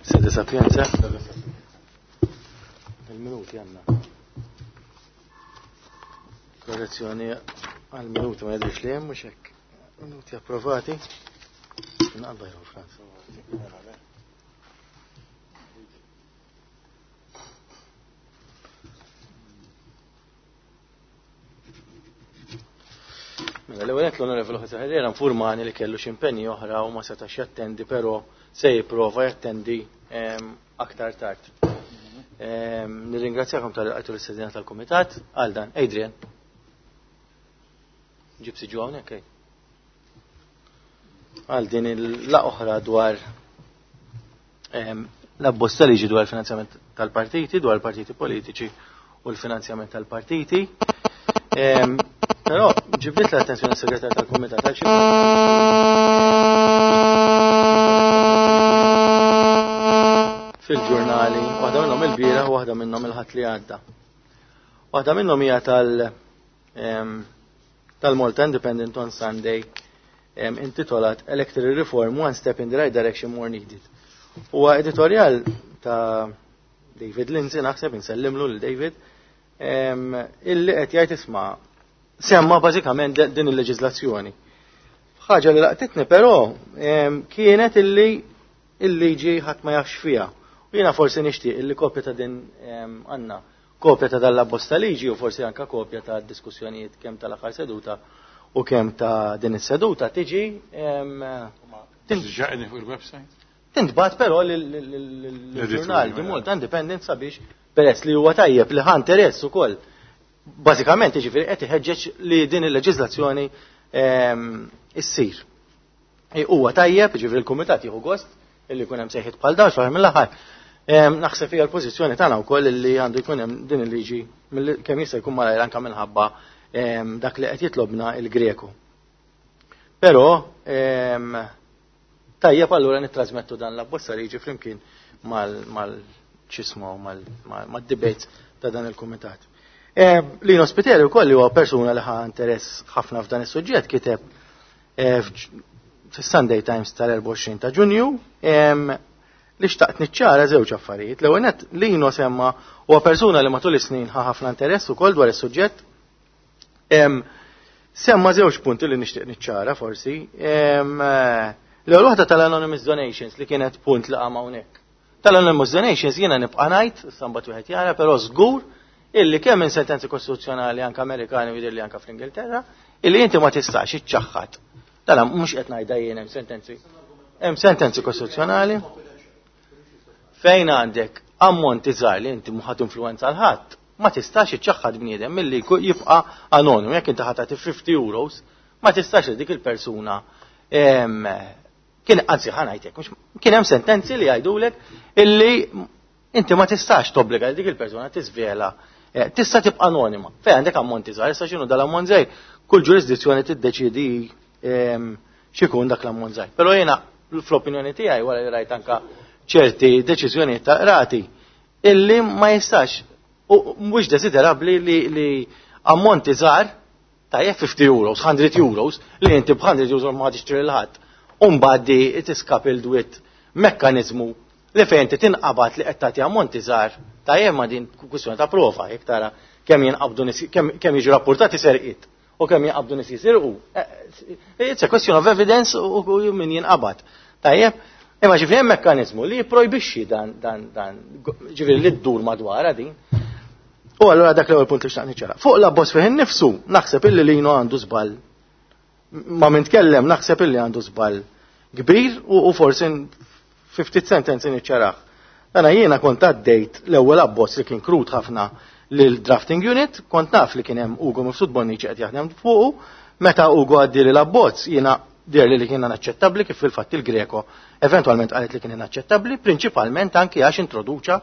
Sede Sapienza. Il-minuti għanna. Korrezzjoni għal-minuti ma jadrix li hemm mhux hekk. Minuti approvati. Naqba jew Franz. Mela l-ewwel qed l-Onorevoli Jose Herrera informani li kellu xi impenji oħra u ma setax jattendi però se jipprova jattendi aktar tard. Nirringrazzjakom tal-qajtu l-istedina tal-Kumitat. Għal dan, Adrian. Ġib siġu hawnhekk. Għal din il-laqgħa oħra dwar l-abbozz ta' liġi dwar il-finanzjament tal-partiti, dwar il-partiti politiċi u l-finanzjament tal-partiti. Però ġibdit l-attenzjoni s-segretar tal-Kumitat għal xi fil-ġurnali, waħda minnhom il-bieraħ u waħda minnhom il-ħadd li għadda. Waħda minnhom hija tal- tal-Malta Independent on Sunday intitolat Electoral Reform One Step in the Right Direction More Needed. Huwa editorial ta' David Lindsay, naħseb insellimlu lil David, illi qed jgħid isma' semma bażikament din il-leġiżlazzjoni. Ħaġa li laqtitni però kienet illi il-liġi ħadd ma jafx fiha. U jiena forsi nixtieq illi kopja ta' din għandna kopja ta' dal-abbozz ta' liġi u forsi anka kopja ta' diskussjonijiet kemm tal-aħħar seduta u kemm ta' din is-seduta tiġi Diġà qegħdin fuq il-website? Tintbagħat però lill-ġurnal di Malta Independent sabiex peress li huwa tajjeb li ħa interess ukoll. Bażikament jiġifieri qed iħeġġeġ li din il-leġiżlazzjoni issir. Huwa tajjeb, jiġifieri l-kumitat jieħu gost illi jkun hemm sejħiet bħal dawn xahar mill-aħħar. Naħseb hija l-pożizzjoni tagħna wkoll illi għandu jkun hemm din il-liġi kemm jista' jkun malajr anke minħabba dak li qed jitlobna il-Greku. Però tajjeb allura nittrasmettu dan l-abbozza liġi flimkien mal-ċismu mal-debate ta' dan il-kumitat. Lino Spiteri wkoll huwa persuna li ħa interess ħafna f'dan is-suġġett kiteb fis-Sunday Times tal-24 ta' Ġunju li xtaqt niċċara żewġ affarijiet. L-ewwel nett Lino semma huwa persuna li matul is-snin ħa ħafna interess ukoll dwar is-suġġett. Semma żewġ punti li nixtieq niċċara forsi. L-ewwel waħda tal-anonymous donations li kienet punt li qam hawnhekk. Tal-anonymous donations jiena nibqa' ngħid, issa mbagħad wieħed jara, però żgur illi kemm minn sentenzi kostituzzjonali anke Amerikani u jidher li anke fl-Ingilterra, illi inti ma tistax iċċaħħad. Dan mhux qed ngħidha jien hemm sentenzi. Hemm sentenzi kostituzzjonali fejn għandek ammonti żgħar li inti mhu ħadd influenza l ħadd, ma tistax iċċaħħad bniedem milli jibqa' anonimu. Jekk inti ħadd tagħti 50 euros, ma tistax li dik il-persuna kien anzi ħa ngħidlek, mhux kien hemm sentenzi li jgħidulek illi inti ma tistax tobbliga li dik il-persuna tiżvela. Tista' tibqa' anonima. Fejn għandek ammonti żgħar, issa x'inhu dal-ammont żgħir, kull ġurisdizzjoni tiddeċiedi x'ikun dak l-ammont żgħir. Però jiena fl-opinjoni tiegħi wara li rajt anka ċerti deċiżjonijiet ta' qrati illi ma jistax u mhux desiderabbli li ammonti żgħar ta' 50 euros, 100 euros, li inti b'100 euros ma tixtri lil ħadd. U mbagħad di it is coupled with mekkaniżmu li fejn inti tinqabad li qed tagħti ammonti żgħar ta' ma din kwistjoni ta' prova, jekk tara kemm jinqabdu nies, kemm jiġu rapportati serqiet u kemm jinqabdu nies jisirqu. It's a question of evidence u min jinqabad. Tajjeb, imma ġifieri hemm mekkaniżmu li jipprojbixxi dan, dan, dan, ġifieri li ddur madwarha din. U allura dak l-ewwel punt li xtaqt niċċara. Fuq l-abbozz fih innifsu, naħseb illi Lino għandu żball. Ma minn tkellem naħseb illi għandu żball kbir u forsi fi ftit sentenzi niċċarah. Dana jiena kont għaddejt l-ewwel abbozz li kien krut ħafna lil drafting unit, kont naf li kien hemm Ugo Mifsud Bonnici qed jaħdem fuqu, meta Ugo għaddieli l-abbozz jiena deher li kien inaċċettabbli kif fil-fatt il-Greco eventwalment qalet li kien inaċċettabbli, prinċipalment anki għax introduċa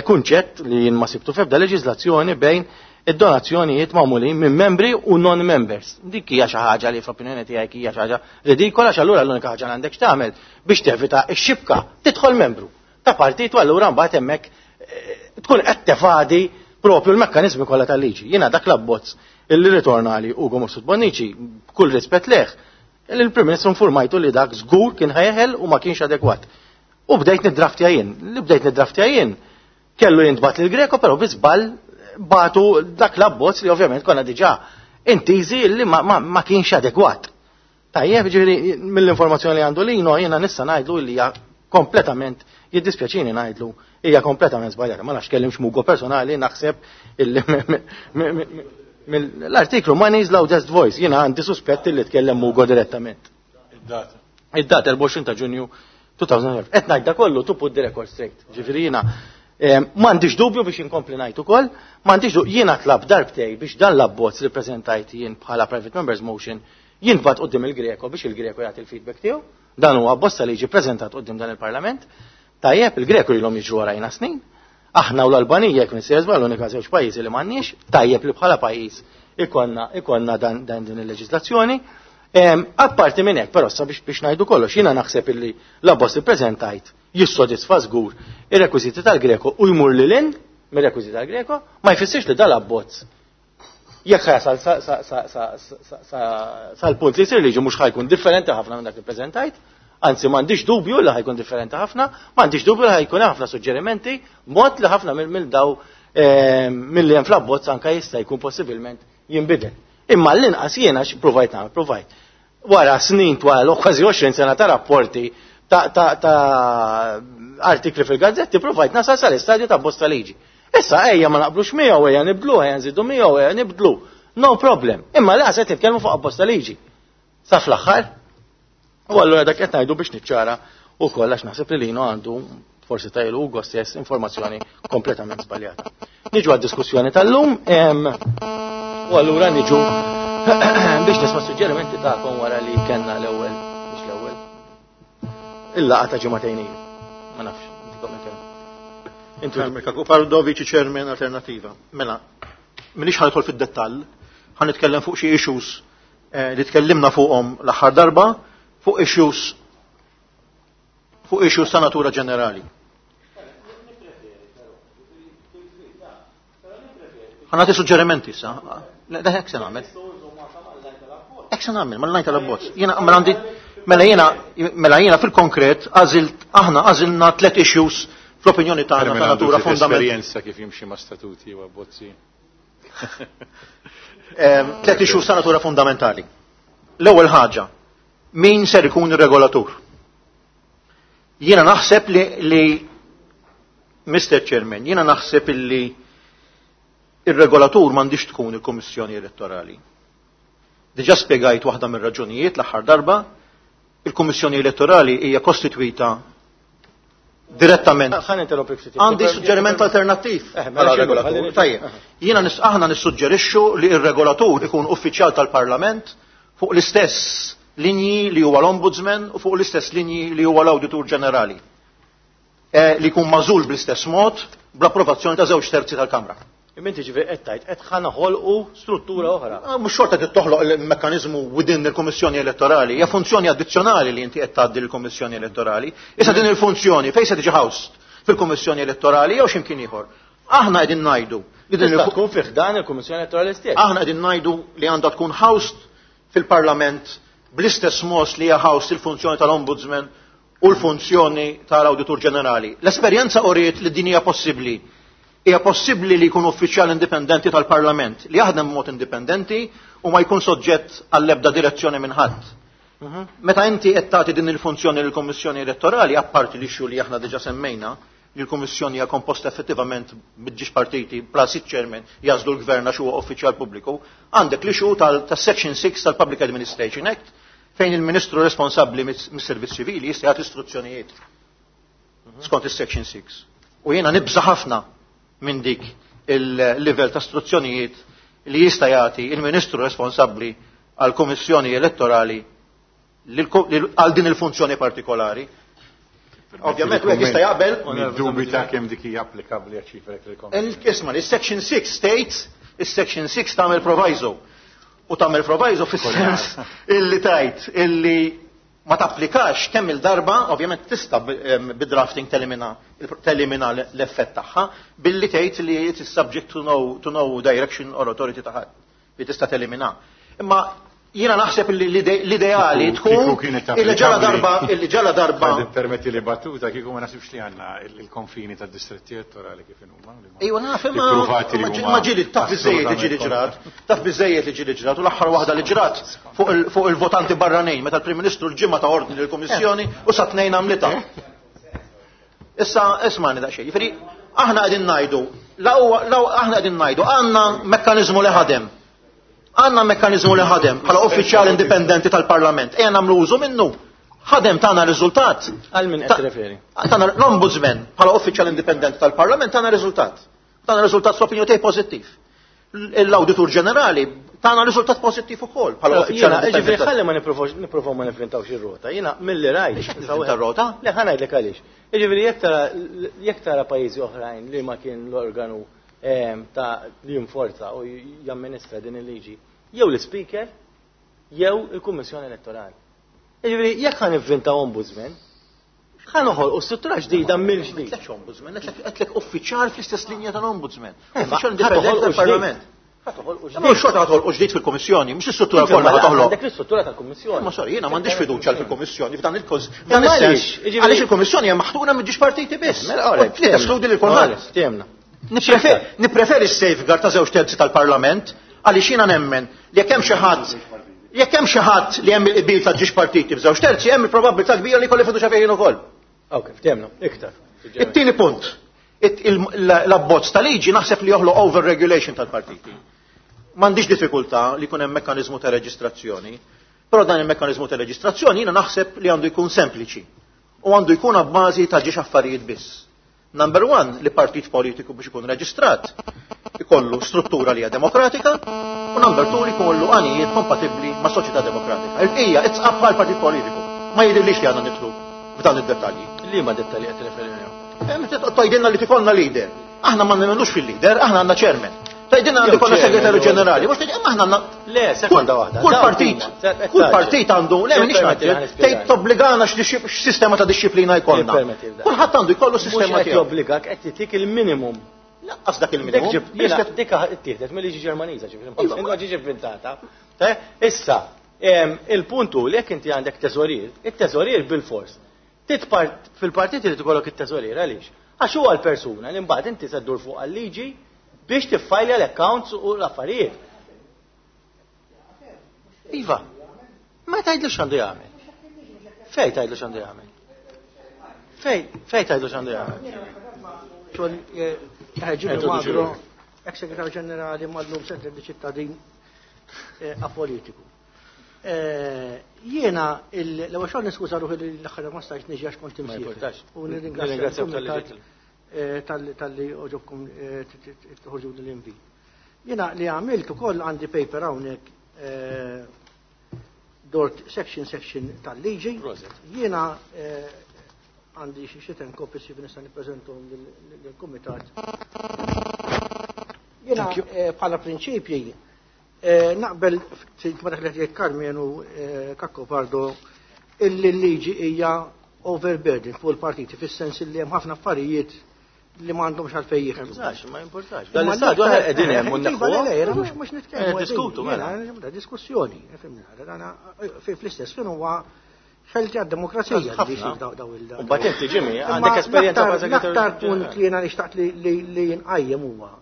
kunċett li jien ma sibtu f'ebda leġiżlazzjoni bejn id-donazzjonijiet magħmulin minn membri u non-members. Dik hija xi ħaġa li fl-opinjoni tiegħi hija xi ħaġa ridikola, għax allura l-unika ħaġa li għandek x'tagħmel biex tevita x-xibka tidħol membru ta' partit u allura mbagħad hemmhekk tkun qed tevadi propju l-mekkaniżmi kollha tal-liġi. Jiena dak l-abbozz illi ritornali Ugo Mifsud Bonnici, b'kull rispett leh, il-Prim Ministru informajtu li dak żgur kien ħajeħel u ma kienx adekwat. U bdejt niddraftja jien. Li bdejt niddraftja jien kellu jintbagħat lil Greco, però bi żball bagħtu dak l-abbozz li ovvjament konna diġà intiżi li ma, ma, ma kienx adegwat. Tajjeb, ġifieri mill-informazzjoni li għandu Lino jiena nista' ngħidlu li hija kompletament jiddispjaċini ngħidlu hija kompletament żbaljata. Ma nafx kellimx Mugo personali naħseb illi l-artiklu Money's Loudest Voice jiena għandi suspetti li tkellem Mugo direttament. Id-data. Id-data 24 ta' Ġunju 2012. Qed ngħid da kollu to put the record straight. Ġifieri jiena m'għandix dubju biex inkompli ngħid ukoll, m'għandix dubju jiena tlab darbtej biex dan l-abbozz li preżentajt jien bħala private members motion jintbagħat quddiem il-Greco biex il-Greco jagħti il-feedback tiegħu. Dan huwa abbozz li jiġi preżentat quddiem dan il-Parlament. Tajjeb, il-Greco ilhom jiġru warajna snin. Aħna u l-Albanija jekk m'iniex l-unika żewġ pajjiżi li m'għandniex, tajjeb li bħala pajjiż ikollna dan, dan din il-leġiżlazzjoni. Apparti minn hekk, però sa biex ngħidu kollox, jiena naħseb illi l-abbozz li preżentajt jissodisfa żgur ir-rekwiżiti tal-Greco u jmur lil hinn mir-rekwiżiti tal-Greco, ma jfissirx li dal-abbozz jekk jasal sal-punt li jsir liġi mhux ħa jkun differenti ħafna minn dak li preżentajt, anzi m'għandix dubju li ħa jkun differenti ħafna, m'għandix dubju li ħa jkun ħafna suġġerimenti, mod li ħafna mill daw mill-li hemm fl-abbozz anka jista' jkun possibilment jinbidel. Imma l-inqas jiena x'provajt nagħmel, provajt. Wara snin twal, kważi 20 sena ta' rapporti ta' artikli fil-gazzetti, provajt nasal sal-istadju ta' bosta liġi. Issa ejja ma naqblux miegħu, ejja nibdlu, ejja nżidu miegħu, ejja nibdlu. No problem. Imma la se titkellmu fuq bosta liġi. Sa fl-aħħar. U allura dak qed ngħidu biex niċċara ukoll għax naħseb li Lino għandu forsi tajlu Ugo stess informazzjoni kompletament żbaljata. Niġu għad-diskussjoni tal-lum u allura niġu biex nisma' suġġerimenti tagħkom wara li kellna l-ewwel, mhux l-ewwel, il-laqgħa ta' ġimagħtejn ilu. Ma nafx, intikom il-kelma. Intu Pardo, Viċi Chairman Alternativa. Mela, m'iniex ħa nidħol fid-dettall, ħa nitkellem fuq xi issues li tkellimna fuqhom l-aħħar darba, fuq issues ta' natura ġenerali. Ħa nagħti suġġerimenti issa. Da hekk se nagħmel. Hekk se nagħmel, mal tal-abbozz. Jiena mela għandi mela jiena fil-konkret għażilt aħna għażilna tliet issues fl-opinjoni tagħna ta' natura fundamentali. Esperjenza kif jimxi ma' statuti u abbozzi. Tliet issues ta' natura fundamentali. L-ewwel ħaġa, min ser ikun ir-regolatur? Jiena naħseb li Mr. Chairman, jiena naħseb li ir-regolatur m'għandix tkun il-Kummissjoni Elettorali. Diġà spjegajt waħda mir-raġunijiet l-aħħar darba, il-Kummissjoni Elettorali hija kostitwita direttament. Ħa ninterrompik ftit. Għandi suġġeriment alternattiv mela għala xinu, regolatur. ħalli Tajjeb. Jiena aħna nissuġġerixxu li ir-regolatur ikun uffiċjal tal-Parlament fuq l-istess linji li huwa l-Ombudsman u fuq l-istess linji li huwa l-Awditur Ġenerali. Li jkun magħżul bl-istess mod bl-approvazzjoni ta' 2/3 tal-Kamra. Imma inti ġifieri qed tgħid qed ħa noħolqu struttura oħra. Ah, mhux xorta qed toħloq il-mekkaniżmu within il-Kummissjoni Elettorali, hija funzjoni addizzjonali li inti qed tgħaddi lill-Kummissjoni Elettorali. Issa din il-funzjoni fejn se tiġi housed? Fil-Kummissjoni Elettorali jew x'imkien ieħor? Aħna qegħdin ngħidu li din Tista' tkun fih dan il-Kummissjoni Elettorali stess. Aħna qegħdin ngħidu li għandha tkun housed fil-Parlament bl-istess mod li hija housed il-funzjoni tal-Ombudsman u l-funzjoni tal-Awditur Ġenerali. L-esperjenza uriet li din hija possibbli. Hija possibbli li jkun uffiċjal indipendenti tal-Parlament, li jaħdem b'mod indipendenti u ma jkun soġġett għall-ebda direzzjoni minn ħadd. Meta inti qed tagħti din il-funzjoni lill-Kummissjoni Elettorali, apparti li xu li aħna diġà semmejna, li l-Kummissjoni hija komposta effettivament b'ġiex partiti plus iċ-chairman jagħżlu l-gvern għax huwa uffiċjal pubbliku, għandek l-issue tas-Section 6 tal-Public Administration Act fejn il-Ministru responsabbli mis-Servizz Ċivili jista' jagħti istruzzjonijiet skont is-Section 6. U jiena nibża ħafna minn dik il-livell ta' istruzzjonijiet li jista' jagħti il-Ministru responsabbli għall-Kummissjoni Elettorali għal din il-funzjoni partikolari. Ovvjament, wieħed jista' jaqbel. Niddubita kemm dik hija applikabbli għal Chief Electoral Commission. Il-isma, il-Section 6 states, il-Section 6 tagħmel proviso. U tagħmel proviso fis-sens illi tajt illi ma tapplikax kemm il-darba, ovvjament tista' bid-drafting telimina l-effett tagħha billi tgħid li it is subject to no direction or authority ta' ħadd li tista' telimina. Imma Jiena naħseb li l-ideali tkun illi ġala darba illi ġala darba. Permetti li battuta kieku ma nasibx li għandna il-konfini tad-distretti elettorali kif huma. Ejwa naf imma ma ġieli taf biżejjed li ġieli ġrat, taf biżejjed li ġieli ġrat u l-aħħar waħda li ġrat fuq il-votanti barranin meta l-Prim Ministru l-ġimgħa ta' ordni lill-Kummissjoni u sa tnejn għamlitha. Issa ismani daqsxejn, jiġifieri aħna qegħdin ngħidu, aħna qegħdin ngħidu għandna mekkaniżmu li ħadem. Għandna mekkaniżmu li ħadem bħala uffiċjal indipendenti tal-Parlament. Ejja nagħmlu użu minnu. Ħadem tagħna riżultat. Għal min qed referi? Tagħna l-Ombudsman bħala uffiċjal indipendenti tal-Parlament tagħna riżultat. Tagħna riżultat fl-opinjoni tiegħi pożittiv. L-Awditur Ġenerali tagħna riżultat pożittiv ukoll bħala uffiċjal indipendenti. Ħalli ma nipprovaw ma nivvintawx ir-rota. Jiena milli rajt. Ir-rota? Le ħa ngħidlek għaliex. Jiġifieri jekk tara pajjiżi oħrajn li ma kien l-organu ta' li jinforza u jamministra din il-liġi, jew l-Speaker, jew il-Kummissjoni Elettorali. Jiġifieri jekk ħa nivvinta ombudsman, ħa noħolqu struttura ġdida mill-ġdid. Għedtlek ombudsman, għedtlek uffiċjal fl-istess linja tal-ombudsman. Uffiċjal indipendenti tal-Parlament. Mhux xorta ħatoħolqu ġdid fil-Kummissjoni, mhux l-istruttura kollha ħatoħloq. Dak l-istruttura tal-Kummissjoni. Ma sorry, jiena m'għandix fiduċja fil-Kummissjoni f'dan il-każ. F'dan is-sens. Għaliex il-Kummissjoni hija maħtura minn ġiex partiti biss. Teskludi lil kulħadd. Temna. Nippreferi s-safeguard ta' żewġ terzi tal-Parlament għaliex jiena nemmen li jekk hemm xi ħadd jekk hemm xi ħadd li hemm il-qbil ta' ġiex partiti f'żewġ terzi hemm il-probabbiltà kbira li jkolli fiduċja fih ukoll. Ok, ftemna, iktar. It-tieni punt, l-abbozz ta' liġi naħseb li joħloq overregulation tal-partiti. M'għandix diffikultà li jkun hemm mekkaniżmu ta' reġistrazzjoni, però dan il-mekkaniżmu ta' reġistrazzjoni jiena naħseb li għandu jkun sempliċi u għandu jkun abbażi ta' ġiex affarijiet biss. Number one, li partit politiku biex ikun reġistrat ikollu struttura li hija demokratika u number two li jkollu għanijiet kompatibbli ma' soċjetà demokratika. Il-bqija it's up għal partit politiku. Ma jidhirlix li għandna nidħlu f'dan id-dettalji. Liema dettalji qed tirreferi għalihom? Tgħidilna li tikollna leader. Aħna ma nemmnux fil-leader, aħna għandna chairman. Tgħidilna li konna segretarju ġenerali, mhux tgħid imma aħna għandna Le, sekonda waħda. Kull partit, kull partit għandu, le m'iniex ngħid, tgħid tobbligana x'sistema ta' disċiplina jkollna. Kulħadd għandu jkollu sistema tiegħu. Jobbligak qed titik il-minimum. Laqqas dak il-minimum. Dik ittieħdet mill-liġi Ġermaniża, ġifieri ma ġiġ inventata. Issa, il-punt hu li jekk inti għandek teżorier, it-teżorier bil-fors. Fil-partit li tkollok it-teżorier għaliex? Għax huwa l-persuna li mbagħad inti se ddur fuq għal-liġi biex tiffajlja l-accounts u l-affarijiet. Iva, ma tgħidlu x'għandu jagħmel. Fej tgħidlu x'għandu jagħmel? Fej, fej tgħidlu x'għandu jagħmel? Ġimmy Magro, ex-segretarju ġenerali mal-lum sentri ċittadin apolitiku. Jiena l-ewwel xogħol niskuża ruħi li l-aħħar ma stajtx niġi għax kont imsiefer. U nirringrazzja tal-li oġobkom toħorġu l-invit. Jiena li għamilt ukoll għandi paper hawnhekk dort section section tal-liġi. Jiena għandi xi ten copies kif nista' nippreżentom lill-kumitat. Jiena bħala prinċipji naqbel ma dak li jgħid Karmenu Kakkopardo illi l-liġi hija overburden fuq il-partiti fis-sens li hemm ħafna affarijiet li m'għandhomx għalfejn jieħdu. Importax, ma importax. Dan l-istadju aħna qegħdin hemm u neħħu. Mhux nitkellmu. Diskutu mela. Diskussjoni, fl-istess fin huwa ħelti għad-demokrazija. U mbagħad inti Jimmy għandek esperjenza L-aktar punt li jiena nixtaqt li jinqajjem huwa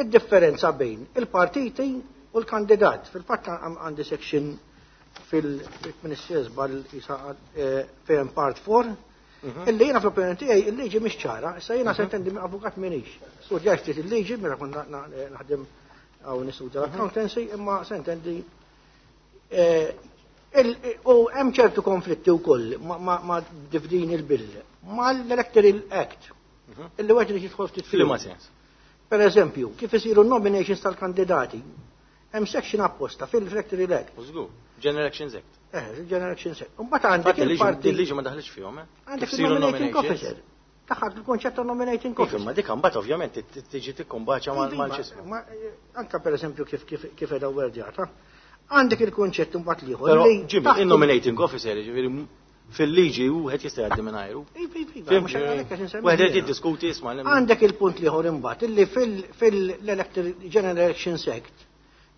id-differenza bejn il-partiti u l-kandidat. Fil-fatt għandi section fil-Ministri żball fejn part 4 illi jiena fl-opinjoni tiegħi il-liġi mhix ċara, issa jiena se intendi avukat m'iniex. Studjajt ftit il-liġi meta kont naħdem hawn nistudja l-accountancy, imma se intendi u hemm ċertu konflitti wkoll ma' f'din il-bill mal-Electoral Act illi wieħed irid jidħol ftit fil sens. Per eżempju, kif isiru nominations tal-kandidati, hemm section apposta fil-Electoral Act. Żgur, General Elections Act. General Elections Act. Mbagħad għandek il-parti. Il-liġi ma daħlitx fihom, eh? Għandek il-nominating officer. Taħat il-konċett ta' nominating officer. Ma dik mbagħad ovvjament tiġi tikkombaċa mal-ċismu. Anka per eżempju kif qiegħda wordjata. Għandek il-konċett mbagħad ieħor. Però Jimmy, il-nominating officer, ġifieri fil-liġi wieħed jista' jgħaddi mingħajru. Wieħed qed jiddiskuti isma' Għandek il-punt l-ieħor imbagħad illi fil-Electoral General Elections Act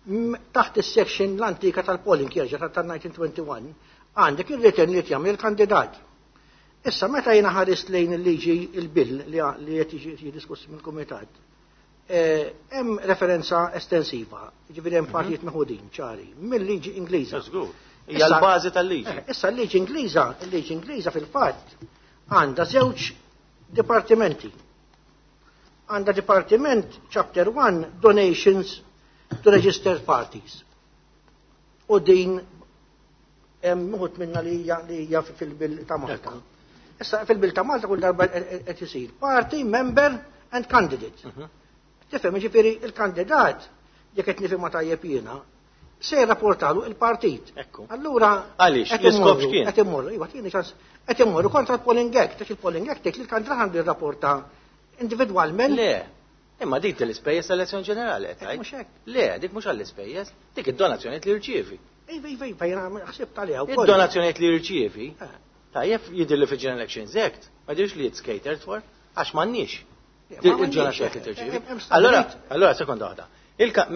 Taħt is-section l-antika tal-polling jerġa' tal-1921 għandek ir-return li jagħmel il-kandidat. Issa meta jiena ħarist lejn il-liġi, il-bill li qed jiġi diskussi mill-kumitat, hemm referenza estensiva, ġifieri hemm partijiet meħudin ċari mill-liġi Ingliża. Żgur. Hija l-bażi tal-liġi. Issa l-liġi Ingliża fil-fatt għandha żewġ dipartimenti. Għandha dipartiment chapter 1, donations to registered parties. U din hemm uħud minna li hija fil-bill ta' Malta. Issa fil-bill ta' Malta kull darba qed isir party member and candidate. Tifhem, ġifieri il-kandidat, jekk qed nifhimha tajjeb jiena, se jirrapportalu il-partit. Ekku. Allura Għaliex? qed L-iskop immorru- x'kien? Qed immorru, iva, tieni ċans, qed immorru kontra l-Polling Act, għax il-Polling Act tgħid li l-kandidat għandu jirrapporta individwalment. Le. Imma dik l-ispejjeż tal-elezzjoni ġenerali qed tgħid. Mhux hekk. Le, dik mhux għall-ispejjeż, dik id-donazzjonijiet li jirċievi. Iva, jiena ħsibt għaliha wkoll. Id-donazzjonijiet li jirċievi, tajjeb, jidher li fil-General Elections Act, ma jidhirx li it's catered for, għax m'għandniex. Il-donazzjonijiet li tirċievi. Allora, sekonda waħda.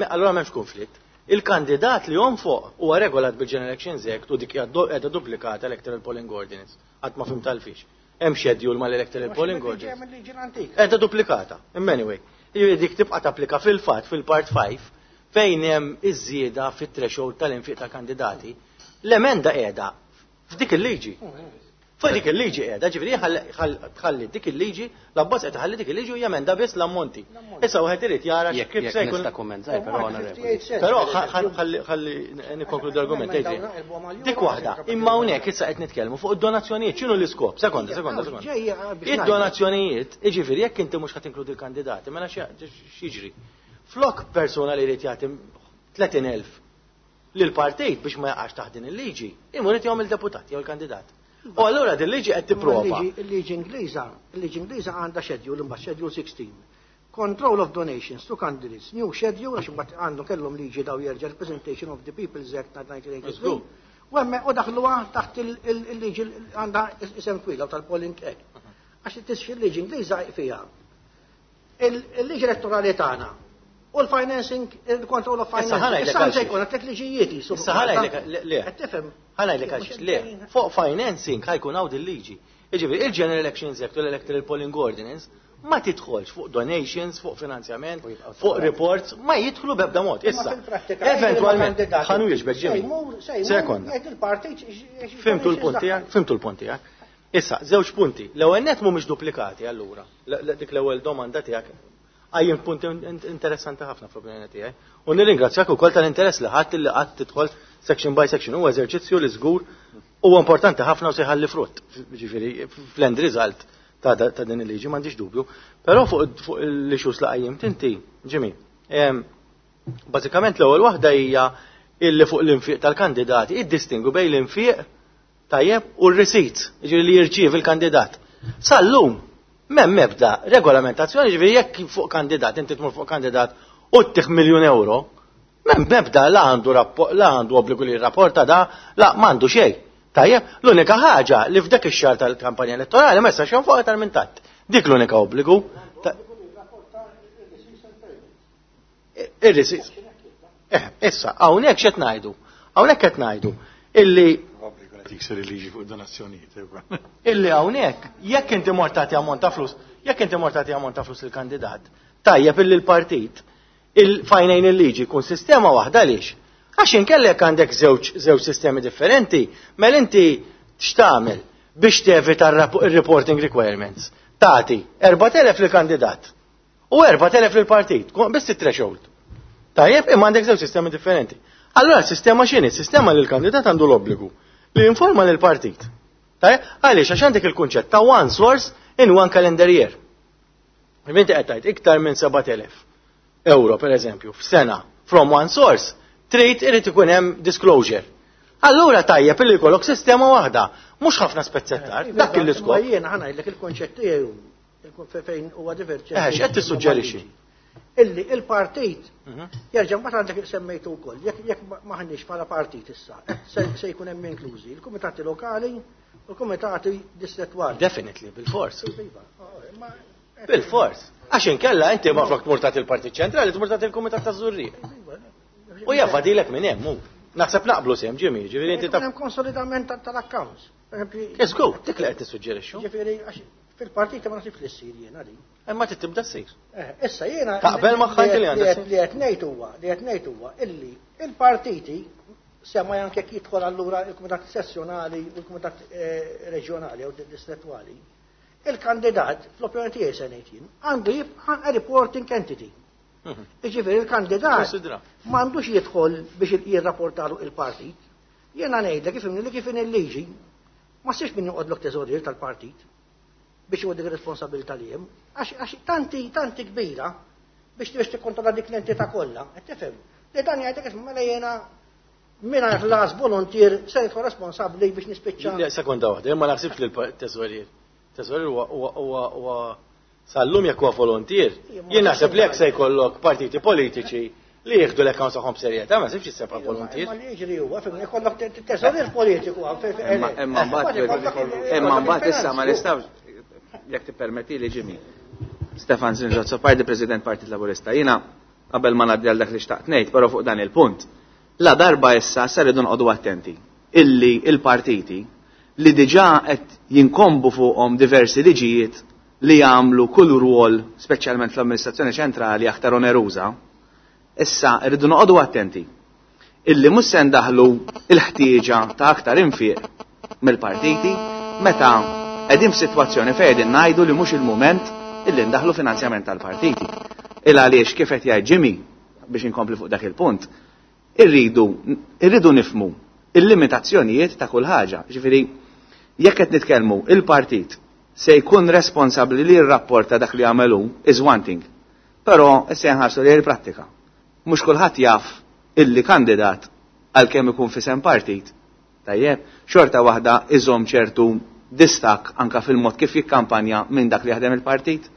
Allora m'hemmx konflitt. Il-kandidat li jonfoq huwa regolat bil-General Elections Act u dik hija qiegħda duplikata Electoral Polling Ordinance. Qatt ma fhimt għalfiex. Hemm schedule mal-Electoral Polling Ordinance. Qiegħda duplikata. Imma anyway, jiġifieri dik tibqa' tapplika fil-fatt fil-part 5 fejn hemm iż-żieda fit-threshold tal-infiq tal-kandidati. L-emenda qiegħda f'dik il-liġi. Fuq dik il-liġi qiegħda, ġifieri tħalli dik il-liġi, l-abbozz qed tħalli dik il-liġi u jemenda biss l-ammonti. Issa wieħed irid jara Jekk kif jekk se jkun. nista' kumment żgħir, però, onorevoli. Però ħalli nikkonkludi l-argument. Tgħid. Dik waħda, imma hawnhekk issa qed nitkellmu fuq id-donazzjonijiet, x'inhu l-iskop? Sekonda, sekonda, sekonda. Id-donazzjonijiet, jiġifieri jekk inti mhux ħa tinkludi l-kandidati, mela x'jiġri? Flok persuna li jrid jagħti 30,000 lil partit biex ma jaqax taħt din il-liġi, imur irid jagħmel deputat jew il-kandidat. U allura din il-liġi qed tipprova. Il-liġi Ingliża għandha schedule, imbagħad schedule 16. Control of donations to candidates, new schedule, għax imbagħad għandu kellhom liġi daw jerġa' Representation of the People's Act ta' 1983. Żgur. U hemm u daħluha taħt il-liġi għandha isem twila tal-Polling Act. Għax tisxi il-liġi Ingliża fiha il-liġi elettorali tagħna u l-financing, il-control of Issa financing. ħa ngħidlek Issa għal se xiex. jkun tliet liġijiet jisu. Issa ħa ngħidlek le. Qed tifhem? Ħa ngħidlek għaliex, le, fuq financing ħa jkun hawn il-liġi. Jiġifieri il-General Elections Act u l-Electoral Polling Ordinance ma tidħolx fuq donations, fuq finanzjament, fuq reports, ma jidħlu b'ebda mod. Issa, eventualment, ħa nwieġbek, Jimmy. Sekonda. Fhimtu l-punt tiegħek, fhimtu l-punt tiegħek. Issa, żewġ punti. L-ewwel net mhumiex duplikati allura. Dik l-ewwel domanda tiegħek għajjem punt interessanti ħafna fl-opinjoni tiegħi. U nirringrazzjak ukoll tal-interess li ħadd li qatt tidħol section by section, huwa eżerċizzju li żgur huwa importanti ħafna u se jħalli frott. Ġifieri fl-end result ta' din il-liġi m'għandix dubju. Però fuq l-issues li qajjimt inti, Jimmy, bażikament l-ewwel waħda hija illi fuq l-infiq tal-kandidati iddistingu bejn l-infiq, tajjeb, u r-receipt, ġifieri li jirċiev il-kandidat. Sal-lum m'hemm ebda regolamentazzjoni, ġifieri jekk fuq kandidat, inti tmur fuq kandidat u ttih miljun euro, m'hemm ebda la għandu obbligu li jirrapporta da, la m'għandu xejn. Tajjeb, l-unika ħaġa li f'dak ix-xahar tal-kampanja elettorali ma jistax jonfoq aktar minn tant. Dik l-unika obbligu. Ir-receipt. Issa, hawnhekk x'qed ngħidu? Hawnhekk qed ngħidu illi Obbligu li tikser il-liġi fuq donazzjonijiet. Illi hawnhekk jekk inti mort tagħti ammont ta' flus, jekk inti mort tagħti ammont ta' flus il-kandidat, tajjeb illi l-partit il-fajnejn il-liġi kun sistema waħda. Għaliex? Għax inkellek għandek żewġ sistemi differenti, mela inti x'tagħmel biex tevita il-reporting requirements? Tagħti 4000 lill-kandidat u 4000 lill-partit, biss it-threshold. Tajjeb, imma għandek żewġ sistemi differenti. Allora, s-sistema x'inhi? Sistema li l-kandidat għandu l-obbligu li jinforma lill-partit. Tajjeb, għaliex? Għax għandek il-kunċett ta' one source in one calendar year. Inti qed tgħid iktar minn 7000 euro, per eżempju, f'sena from one source, trid irid ikun hemm disclosure. Allura tajjeb illi jkollok sistema waħda, mhux ħafna spezzettar, dak il-iskop. Ma jiena ħa ngħidlek il-konċett tiegħu fejn huwa diverġenti. X'qed tissuġġerixxi? Illi il-partit jerġa' mbagħad għandek semmejtu wkoll, jekk maħniex bħala partit issa, se jkun hemm inklużi il-kumitati lokali u l-kumitati distrettwali. Definitely, bil-fors. Iva, oh, Bil-fors. Għax inkella inti ma flok tmur tagħti il-Partit Ċentrali, tmur tagħti il-Kumitat ta' Żurrieq. Iva. U javadilek minn hemm hu. Naħseb naqblu sem, Jimmy, ġifieri inti ta' hemm konsolidament tal-accounts. Iżgur, dik li qed tissuġġerixxu. Ġifieri fil-partiti ma nasibx li ssir jiena din. Imma trid tibda ssir. Eh, issa jiena Taqbel magħha inti li għandha Li qed ngħid huwa, li qed ngħid huwa illi il-partiti sema anke jekk jidħol allura il-kumitat sessjonali u l-kumitat eh, reġjonali jew distrettwali, il-kandidat fl-opinjoni tiegħi se ngħid jien għandu jibqa' reporting entity. Jiġifieri il-kandidat m'għandux jidħol biex jirrapportalu il-partit. Jiena ngħidlek ifhimni li kif il-liġi ma ssirx min joqgħodlok teżorier tal-partit biex jieħu dik ir-responsabilità li hemm. Għax tanti tanti kbira biex biex tikkontrolla dik l-entità kollha, qed tifhem. Li dan jgħidlek isma' mela jiena mingħajr ħlas volontier se jidħol responsabbli biex nispiċċa. Sekonda waħda, ma naħsibx li l-teżorier. Teżorier huwa Sal-lum jekk huwa volontier, jien naħseb li jekk se jkollok partiti politiċi li jieħdu l-accounts tagħhom b'serjetà, ma sibx issebqa' volontier. Ma li jiġri huwa fejn ikollok teżorier politiku Imma mbagħad imma mbagħad issa ma nistgħux jekk tippermetti li Jimmy. Stefan Zinġo Azzopardi, President Partit Laburista. Jiena qabel ma ngħaddi għal dak li xtaqt ngħid, però fuq dan il-punt. La darba issa se rridu noqogħdu attenti illi il-partiti li diġà qed jinkombu fuqhom diversi liġijiet li jagħmlu kull rwol, speċjalment fl-amministrazzjoni ċentrali, aktar oneruża, issa rridu noqogħdu attenti illi mhux se ndaħlu l-ħtieġa ta' aktar infiq mill-partiti meta qegħdin f'sitwazzjoni fejn qegħdin ngħidu li mhux il-mument illi ndaħlu finanzjament tal-partiti. Il għaliex kif qed jgħid Jimmy, biex inkompli fuq dak il-punt, irridu irridu nifhmu il-limitazzjonijiet ta' kull ħaġa. Ġifieri, jekk qed nitkellmu il-partit se jkun responsabbli li jirrapporta dak li għamel hu is one thing. Però issa nħarsu li il-prattika. Mhux kulħadd jaf illi kandidat għalkemm ikun f'isem partit, tajjeb, xorta waħda iżomm ċertu distakk anka fil-mod kif jikkampanja minn dak li jaħdem il-partit.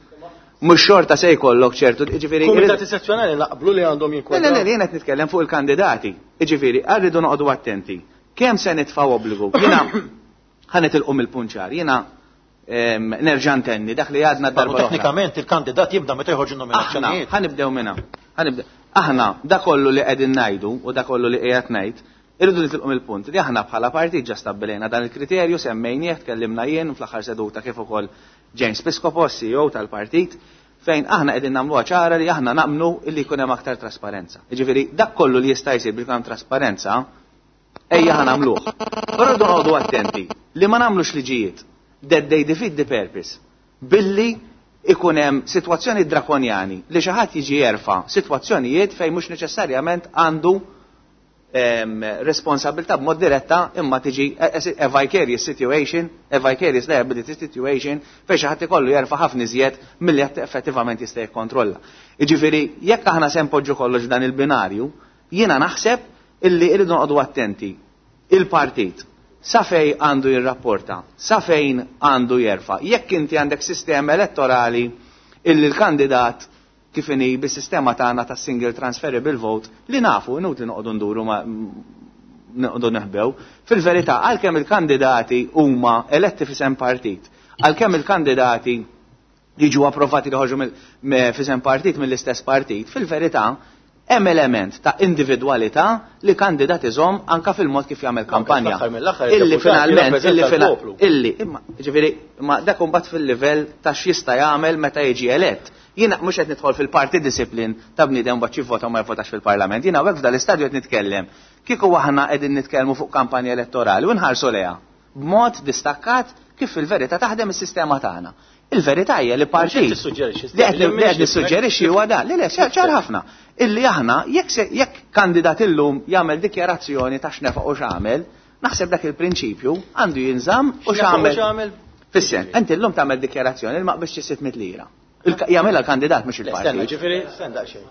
Mhux xorta se jkollok ċertu, ġifieri. Kumitati sezzjonali naqblu li għandhom jinkwadru. Le, le, le, jiena qed nitkellem fuq il-kandidati. Jiġifieri, rridu noqogħdu attenti. Kemm se nitfgħu obbligu? Jiena ħa nitilqu mill-punt ċar. Jiena nerġa' ntenni dak li għadna darba. Teknikament il-kandidat jibda meta joħorġu nominazzjonijiet. Ħa nibdew minna. Aħna da kollu li qegħdin ngħidu u da kollu li qiegħed ngħid, irridu nitilqu mill-punt li aħna bħala partit ġa stabbilejna dan il-kriterju, semmejnieh, tkellimna jien fl-aħħar seduta kif ukoll James Piscopo, CEO tal-partit, fejn aħna qegħdin nagħmluha ċara li aħna naqmnu li jkun hemm aktar trasparenza. Jiġifieri dak kollu li jista' jsir biex hemm trasparenza, ejja ħa nagħmluh. Però rridu noqogħdu attenti li ma nagħmlux liġijiet that they defeat the purpose billi ikun hemm sitwazzjoni drakonjani li xi ħadd jiġi jerfa' sitwazzjonijiet fejn mhux neċessarjament għandu responsabilità b'mod diretta imma tiġi a vicarious situation, a vicarious liability situation fejn xi ħadd ikollu jerfa' ħafna iżjed milli qed effettivament jista' jikkontrolla. Jiġifieri jekk aħna se npoġġu kollox dan il-binarju, jiena naħseb illi rridu noqogħdu attenti. Il-partit sa fejn għandu jirrapporta, sa fejn għandu jerfa'. Jekk inti għandek sistema elettorali illi l-kandidat kif inhi bis-sistema tagħna ta' single transferable vote li nafu inutli noqogħdu nduru ma noqogħdu neħbew. Fil-verità, għalkemm il-kandidati huma eletti f'isem partit, għalkemm il-kandidati jiġu approvati li ħorġu f'isem partit mill-istess partit, fil-verità hemm element ta' individwalità li kandidat iżomm anka fil-mod kif jagħmel kampanja. Illi finalment, illi finalment, illi, imma, ġifieri, ma dak imbagħad fil-livell ta' x'jista' jagħmel meta jiġi elett. Jiena mhux qed nidħol fil-party discipline ta' bniedem mbagħad jivvota u ma jivvotax fil-Parlament. Jiena hawnhekk f'dal-istadju qed nitkellem. Kieku aħna qegħdin nitkellmu fuq kampanja elettorali u nħarsu lejha b'mod distakkat kif fil-verità taħdem is-sistema tagħna. Il-verità hija li partit li qed nissuġġerixxi huwa dan, li le ċar ħafna. Illi aħna jekk kandidat illum jagħmel dikjarazzjoni ta' x'nefaq u x'għamel, naħseb dak il-prinċipju għandu jinżamm u x'għamel. Fis-sen, inti llum tagħmel dikjarazzjoni il maqbix xi 600 lira. Jagħmilha l-kandidat mhux il-partit. Stenna, ġifieri, stenna daqsxejn.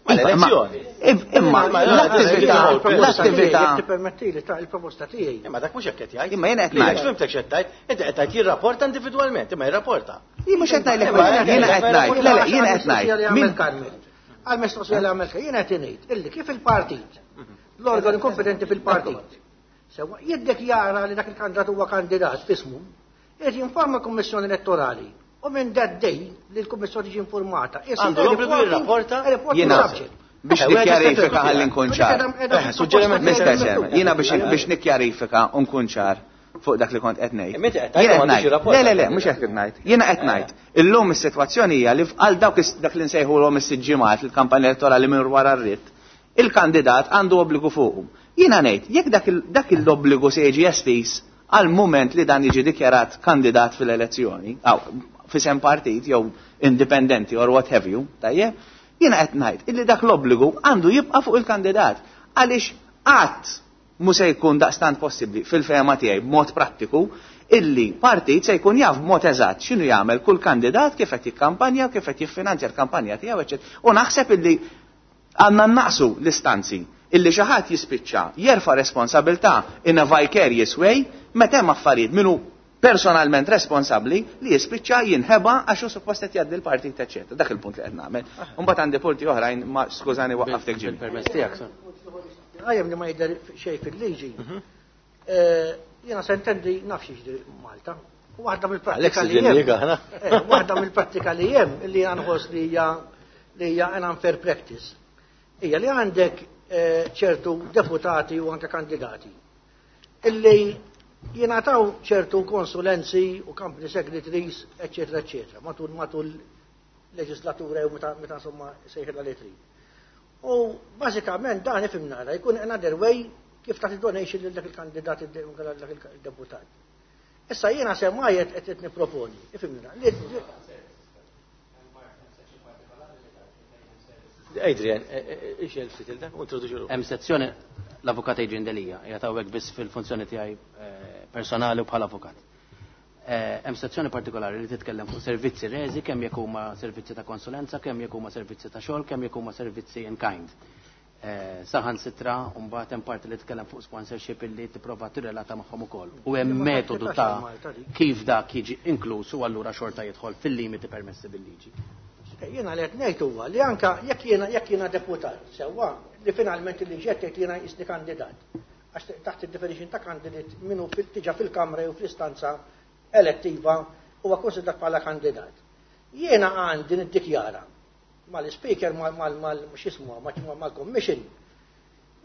Imma l-attività, l-attività. Tippermettili ta' il-proposta tiegħi. Imma dak mhux hekk qed jgħid. Imma jiena qed ngħid. Fhimtek x'qed tgħid, inti qed tgħid jirrapporta individwalment, imma jirrapporta. Jien mhux qed ngħidlek jiena qed ngħid. Le, le, jiena qed ngħid. Għal mistoqsija li għamel jiena qed ngħid illi kif il-partit, l-organu kompetenti fil-partit, sewa jiddikjara li dak il-kandidat huwa kandidat f'ismu, irid jinforma l-Kummissjoni Elettorali u minn that day li l-Kummissjoni ġi informata. Għandu l-obbligu jirrapporta. Jiena Biex nikkjarifika ħalli nkun ċar. Suġġeriment. Mr. Chairman, jiena biex nikkjarifika u nkun ċar fuq dak li kont qed ngħid. Imma inti qed tgħid Jiena qed m'għandux ngħid. rapport. Le, le, le, mhux qed ngħid. Jiena qed ngħid. Illum is-sitwazzjoni hija li għal dawk dak li nsejħulhom is-siġġimat il-kampanja elettorali minn wara r-ritt, il-kandidat għandu obbligu fuqhom. Jiena ngħid, jekk dak l-obbligu se jiġi estiż għal mument li dan jiġi dikjarat kandidat fil-elezzjoni, aw fisem partit jew indipendenti or what have you, tajjeb, jiena qed ngħid illi dak l-obbligu għandu jibqa' fuq il-kandidat għaliex qatt mhu se jkun daqstant possibbli fil-fehma tiegħi b'mod prattiku illi partit se jkun jaf b'mod eżatt x'inhu jagħmel kull kandidat, kif qed jikkampanja, kif qed jiffinanzja l-kampanja tiegħu, eċċetera. U naħseb illi għandna naqsu l-istanzi illi xi ħadd jispiċċa jerfa' responsabilità in a vicarious way meta hemm affarijiet minnu personalment responsabbli li jispiċċa jinħeba għax hu suppost qed jgħaddi l-partit, eċċetera. Dak il-punt li qed nagħmel. Imbagħad għandi punti oħrajn, ma skużani waqqaftek Jimmy. Bil-permess tiegħek, sir. Għajem li ma jidher xejn fil-liġi. Jiena se intendi naf xi jiġri Malta. Waħda mill-prattika Alex li hemm. ġenniga, ħna. Waħda mill-prattika li hemm li nħoss li hija an unfair practice. Hija li għandek ċertu deputati u anke kandidati illi jingħataw ċertu konsulenzi u company secretaries, eccetera, eccetera, matul leġislatura jew meta insomma sejħilha li trid. U bażikament dan ifhem nara jkun another way kif tagħti donation lil dak il-kandidat dak il-deputat. Issa jiena semmajet qed nipproponi, ifhem nara. Adrian, ixel ftit il-dak u introduċi Hemm sezzjoni, l-avukat Adrian Delia, qiegħed hawnhekk biss fil-funzjoni tiegħi personali u bħala avukat. Hemm sezzjoni partikolari li titkellem fuq servizzi reżi, kemm jekk huma servizzi ta' konsulenza, kemm jekk huma servizzi ta' xogħol, kemm jekk huma servizzi in kind. Saħansitra mbagħad hemm parti li titkellem fuq sponsorship illi tipprova tirrelata magħhom ukoll. U hemm metodu ta' kif dak jiġi inkluż u allura xorta jidħol fil-limiti permessi bil-liġi. Jiena li qed ngħid huwa li anka jekk jiena deputat sewwa li finalment li ġiet tgħid li jiena jisni kandidat. Għax taħt id-definition ta' candidate minnu diġà fil-kamra jew fl-istanza elettiva huwa konsidrat bħala kandidat. Jiena għandi niddikjara mal-speaker mal x'ismu mal-commission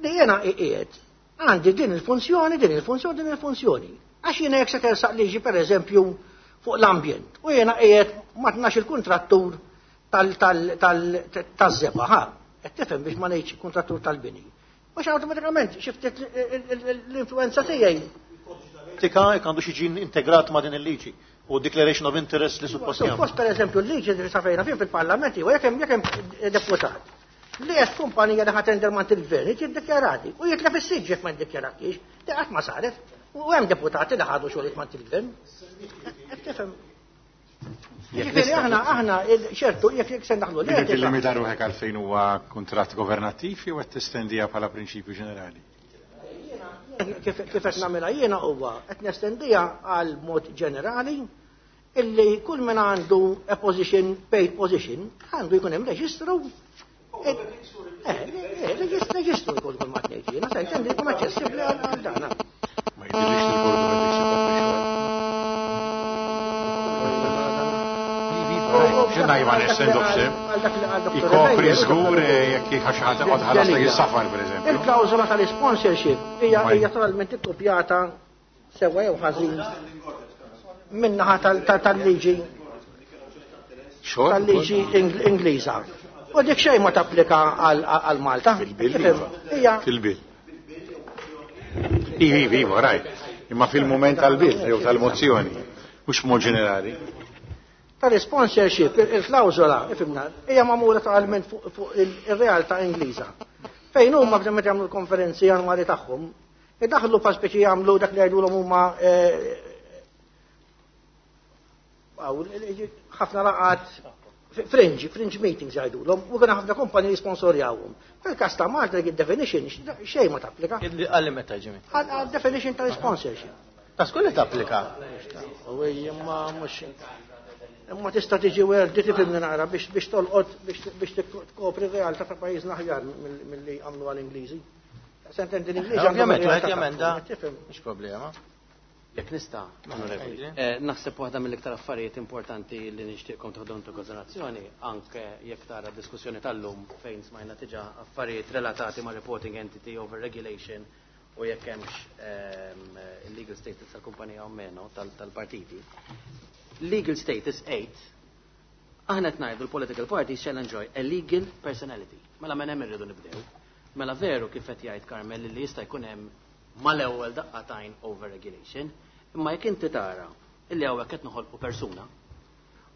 li jiena qiegħed għandi din il-funzjoni, din il-funzjoni, din il-funzjoni. Għax jiena jekk se tersaq liġi per eżempju fuq l-ambjent u jiena qiegħed ma tnax il-kontrattur taż-żebgħa, ha, qed tifhem, biex ma ngħidx kontrattur tal-bini. Mhux awtomatikament xi ftit l-influenza tiegħi. Tika jekk għandu xi integrat ma' din il-liġi u declaration of interest li suppost jagħmel. Suppost per eżempju l-liġi li safejna fin fil-parlament huwa jekk hemm deputat li qed kumpanija li ħa tender mant il-gvern jiddikjarati u jitlef is-siġġ jekk ma ddikjaratix, li qatt ma saret. U hemm deputati li ħadu xogħol mant il-gvern. Qed tifhem? Jiġifieri aħna ċertu jekk se ndaħlu Inti l-etika. tillimita ruħek għalfejn huwa kuntratt governattiv jew qed testendija bħala prinċipju ġenerali? Kif qed nagħmilha jiena huwa qed nestendija għal mod ġenerali illi kull min għandu a position, paid position, għandu jkun hemm reġistru. Reġistru jkun kull ma tgħid jiena, se intendi jkun aċċessibbli għal dan. Ma jidhirlix li l-Board of Ethics ikopri xogħol. X'inna jima nestendu ħsieb? Ikopri żgur jekk xi ħadd qod ħalas is-safar pereżempju. Il-klawżola tal-sponsorship hija totalment ikkopjata sewwa jew ħażin minnaħa tal-liġi Xogħol tal-liġi Ingliża. U dik xejn ma tapplika għal Malta. Fil-bill. Tifhem? Hija Fil-bill. Ivi, ivi, rajt. Imma fil-moment tal-bill jew tal-mozzjoni, mhux mod ġenerali. Tal-sponsorship, il-klawżola, ifhimna, hija magħmula totalment fuq il-realtà Ingliża. Fejn huma b'dem meta jagħmlu l-konferenzi annwali tagħhom, idaħlu pa speċi jagħmlu dak li jgħidulhom huma ħafna laqat fringe meetings jgħidulhom, u kien ħafna kumpaniji sponsorjawhom. Fil-każ ta' Malta dik id-definition xejn ma tapplika. Għalli meta ġimi. Għal definition tal-sponsorship. Ta' skulli tapplika. U imma mhux imma tista' tiġi werdi tifhimni naqra biex tolqot biex tkopri r-realtà ta' pajjiżna aħjar milli għamlu għall-Ingliżi. Sentendi l-Ingliżi għandhom Ovvjament, ir-realtà wieħed jemenda. tagħhom, tifhem. Mhux problema. Jekk nista', onorevoli. Naħseb waħda mill-iktar affarijiet importanti li nixtieqkom toħdu into konsiderazzjoni, anke jekk tara diskussjoni tal-lum fejn smajna diġà affarijiet relatati ma' reporting entity over regulation u jekk hemmx il-legal status tal-kumpanija o meno tal-partiti. Legal status 8, aħna qed ngħidu l-political parties shall enjoy a legal personality. Mela minn hemm irridu nibdew. Mela veru kif qed jgħid Carmel li jista' jkun hemm mal-ewwel daqqa t'għajn overregulation, imma jekk inti tara illi hawnhekk qed noħolqu persuna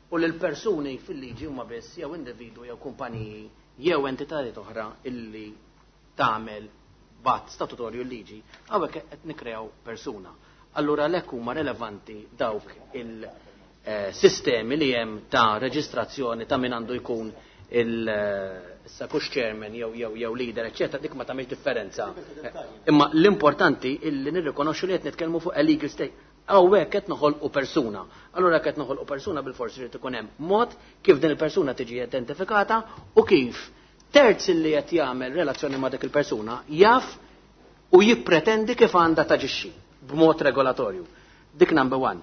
u li l-persuni fil-liġi huma biss jew individwu jew kumpaniji jew entitajiet oħra illi tagħmel b'att statutorju l-liġi, hawnhekk qed nikkrew persuna. Allura għalhekk huma relevanti dawk il-sistemi li hemm ta' reġistrazzjoni ta' min għandu jkun il- kux chairman jew leader, eccetera, dik ma tagħmilx differenza. Imma l-importanti illi nirrikonoxxu li qed nitkellmu fuq a legal state. Hawnhekk qed noħolqu persuna. Allura qed noħolqu persuna bil-forsi li ikun hemm mod kif din il-persuna tiġi identifikata u kif terz li qed jagħmel relazzjoni ma' dik il-persuna jaf u jippretendi kif għandha taġixxi b'mod regolatorju. Dik number one.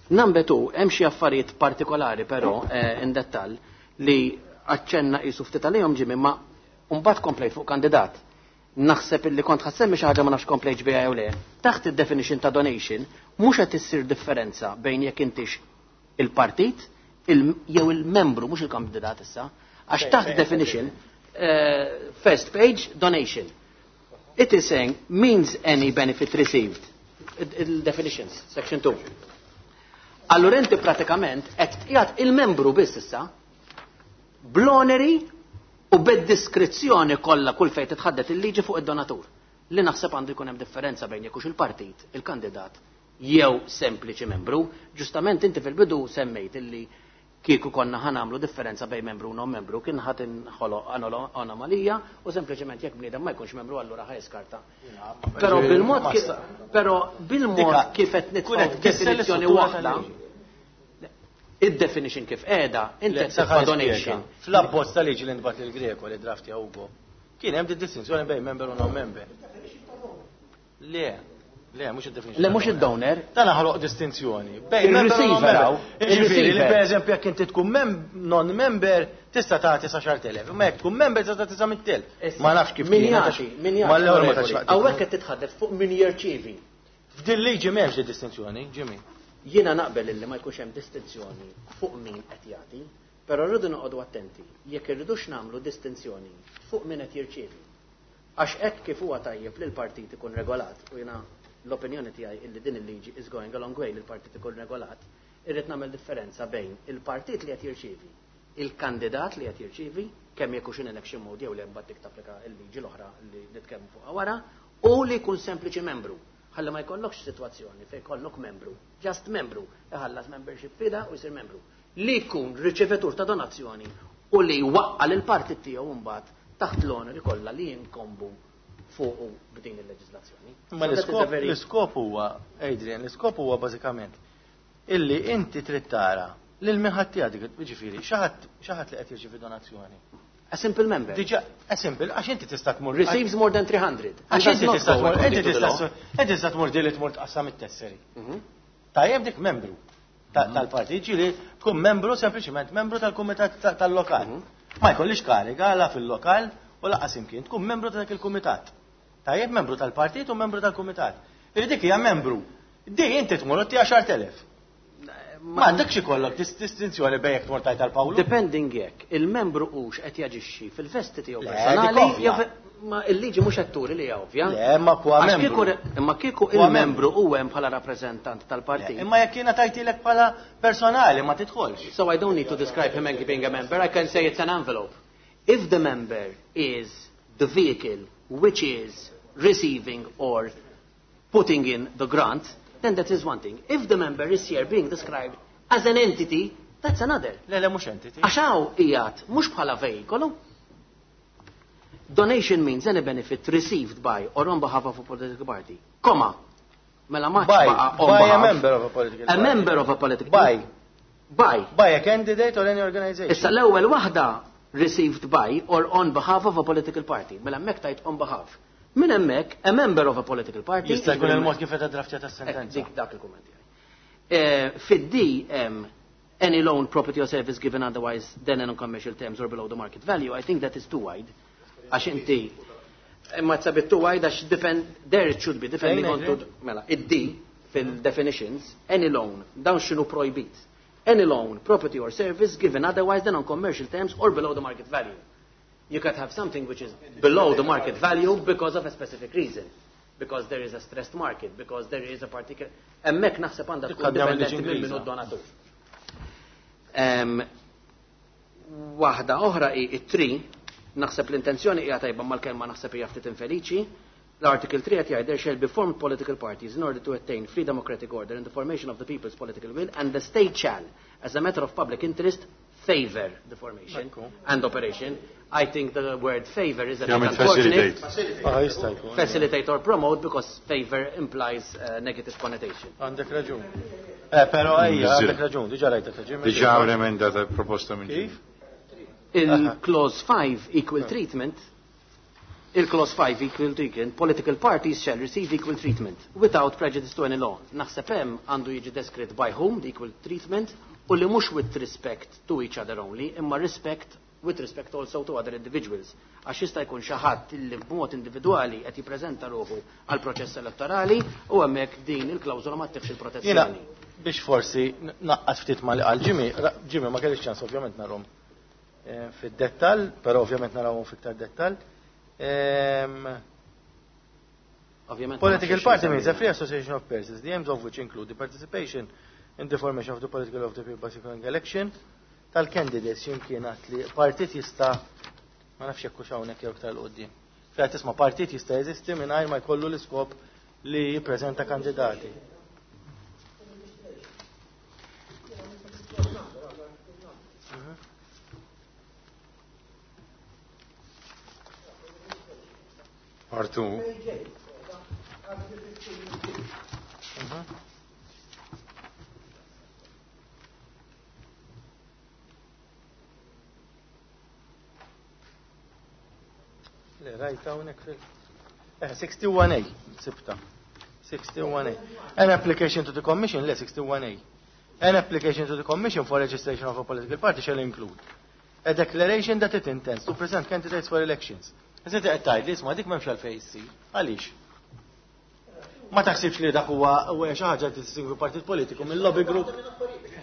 Number two, hemm xi affarijiet partikolari però in dettall li aċċenna qisu ftit għalihom Jimmy, ma mbagħad komplejt fuq kandidat. Naħseb illi kont ħa ssemmi xi ħaġa ma nafx komplejt biha jew le. Taħt id-definition ta' donation mhux qed issir differenza bejn jekk intix il-partit jew il-membru, mhux il-kandidat issa, għax taħt definition first page donation. It is saying means any benefit received. Il-definitions, section 2. Allura inti pratikament qed tqiegħed il-membru biss issa bl-oneri u bid-diskrezzjoni kollha kull fejn titħaddet il-liġi fuq id-donatur. Li naħseb għandu jkun hemm differenza bejn jekk hux il-partit, il-kandidat jew sempliċi membru. Ġustament inti fil-bidu semmejt illi kieku konna ħa nagħmlu differenza bejn membru u non membru, kien ħadd inħoloq anomalija u sempliċement jekk bniedem ma jkunx membru allura ħa jiskarta. Però bil-mod kif qed nitfgħu definizzjoni waħda, id-definition kif qiegħda, inti qed titfa' donation. Fl-abbozz ta' liġi li ntbagħat lil Greco li draft ja Ugo, kien hemm distinzjoni bejn member u non-member. Le, le, mhux id-definition. Le, mhux id-donor. Dan ħoloq distinzjoni. Bejn member u non-member. Jiġifieri li pereżempju jekk inti tkun non-member tista' tagħti sa 10,000, imma jekk tkun member tista' tagħti sa 100,000. Ma nafx kif Min jagħti, min jagħti. Ma l-ewwel ma tafx. Hawnhekk qed titħaddet fuq min jirċievi. F'din liġi m'hemmx di distinzjoni, Jimmy. Jiena naqbel illi ma jkunx hemm distinzjoni fuq min qed jagħti, però rridu noqogħdu attenti jekk irridux nagħmlu distinzjoni fuq min qed jirċievi. Għax hekk kif huwa tajjeb li l-partit ikun regolat, u jiena l-opinjoni tiegħi illi din il-liġi is going a long way li l-partit ikun regolat, irrid nagħmel differenza bejn il-partit li qed jirċievi, il-kandidat li qed jirċievi, kemm jekk hux in election mode jew li mbagħad dik tapplika l-liġi l-oħra li nitkellmu fuqha wara, u li jkun sempliċi membru. Ħalli ma jkollokx sitwazzjoni fejn jkollok membru, just membru, iħallas membership fida u jsir membru. Li jkun riċevitur ta' donazzjoni u li waqqa lil partit tiegħu mbagħad taħt l-oneri kollha li jinkombu fuqu b'din il-leġiżlazzjoni. Ma l-iskop huwa, Adrian, l-iskop huwa bażikament illi inti trid tara lil min ħadd jagħti, jiġifieri xi ħadd li qed jirċievi donazzjoni. A simple member. Diġà, a simple, għax inti tista' tmur. Receives more than 300. Għax inti tista' tmur, inti tista' tmur dili tmur tqassam it-tesseri. Tajjeb dik membru tal-partit, ġieli tkun membru sempliċement membru tal-kumitat tal-lokal. Ma jkollix kariga la fil-lokal u lanqas imkien, tkun membru ta' dak il-kumitat. Tajjeb membru tal-partit u membru tal-kumitat. Iri dik hija membru. Di inti tmur u 10,000. Ma għandekx ikollok distinzjoni bejn jekk tmur tajt tal-Pawlu. Depending jekk il-membru hux qed jaġixxi fil-vesti tiegħu personali, ma il-liġi mhux qed turi li hija ovvja. Le, ma kwa membru. Imma kieku il-membru hu hemm bħala rappreżentant tal-partit. Imma jekk jiena tajtilek bħala personali ma tidħolx. So I don't need to describe him as being a member, I can say it's an envelope. If the member is the vehicle which is receiving or putting in the grant, then that is one thing. If the member is here being described as an entity, that's another. Le, le, mhux entity. Għax hawn qiegħed mhux bħala veikolu. Donation means any benefit received by or on behalf of a political party. Comma. Mela ma By, on by a member of a political party. A member of a political By. By. By a candidate or any organization. Issa l-ewwel waħda received by or on behalf of a political party. Mela hemmhekk tajt on behalf. Minn hemmhekk, a member of a political party. Jista' jkun il-mod kif qed draftja tas-sentenza. Dik dak il-kumment tiegħi. Fid-D hemm any loan, property or service given otherwise than on commercial terms or below the market value. I think that is too wide. Għax inti imma it's a bit too wide għax depend there it should be depending on to mela id-D fil-definitions any loan dawn x'inhu projbit. Any loan, property or service given otherwise than on commercial terms or below the market value. You could have something which is below the market value because of a specific reason. Because there is a stressed market, because there is a particular... Hemmhekk naħseb għandha tkun dipendenti minn minnu donatur. Waħda oħra hi it-tri, naħseb l-intenzjoni hija tajba mal-kelma naħseb hija ftit infeliċi. L-Article 3 qed jgħid there shall be formed political parties in order to attain free democratic order and the formation of the people's political will and the state shall, as a matter of public interest, favor the formation and operation. I think the word favor is a bit unfortunate. Facilitate. Facilitate or promote because favor implies a negative connotation. Għandek raġun. Però ejja, għandek raġun, diġa rajta ta' ġimmi. Diġa emenda ta' proposta minn Kif? Il-clause 5 equal treatment, il-clause 5 equal treatment, political parties shall receive equal treatment without prejudice to any law. Naħseb hemm għandu jiġi deskritt by whom the equal treatment u li mhux with respect to each other only, imma respect with respect also to other individuals. Għax jista' jkun xi ħadd li b'mod individwali qed jippreżenta ruħu għal proċess elettorali u hemmhekk din il-klawżola ma ttifx il-protezzjoni. Biex forsi naqqas ftit ma li qal Jimmy, Jimmy ma kellix ċans ovvjament narhom fid-dettall, però ovvjament narawhom fiktar dettall. Ovvjament Political party means a free association of persons, the aims of which include the participation in the formation of the political of the people by election tal-candidates x'imkien għat li partit jista' ma nafx jekk hux hawnhekk jew iktar 'l quddiem. Fejn tisma' partit jista' jeżisti mingħajr ma jkollu l-iskop li jippreżenta kandidati. Artu. Le, rajta hawnhekk fil- 61A, sibta. 61A. An application to the Commission, le, 61A. An application to the Commission for registration of a political party shall include a declaration that it intends to present candidates for elections. Eżid qed tgħid li isma' dik m'hemmx għalfejn issir. Għaliex? Ma taħsibx li dak huwa xi ħaġa tistingwi partit politiku mill lobby group?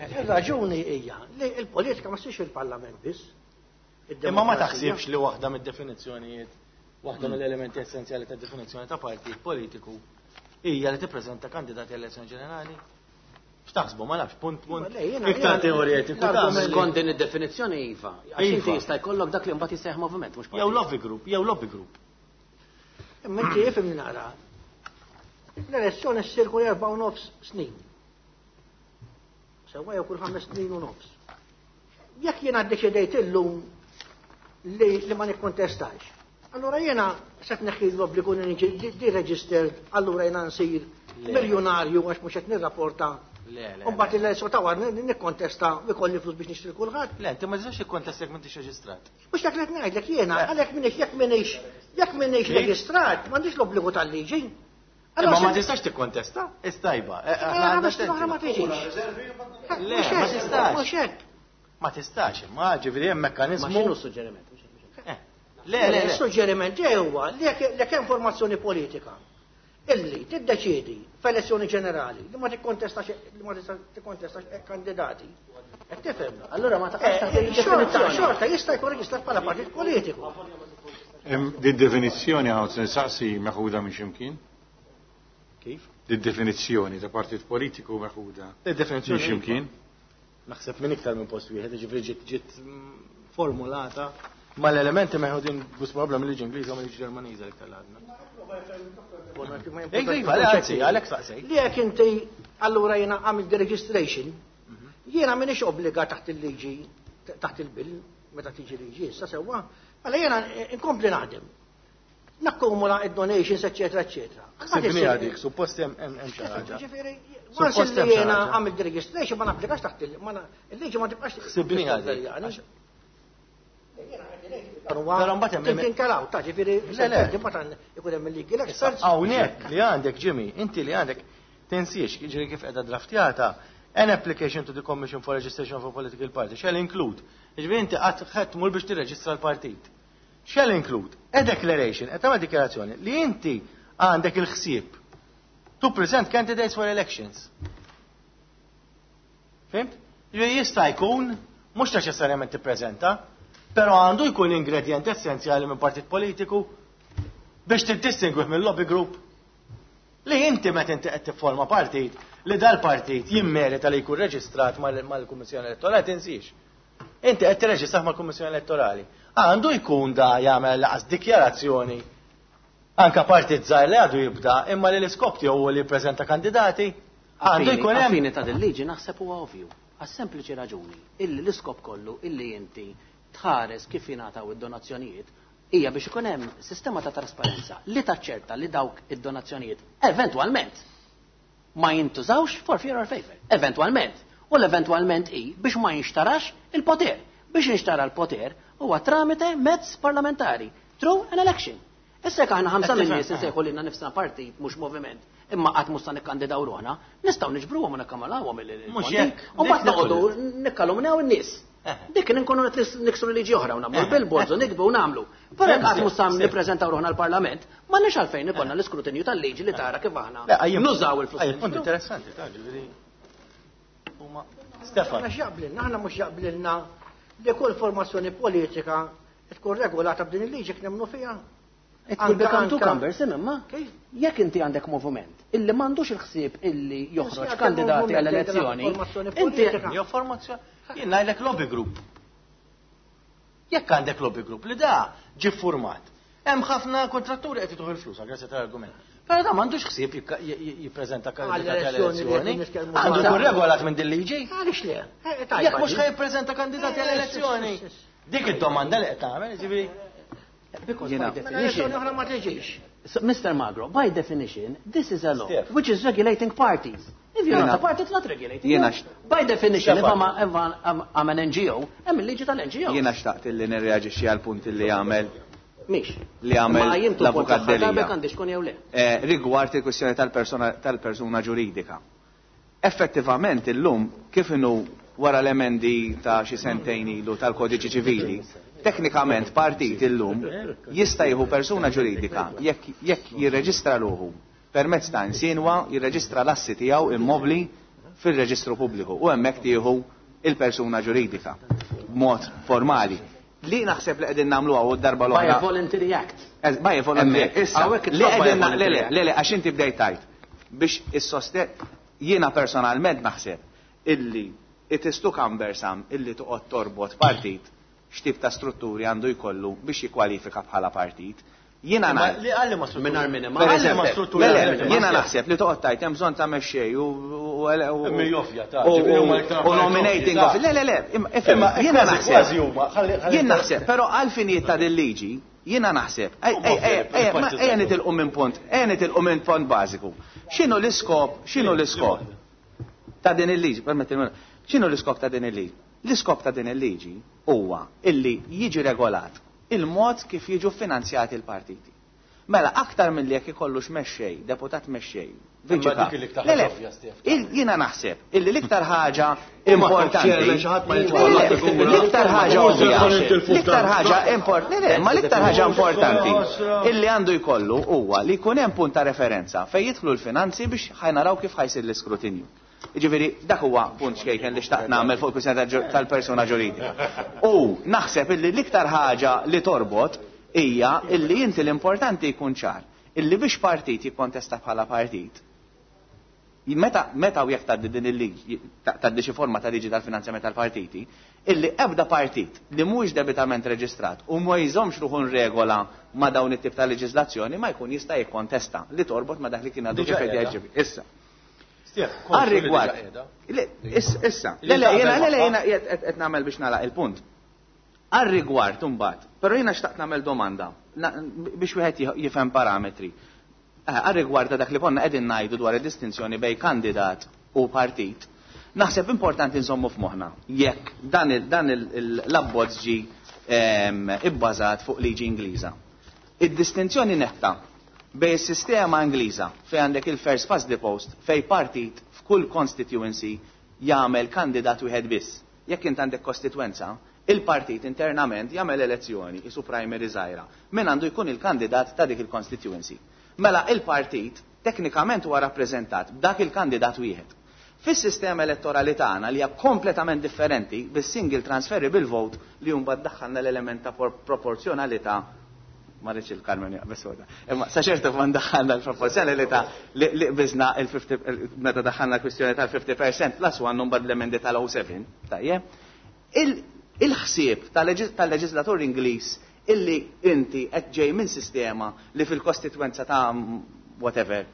Ir-raġuni hija li l-politika ma ssirx fil-Parlament biss. Imma ma taħsibx li waħda mid-definizzjonijiet, waħda mill-elementi essenzjali ta' definizzjoni ta' partit politiku hija li tippreżenta kandidati għall-elezzjoni ġenerali? X'taħsbu, ma nafx, punt, punt. Iktar teoretiku. Skont din id-definizzjoni iva. Għax inti jista' jkollok dak li mbagħad jisejjaħ moviment, mhux Jew lobby group, jew lobby group. Imma inti jifhimni naqra. L-elezzjoni ssir kull erba' u nofs snin. Sewwa jew kull 5 snin u nofs. Jekk jiena ddeċidejt illum li ma nikkontestax, allura jiena se tneħħi l-obbligu li niġi deregistered, allura jiena nsir miljonarju għax mhux qed nirrapporta. Le, le, U mbagħad il-elezzjoni ta' wara nikkontesta u jkolli flus biex nixtri kulħadd. Le, inti ma tistax tikkontesta jekk m'intix reġistrat. Mhux dak li qed ngħidlek jiena, għalhekk m'iniex, jekk m'iniex, jekk m'iniex Kif? reġistrat, m'għandix l-obbligu tal-liġi. Imma ma tistax tikkontesta, istajba. Aħna għandna Oħra ma attenti. tiġix. Le, ma tistax. Mhux hekk. Ma tistax, imma ġifieri hemm mekkaniżmu. Ma x'inhu s-suġġeriment? Le, le, le. Il-suġġeriment tiegħi huwa li jekk hemm formazzjoni politika illi tiddeċiedi f'elezzjoni ġenerali li ma tikkontestax, li ma tista' tikkontestax kandidati. Qed tifhem? Allura ma taqax taħt il-definizzjoni. Xorta jista' jkun reġistrat bħala partit politiku. Din definizzjoni hawn se nsaqsi meħuda minn x'imkien? Kif? Din definizzjoni ta' partit politiku meħuda. Din definizzjoni minn x'imkien? Naħseb minn iktar minn post wieħed, jiġifieri ġiet formulata mal-elementi meħudin bus problem mill-liġi Ingliża u mill-liġi Ġermaniża iktar l-għadna. Iva, iva, le, anzi, għalhekk saqsej. Li jekk inti allura jiena għamilt deregistration, jiena m'iniex obbligat taħt il-liġi, taħt il-bill, meta tiġi liġi, issa sewwa, mela jiena inkompli naħdem. Nakkumula id-donations, eccetera, eccetera. Sibni għadik, suppost hemm xi ħaġa. Ġifieri, Suppost once li hemm xi jiena ħaġa. għamilt deregistration ma napplikax taħt il-, ma na-, il-liġi ma tibqax Sibni għadik. Għax Dan huwa Però mbagħad hemm- tinkinkalaw, ta' ġifieri Le, le. mbagħad ikun hemm il-legal experts. Hawnhekk li għandek Jimmy, inti li għandek tinsiex, ġifieri kif qiegħda draftjata, an application to the Commission for Registration of a Political Party shall include. Ġifieri inti qatt ħadd tmur biex tirreġistra l-partit. Shall include a declaration, qed tagħmel dikjarazzjoni li inti għandek il-ħsieb to present candidates for elections. Fhimt? Ġifieri jista' jkun mhux neċessarjament tippreżenta, però għandu jkun ingredient essenzjali minn partit politiku biex tiddistingwih mill-lobby group. Li inti meta inti qed tifforma partit, li dal-partit jimmerita li jkun reġistrat mal-Kummissjoni Elettorali tinsiex. Inti qed tirreġistrah mal-Kummissjoni Elettorali. Għandu jkun da jagħmel laqas dikjarazzjoni anka partit żgħir li għadu jibda imma li l-iskop tiegħu huwa li jippreżenta kandidati. Għandu jkun hemm Għall-fini ta' dil-liġi naħseb huwa ovvju. Għas-sempliċi raġuni illi l-iskop kollu illi inti tħares kif jingħataw id-donazzjonijiet hija biex ikun hemm sistema ta' trasparenza li taċċerta li dawk id-donazzjonijiet eventwalment ma jintużawx for fear or favor. Eventwalment. U l-eventwalment hi biex ma jinxtarax il-poter. Biex jinxtara l-poter huwa tramite mezz parlamentari through an election. Issa jekk aħna ħamsa minn nies insejħu lilna nifsna partit mhux moviment, imma qatt mhux sa nikkandidaw ruħna, nistgħu niġbruhom u nikkamalawhom Mhux hekk. U mbagħad noqogħdu nikkalumnew in-nies. Dik nkunu qed niksru liġi oħra u nagħmlu billboards u nikbu u nagħmlu. Però jekk qatt mhux sa nippreżentaw ruħna l-Parlament, m'għandniex għalfejn ikollna l-iskrutinju tal-liġi li tara kif aħna nużaw il-flus. Punt interessanti, ta' ġifieri. Huma Stefan. Aħna x'jaqblilna, aħna mhux jaqblilna li kull formazzjoni politika tkun regolata b'din il-liġi nemmnu fiha. It will become too cumbersome imma. Jekk inti għandek moviment illi m'għandux il-ħsieb illi joħroġ kandidati għall-elezzjoni, inti Jew formazzjoni, jien ngħidlek lobby group. Jekk għandek lobby group li da ġi format. Hemm ħafna kontratturi qed jituħ il-flus, grazzi tal-argument. Però da m'għandux ħsieb jippreżenta kandidati għall-elezzjoni. Għandu jkun regolat minn din liġi. Għaliex le? Jekk mhux ħa jippreżenta kandidati għall-elezzjoni. Dik id-domanda li qed tagħmel, ġifieri. Because by definition, Elezzjoni oħra ma tiġix. So, Mr. Magro, by definition, this is a law which is regulating parties. If you're not a party, it's not regulating. Jiena By definition, if I'm, a, if I'm, I'm an NGO, hemm il-liġi tal-NGO. Jiena xtaqt illi nirreaġixxi għal punt illi għamel Mhix. li għamel Ma jimtu punt l-avukat l-aħħar Delia. darba għandix kun jew le. Rigward il-kwistjoni tal-persuna ġuridika. Effettivament illum kif inhu wara l-emendi ta' xi sentejn ilu tal-kodiċi ċivili, teknikament partit illum jista' jieħu persuna ġuridika jekk jirreġistra ruħu permezz ta' insinwa jirreġistra l-assi tiegħu immobli fil-reġistru pubbliku u hemmhekk tieħu il-persuna ġuridika b'mod formali. Li naħseb li qegħdin nagħmluha u d-darba By l-oħra a voluntary act. By a voluntary act. Issa, Hawnhekk li it's not by a qegħdin voluntary le, act. le, le, għax inti bdejt tajt biex is-sosten jiena personalment naħseb illi it is too cumbersome illi toqgħod torbot partit x'tip ta' strutturi għandu jkollu biex jikkwalifika bħala partit. Jiena ngħid Li għalli ma strutturi. Mingħajr minima. Per Għalli ma eżempju, strutturi. le, le, għalli ma jiena naħseb li toqgħod tajt hemm bżonn ta' mexxej u Imma jofja, ta' u- ġifieri huma l-iktar u affarijiet nominating ovvji, of le le le, ifhem, Imma jiena kważi- naħseb kważi huma, ħalli- Jien naħseb, però għal finijiet ta' din liġi, jiena naħseb, Huma ovvji, ej, ma il-parti ejja żgħir. nitilqu minn punt, ejja nitilqu minn punt bażiku. X'inhu l-iskop, x'inhu l-iskop ta' din il-liġi, permettimi, x'inhu l-iskop ta' din il-liġi? L-iskop ta' din il-liġi huwa illi jiġi regolat il-mod kif jiġu finanzjati l-partiti. Mela, aktar mill-li jekk ikollux mexxej, deputat mexxej, Imma viċi dik l-iktar Le, le, ħaġa ovvja, Stef. jiena naħseb illi l-iktar ħaġa Imma importanti. chairman, xi ħadd ma Le, jitwalla le, figura. L-iktar ħaġa Forsi ovvja. jkun intilfu L-iktar dan. ħaġa importanti, le, le, ma l-iktar ħaġa importanti illi għandu jkollu huwa li jkun hemm punt ta' referenza fejn jidħlu l-finanzi biex ħajnaraw kif ħajsir l-iskrutinju. Jiġifieri dak huwa punt xkejken li xtaqt nagħmel fuq kwistjoni tal-persuna ġuridika. U naħseb illi l-iktar ħaġa li torbot hija illi inti l-importanti jkun ċar illi biex partit jikkontesta bħala partit meta u jekk tgħaddi din il-liġi, tgħaddi xi forma ta' liġi tal-finanzjament tal-partiti, illi ebda partit li mhuwiex debitament reġistrat u ma jżommx ruħu regola ma' dawn it-tip ta' leġiżlazzjoni ma jkun jista' jikkontesta li torbot ma' dak li kien għadu Diġà kif qed qiegħda. jgħid Issa. Stef, konxu li Għal-rigward. diġà qiegħda. Le, Issa, Li le, le, taqbel jena, le, le, magħha. jena, qed nagħmel biex nagħlaq il-punt. Għal-rigward, imbagħad, però jiena xtaqt nagħmel domanda biex wieħed jifhem parametri. Għal-rigward ta' dak li konna qegħdin ngħidu dwar id-distinzjoni bejn kandidat u partit, naħseb importanti nżommu f'moħħna jekk dan l-abbozz ġi Ibbażat fuq liġi Ingliża. Id-distinzjoni netta bejn is-sistema Ingliża fejn għandek il-first past the post, fejn partit f'kull constituency jagħmel kandidat wieħed biss. Jekk int għandek kostitwenza, il-partit internament jagħmel elezzjoni isu primary żgħira. Min għandu jkun il-kandidat ta' dik il-constituency. Mela il-partit teknikament huwa rappreżentat b'dak il-kandidat wieħed. Fis-sistema elettorali tagħna, li hija kompletament differenti, bis-single transferable vote, li mbagħad daħħalna l-element ta' proporzjonalità, ma rridx il-Carmen jaqbes soda. Imma sa ċertu punt daħħalna l-proporzjonalità li qbiżna il-50 meta daħħalna l-kwistjoni tal-50% plus one mbagħad l-emendi tal-07, tajjeb. Il-ħsieb tal-leġislatur Ingliż illi inti qed ġej minn sistema li fil-kostitwenza ta' whatever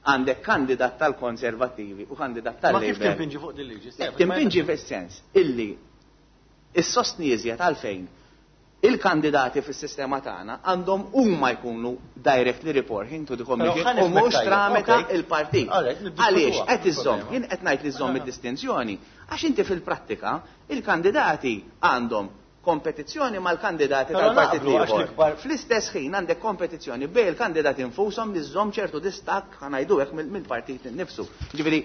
għandek kandidat tal-Konservattivi u kandidat Ma kif tal-Labour. timpinġi fuq dil-liġi? Timpinġi fis-sens illi is-sostni iżjed għalfejn il-kandidati fis-sistema tagħna għandhom huma jkunu directly reporting to the commission ħa u nifhmek mhux tajjeb, tramita okej. il-partit. Alright, niddiskutuha, Għaliex qed iżżomm, problema. jien qed ngħid li żżomm id-distinzjoni għax inti fil-prattika il-kandidati għandhom kompetizzjoni mal-kandidati Però tal-partit naqblu, għax ieħor. l-ikbar- Fl-istess ħin għandek kompetizzjoni bejn il-kandidati infushom li żżomm ċertu distakk, ħa ngħidu hekk, mill-partit innifsu. Ġifieri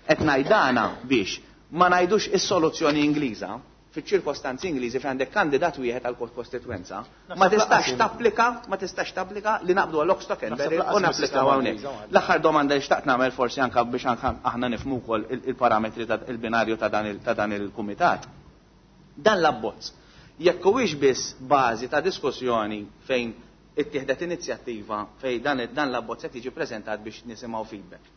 qed ngħidana biex ma ngħidux is-soluzzjoni Ingliża fiċ-ċirkostanzi Ingliżi fejn għandek kandidat wieħed għal kostitwenza, ma tistax tapplika, ma tistax tapplika li naqbdu għal lock stock and Naħseb barrel laqas u napplikaw mis-sistema hawnhekk. Ingliża għandek. L-aħħar domanda li xtaqt nagħmel forsi anke biex anke aħna nifhmu wkoll il-parametri ta' il-binarju ta' dan il-kumitat. Dan l-abbozz, jekk huwiex biss bażi ta' diskussjoni fejn ittieħdet inizjattiva fejn dan l-abbozz qed jiġi preżentat biex nisimgħu feedback.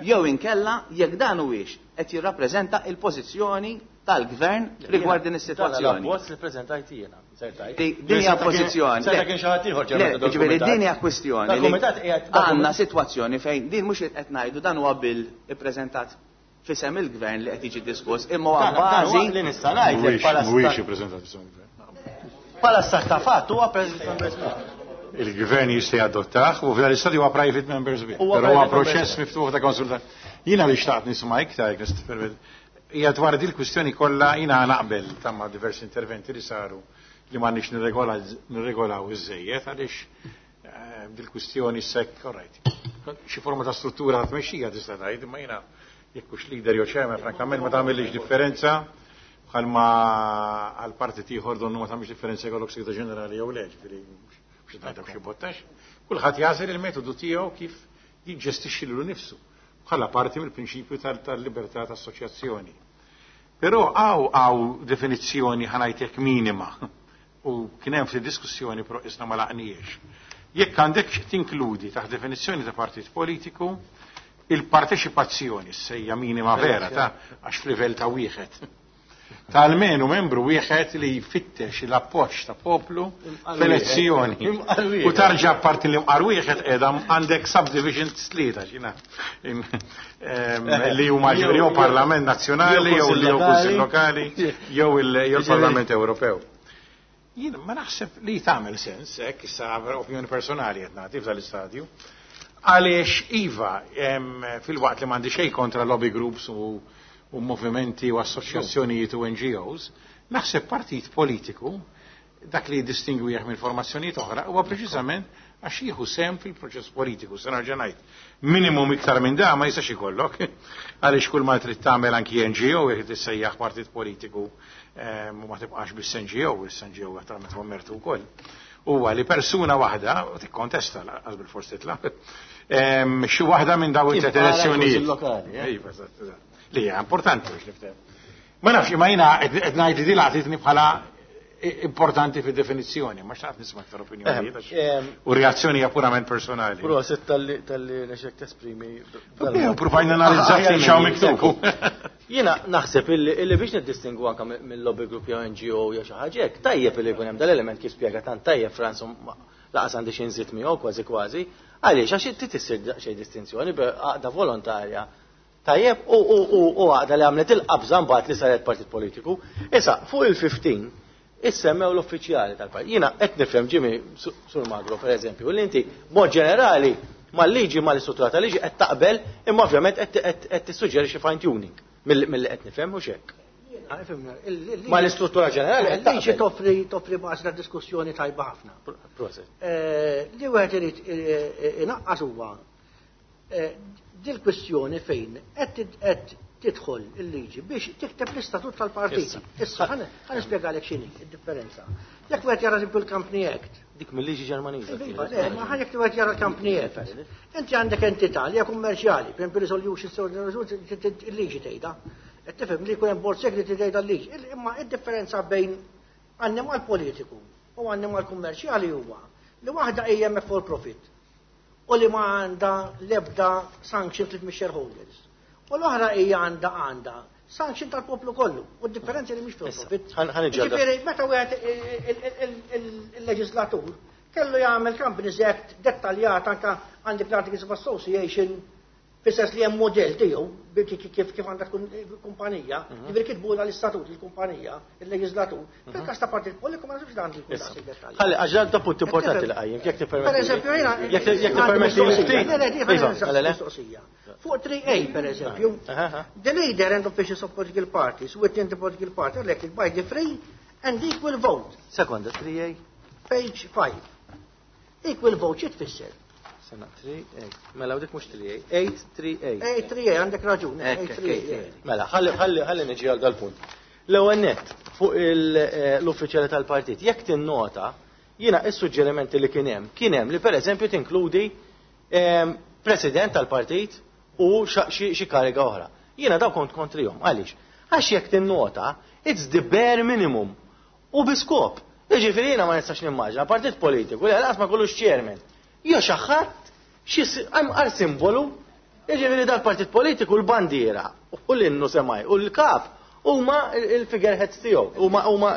Jew inkella jekk dan huwiex qed jirrappreżenta il-pożizzjoni tal-gvern rigward din is-sitwazzjoni. Dan l-abbozz li preżentajt jiena. Sertajt. Din hija pożizzjoni. Serta kien xi ħadd ieħor Le, ċertu ġifieri dal-kumitat. din hija kwistjoni. li Dal-kumitat qiegħed Għandna sitwazzjoni fejn din mhux qed ngħidu dan huwa bill ippreżentat fisem il-gvern li qed jiġi diskuss, imma huwa Dan huwa bażi li nista' ngħidlek Mhuwiex bħala mhuwiex stat- ippreżentat fisem il-gvern. bħala stat ta' fatt huwa President Il-gvern jista' jadottah u f'dan l-istadju huwa private members bill. Huwa Però huwa private members proċess bill. miftuħ ta' konsultat. Jiena li xtaqt nisma' iktar jekk nista' permet. Hija dwar din il-kwistjoni kollha jiena naqbel ta' ma' diversi interventi li saru li m'għandniex nirregolaw iżejjed għaliex dil-kwistjoni sekk, all right. Xi forma ta' struttura ta' tmexxija tista' tgħid, imma jiena jekk hux leader jew chairman, frankament ma tagħmilx differenza bħalma għal partit ieħor donnu ma tagħmilx differenza jkollok segretarju ġenerali jew le, ġifieri mhux tgħidha b'xi bottax. Kulħadd jagħżel il-metodu tiegħu kif jiġġestixxi lilu nnifsu bħala parti mill-prinċipju tal-libertà ta' assoċjazzjoni. Però hawn definizzjoni, ħa ngħidlek, minima u kien hemm ftit diskussjoni però isna ma laqniex. Jekk għandek tinkludi taħt definizzjoni ta' partit politiku il-parteċipazzjoni sejja minima vera ta' għax f'livell ta' wieħed. Ta' almenu membru wieħed li jfittex l-appoġġ ta' poplu f'elezzjoni. Imqar wieħed. U tarġa' parti li mqar wieħed qiegħda għandek subdivision tlieta x'ina li huma ġifieri jew Parlament Nazzjonali jew li jew Kunsill Lokali jew il-Parlament Ewropew. Jien ma naħseb li tagħmel sens, hekk issa opinjoni personali qed nagħti f'dan l-istadju. Għaliex iva, fil-waqt li m'għandi xejn kontra lobby groups u movimenti u assoċjazzjonijiet u NGOs, naħseb partit politiku dak li jiddistingwih minn formazzjonijiet oħra huwa preċiżament għax jieħu sehem fil-proċess politiku. Se nerġa' ngħid, minimum iktar minn da ma jistax ikollok, għaliex kull ma trid tagħmel anki NGO jekk tissejjaħ partit politiku u ma tibqax biss NGO, is NGO qed tagħmel mertu wkoll. Huwa li persuna waħda tikkontesta lanqas bil-fors titla'. Xi waħda minn dawn Kif it-tliet bħala elezzjonijiet. l-Kunsill Lokali, eh? Iva, eżatt. Li hija importanti biex nifhem. Ma nafx, ma jiena qed ngħid li din laqtitni bħala importanti fid-definizzjoni, ma xtaqt nisma' aktar opinjonijiet u reazzjoni hija purament personali. Prosit talli nexek tesprimi. Jew provajna analizzat li xaw miktub. Jiena naħseb illi biex niddistingu anka mill-lobby group jew NGO jew xi ħaġa hekk, tajjeb illi jkun hemm dal-element kif spjega tant tajjeb Franz u laqas għandi xi nżid miegħu kważi kważi. Għaliex għax inti tissir daqsxejn distinzjoni bejn għaqda volontarja tajjeb u għaqda li għamlet il-qabża mbagħad li saret partit politiku. Issa fuq il-15 issemmew l-uffiċjali tal-partit. Jiena qed nifhem Jimmy Sur Magro pereżempju, li inti mod ġenerali mal-liġi mal-istruttura tal-liġi qed taqbel imma ovvjament qed tissuġġerixxi fine tuning mill-li qed nifhem u x'hekk. Ma l-istruttura ġenerali qed Liġi toffri toffri bażi ta' diskussjoni tajba ħafna. Li wieħed irid inaqqas huwa dil-kwistjoni fejn qed tidħol il-liġi biex tikteb l-istatut tal-partit. Issa, ħa nispjegalek x'inhi id-differenza. Jekk wieħed jara eżempju l-Company Act. Dik mill-liġi Ġermaniża. Iva, le, ma jekk wieħed jara l-Company Act. Inti għandek entità li hija kummerċjali, per resolution, il-liġi tgħidha. Qed tifhem li jkun hemm board secretary tgħidha l-liġi. Imma id-differenza bejn annimal politiku u annimal kummerċjali huwa li waħda hija for profit u li ma għandha l-ebda sanction trid mix-shareholders. U l-oħra hija għandha għandha sanction tal-poplu kollu. U d-differenza li mhix for profit. Ġifieri meta wieħed il-leġislatur kellu jagħmel Companies Act dettaljat anka għandek l-Articles of Association fis-sens li hemm modell tiegħu kif kif għandha tkun kumpanija, jiġifieri kitbu l-istatut il-kumpanija, il-leġislatur. Fil-każ ta' partit politiku ma nasibx dan li jkun daqshekk dettalji. Ħalli għax dan punt importanti li qajjem, jekk tippermetti. Per eżempju, jiena jekk tippermetti mistoqsija. Fuq 3A, per eżempju, the leader and officials of political parties within the political party are elected by the free and equal vote. Sekonda, 3A. Page 5. Equal vote, xi tfisser? Sena 3A. Mela, u dik mhux 3A. 8-3A. 8-3A, għandek raġun. 8-3A. Mela, ħalli ħalli ħalli niġi għal dal-punt. L-ewwel nett fuq l-uffiċjali tal-partit, jekk tinnota, jiena is-suġġerimenti li kien hemm, kien hemm li pereżempju tinkludi president tal-partit u xi kariga oħra. Jiena daw kont kontrihom, għaliex? Għax jekk tinnota, it's the bare minimum. U bi skop. Jiġifieri jiena ma nistax nimmaġina partit politiku li għal ma jkollux chairman. Jew xi ħadd xi għar simbolu, jiġifieri dal-partit politiku l-bandiera u l-innu semaj u l-kap huma il-figureheads tiegħu, huma huma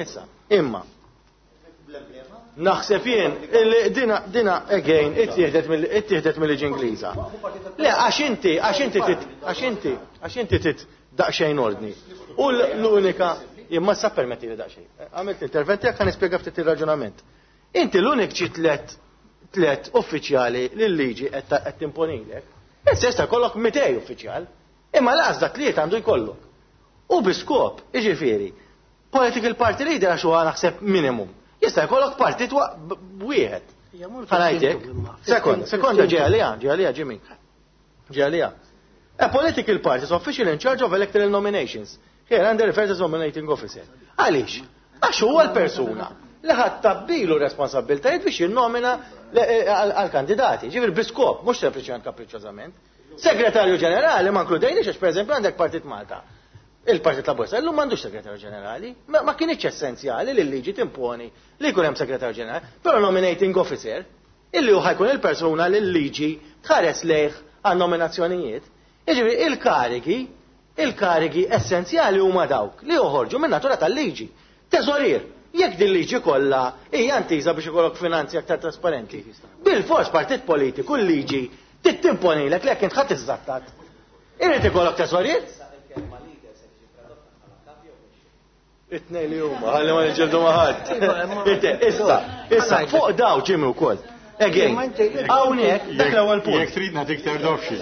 issa, imma Naħseb jien dina dina again ittieħdet mill-liġi Ingliża. Le għax inti għax inti tit għax inti għax inti tit daqsxejn ordni. U l-unika imma sa permetti li daqsxejn. Għamilt intervent tiegħek ħa nispjega ftit ir-raġunament. Inti l-unik xi tlet tlet uffiċjali li l-liġi qed timponilek. Issa jista' jkollok 200 uffiċjal, imma laqas dak li għandu jkollok. U bi skop, jiġifieri, political party leader għax huwa naħseb minimum. Jista' jkollok partit wieħed. Ħa ngħidlek. Sekonda, sekonda ġej għalija, ġej għalija Jimmy. Ġej għalija. A political party is official in charge of electoral nominations. Hereunder referred as nominating officer. Għaliex? Għax huwa l-persuna li ħadd tabbilu responsabbiltajiet biex jinnomina għal-kandidati. Ġifieri bi skop, mhux sempliċement kapriċċożament. Segretarju ġenerali ma nkludejniex għax pereżempju għandek Partit Malta. Il-Partit Laburista illum m'għandux segretarju ġenerali, ma kienx essenzjali li l-liġi timponi li jkun hemm segretarju ġenerali, però nominating officer illi hu ħa jkun il-persuna li l-liġi tħares lejh għan nominazzjonijiet. Jiġifieri il-karigi, il-karigi essenzjali huma dawk li joħorġu minn natura tal-liġi. Teżorier, jekk din liġi kollha hija intiża biex ikollok finanzi aktar trasparenti. Bil-fors partit politiku l-liġi tittimponilek li jekk int ħadd iżżattat. Irid ikollok teżorier? It-tnejn li huma, ħalli ma niġġieldu ma' ħadd. Issa, issa, fuq daw Jimmy wkoll. Again, hawnhekk dak l-ewwel punt. Jekk trid nagħtik third option.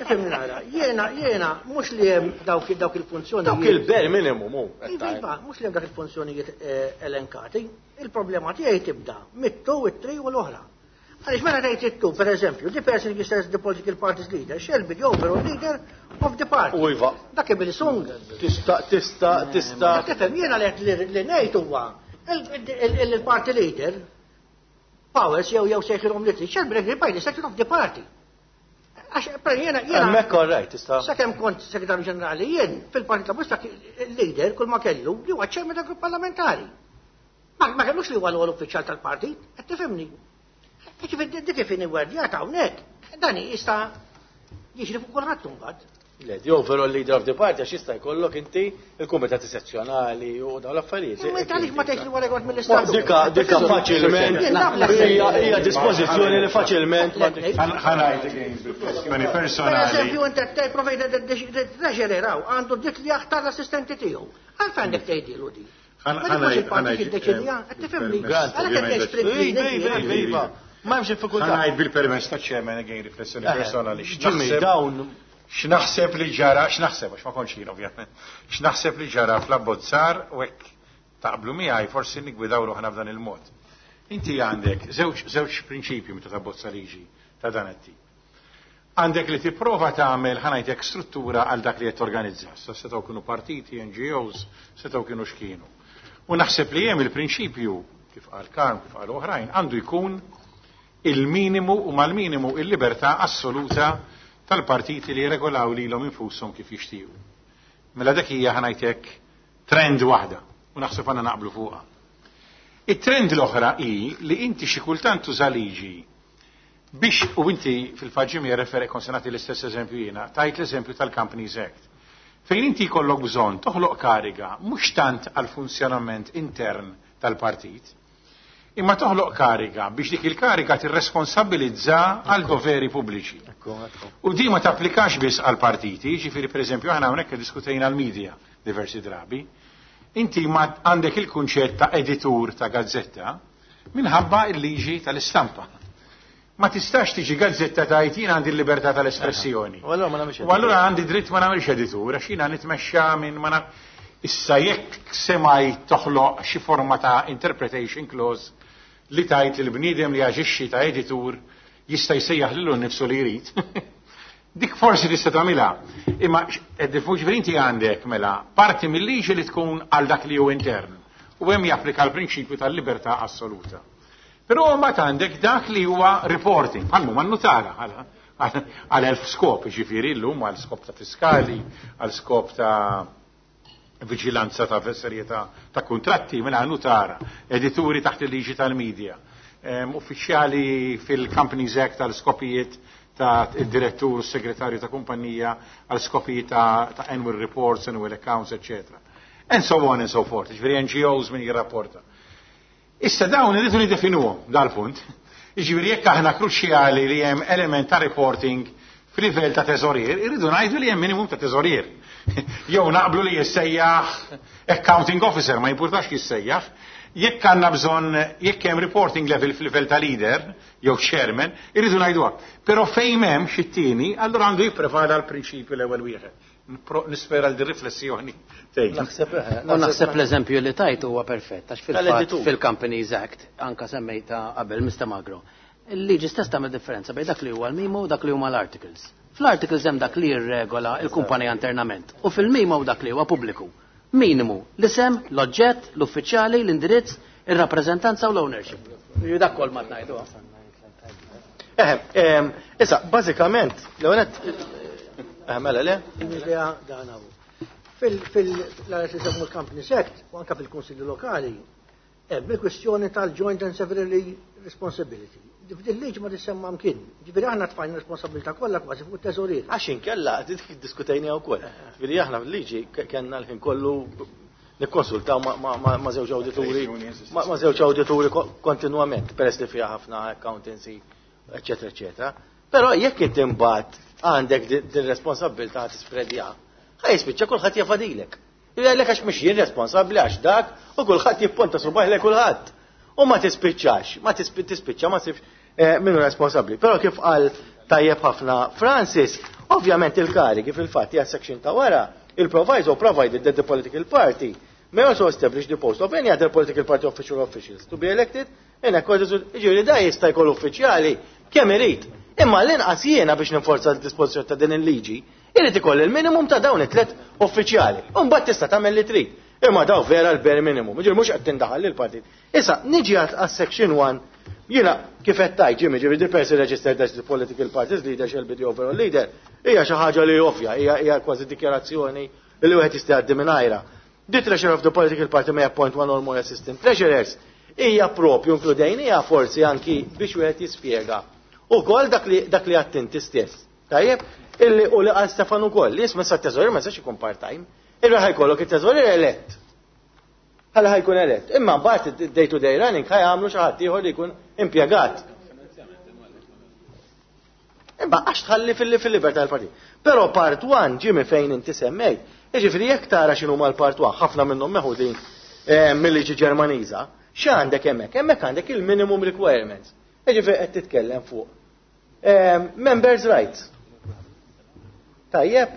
Ifhimni nara, jiena jiena mhux li hemm dawk dawk il-funzjonijiet. Dawk il-bare minimum hu. Iva, iva, mhux li hemm dak il-funzjonijiet elenkati. Il-problema tiegħi tibda mit-two, it-three u l-oħra. Għaliex meta tgħid it-two, per eżempju, the person who says the political party's leader shall be the overall leader of the party. U iva. Dak il-sung. Tista' tista' tista' Tifhem jiena li li ngħid huwa il-party leader powers jew jew sejħilhom li shall be by the section of the party. Għax per jiena jiena Hemmhekk all right, tista' Sakemm kont segretarju ġenerali jien fil-Partit Laburista il-leader kull ma kellu li huwa chairman tal-grupp parlamentari. Ma kellux li huwa l-ewwel uffiċjal tal-partit, qed tifhimni. Ġifieri dik kif inhi wordjata hawnhekk, dan jista' jiġri fuq kulħadd imbagħad. Le, the overall leader of the party għax jista' jkollok inti il-kumitati sezzjonali u dawn l-affarijiet. Imma inti għaliex ma tgħidx li huwa regolat mill-istat. Dika, dika faċilment, Jien naf l-affarijiet. hija hija dispożizzjoni li faċilment ma Ħa ngħid again bil-kwestjoni Per personali. eżempju, inti tgħid provide the raw għandu dik li jaħtar l-assistenti tiegħu. Għalfejn għandek tgħidilu di? Ma dik il-partit jiddeċidija, qed tifhimni. Għalhekk qed tgħid strict Iva, iva, iva. Ma hemmx diffikultà. Ħa ngħid bil-permess ta' chairman again riflessjoni personali. Jimmy, dawn X'naħseb li ġara, x'naħseb, għax ma kontx jien ovvjament, x'naħseb li ġara fl-abbozzar u hekk taqblu miegħi forsi nigwidaw ruħna f'dan il-mod. Inti għandek żewġ prinċipji meta tabbozza liġi ta' dan it-tip. Għandek li tipprova tagħmel, ħa ngħidlek, struttura għal dak li qed torganizza. Sa setgħu kienu partiti, NGOs, setgħu kienu x'kienu. U naħseb li hemm il-prinċipju, kif qal Karm, kif qal oħrajn, għandu jkun il-minimu u mal-minimu il-libertà assoluta tal-partiti li jirregolaw lilhom infushom kif jixtiequ. Mela dak hija, ħa ngħidlek, trend waħda u naħseb għandna naqblu fuqha. It-trend l-oħra hi li inti xi kultant tuża liġi biex, u inti fil-faġġi mi referi konsenati l-istess eżempju jiena, tajt l-eżempju tal-Companies Act. Fejn inti jkollok bżonn toħloq kariga mhux tant għal funzjonament intern tal-partit, imma toħloq kariga biex dik il-kariga tirresponsabilizza għal doveri pubbliċi. U di ma tapplikax biss għal partiti, ġifieri, pereżempju, aħna hawnhekk diskutejna l-media diversi drabi. Inti ma għandek il-kunċett ta' editur ta' gazzetta minħabba il-liġi tal-istampa. Ma tistax tiġi gazzetta tgħid jien għandi l-libertà tal-espressjoni. U allura ma nagħmilx. U allura għandi dritt ma nagħmilx editur, għax jiena nitmexxa minn ma naf. Issa jekk semaj toħloq xi forma ta' interpretation clause li tajt li l-bniedem li jaġixxi ta' editur jista' jsejjaħ lilu nnifsu li jrid. Dik forsi tista' tagħmilha. Imma qed ġifieri inti għandek mela parti mill-liġi li tkun għal dak li hu intern. U hemm japplika l-prinċipju tal-libertà assoluta. Però mbagħad għandek dak li huwa reporting, bħalmu ma nutara għal 1000 skop, ġifieri llum għal skop ta' fiskali, għal skop ta' viġilanza ta' serjetà ta' kontratti, mela nutara, edituri taħt il-liġi tal-medja, uffiċjali fil-Companies Act għal skopijiet ta' il-direttur u segretarju ta' kumpanija għal skopijiet ta' annual reports, annual accounts, etc. And so on and so forth. Ġifieri NGOs min jirrapporta. Issa dawn irridu nidefinuhom dal-punt. Ġifieri jekk aħna kruċjali li hemm element ta' reporting f'livell ta' teżorier, irridu ngħidu li hemm minimum ta' teżorier. Jew naqblu li jissejjaħ accounting officer, ma jimpurtax jissejjaħ. Jekk għandna bżonn, jekk hemm reporting level f'livell ta' leader jew chairman, irridu ngħiduha. Però fejn m'hemmx it-tieni, allura għandu jipprevada l-prinċipju l-ewwel wieħed. Nispera l riflessjoni tgħid. Naħseb U naħseb l-eżempju li tajt huwa perfett, għax fil-fatt Tal-editur. fil-Companies Act, anka semmejta qabel Mr. Magro, il-liġi stess tagħmel differenza bejn dak li huwa l-memo u dak li huma l-articles. Fl-articles hemm dak li jirregola il-kumpanija internament u fil-memo dak li huwa pubbliku. Minimu, l-isem, l-oġġett, l-uffiċjali, l-indirizz, ir-rappreżentanza u l-ownership. Dak kol ma tgħidu. Issa, bażikament, l-għonet, mela le? L-idea dan hawn. Fil-għalet li semmu l-Companies Act u anka fil-Kunsilli Lokali, hemm il-kwestjoni tal-joint and severally responsibility. F'din liġi ma tissemma mkien. Ġifieri aħna tfajna responsabilità kollha kważi fuq it-teżorier. Għax inkella, diskutejni wkoll. Ġifieri aħna fil-liġi kellna l-ħin kollu nikkonsultaw ma' żewġ awdituri, ma' żewġ awdituri kontinwament, peress li fiha ħafna accountancy, eccetera, eccetera. Però jekk inti imbagħad għandek din responsabilità tispredja, ħa jispiċċa kulħadd jafadilek. Jgħidlek għax mhux jien responsabbli għax dak u kulħadd jipponta subajh lejn kulħadd. U ma tispiċċax, ma tispiċċa ma sibx minnu responsabbli. Però kif qal tajjeb ħafna Francis, ovvjament il-karigi fil-fatt hija section ta' wara, il-proviso provided that the political party may also establish the post of any other political party official or officials to be elected in accordance with, ġifieri da jista' jkollu uffiċjali kemm irid. Imma l-inqas jiena biex ninforza l-dispożizzjoni ta' din il-liġi, irid ikolli il-minimum ta' dawn it-tlet uffiċjali. U mbagħad tista' tagħmel li trid. Imma daw vera l-bare minimum. Ġifieri mhux qed tindaħal lill-partit. Issa niġi għal section 1, jiena kif qed tgħid Jimmy, ġifieri the person registered as the political party's leader shall be the overall leader. Hija xi ħaġa li ovvja, hija kważi dikjarazzjoni li wieħed jista' jgħaddi mingħajra. The treasurer of the political party may appoint one or more assistant treasurers. Hija propju inkludejnija forsi anki biex wieħed jispjega. Ukoll dak li għattinti stess. Tajjeb, illi u li qal Stefan ukoll, li jisma' sa teżorier ma jistax ikun part-time. Illi ħa jkollok it-teżorier elett. Ħalla ħa jkun elett. Imma mbagħad day to day running ħa jagħmlu xi ħadd ieħor li jkun impjegat. Imma għax tħalli fil-libertà tal-partit. Però part 1 ġimi fejn inti semmejt, jiġifieri jekk tara x'inhu mal-part 1, ħafna minnhom meħudin mill-liġi Ġermaniża, x'għandek hemmhekk? Hemmhekk għandek il-minimum requirements. Jiġifieri qed titkellem fuq members' rights. Tajjeb?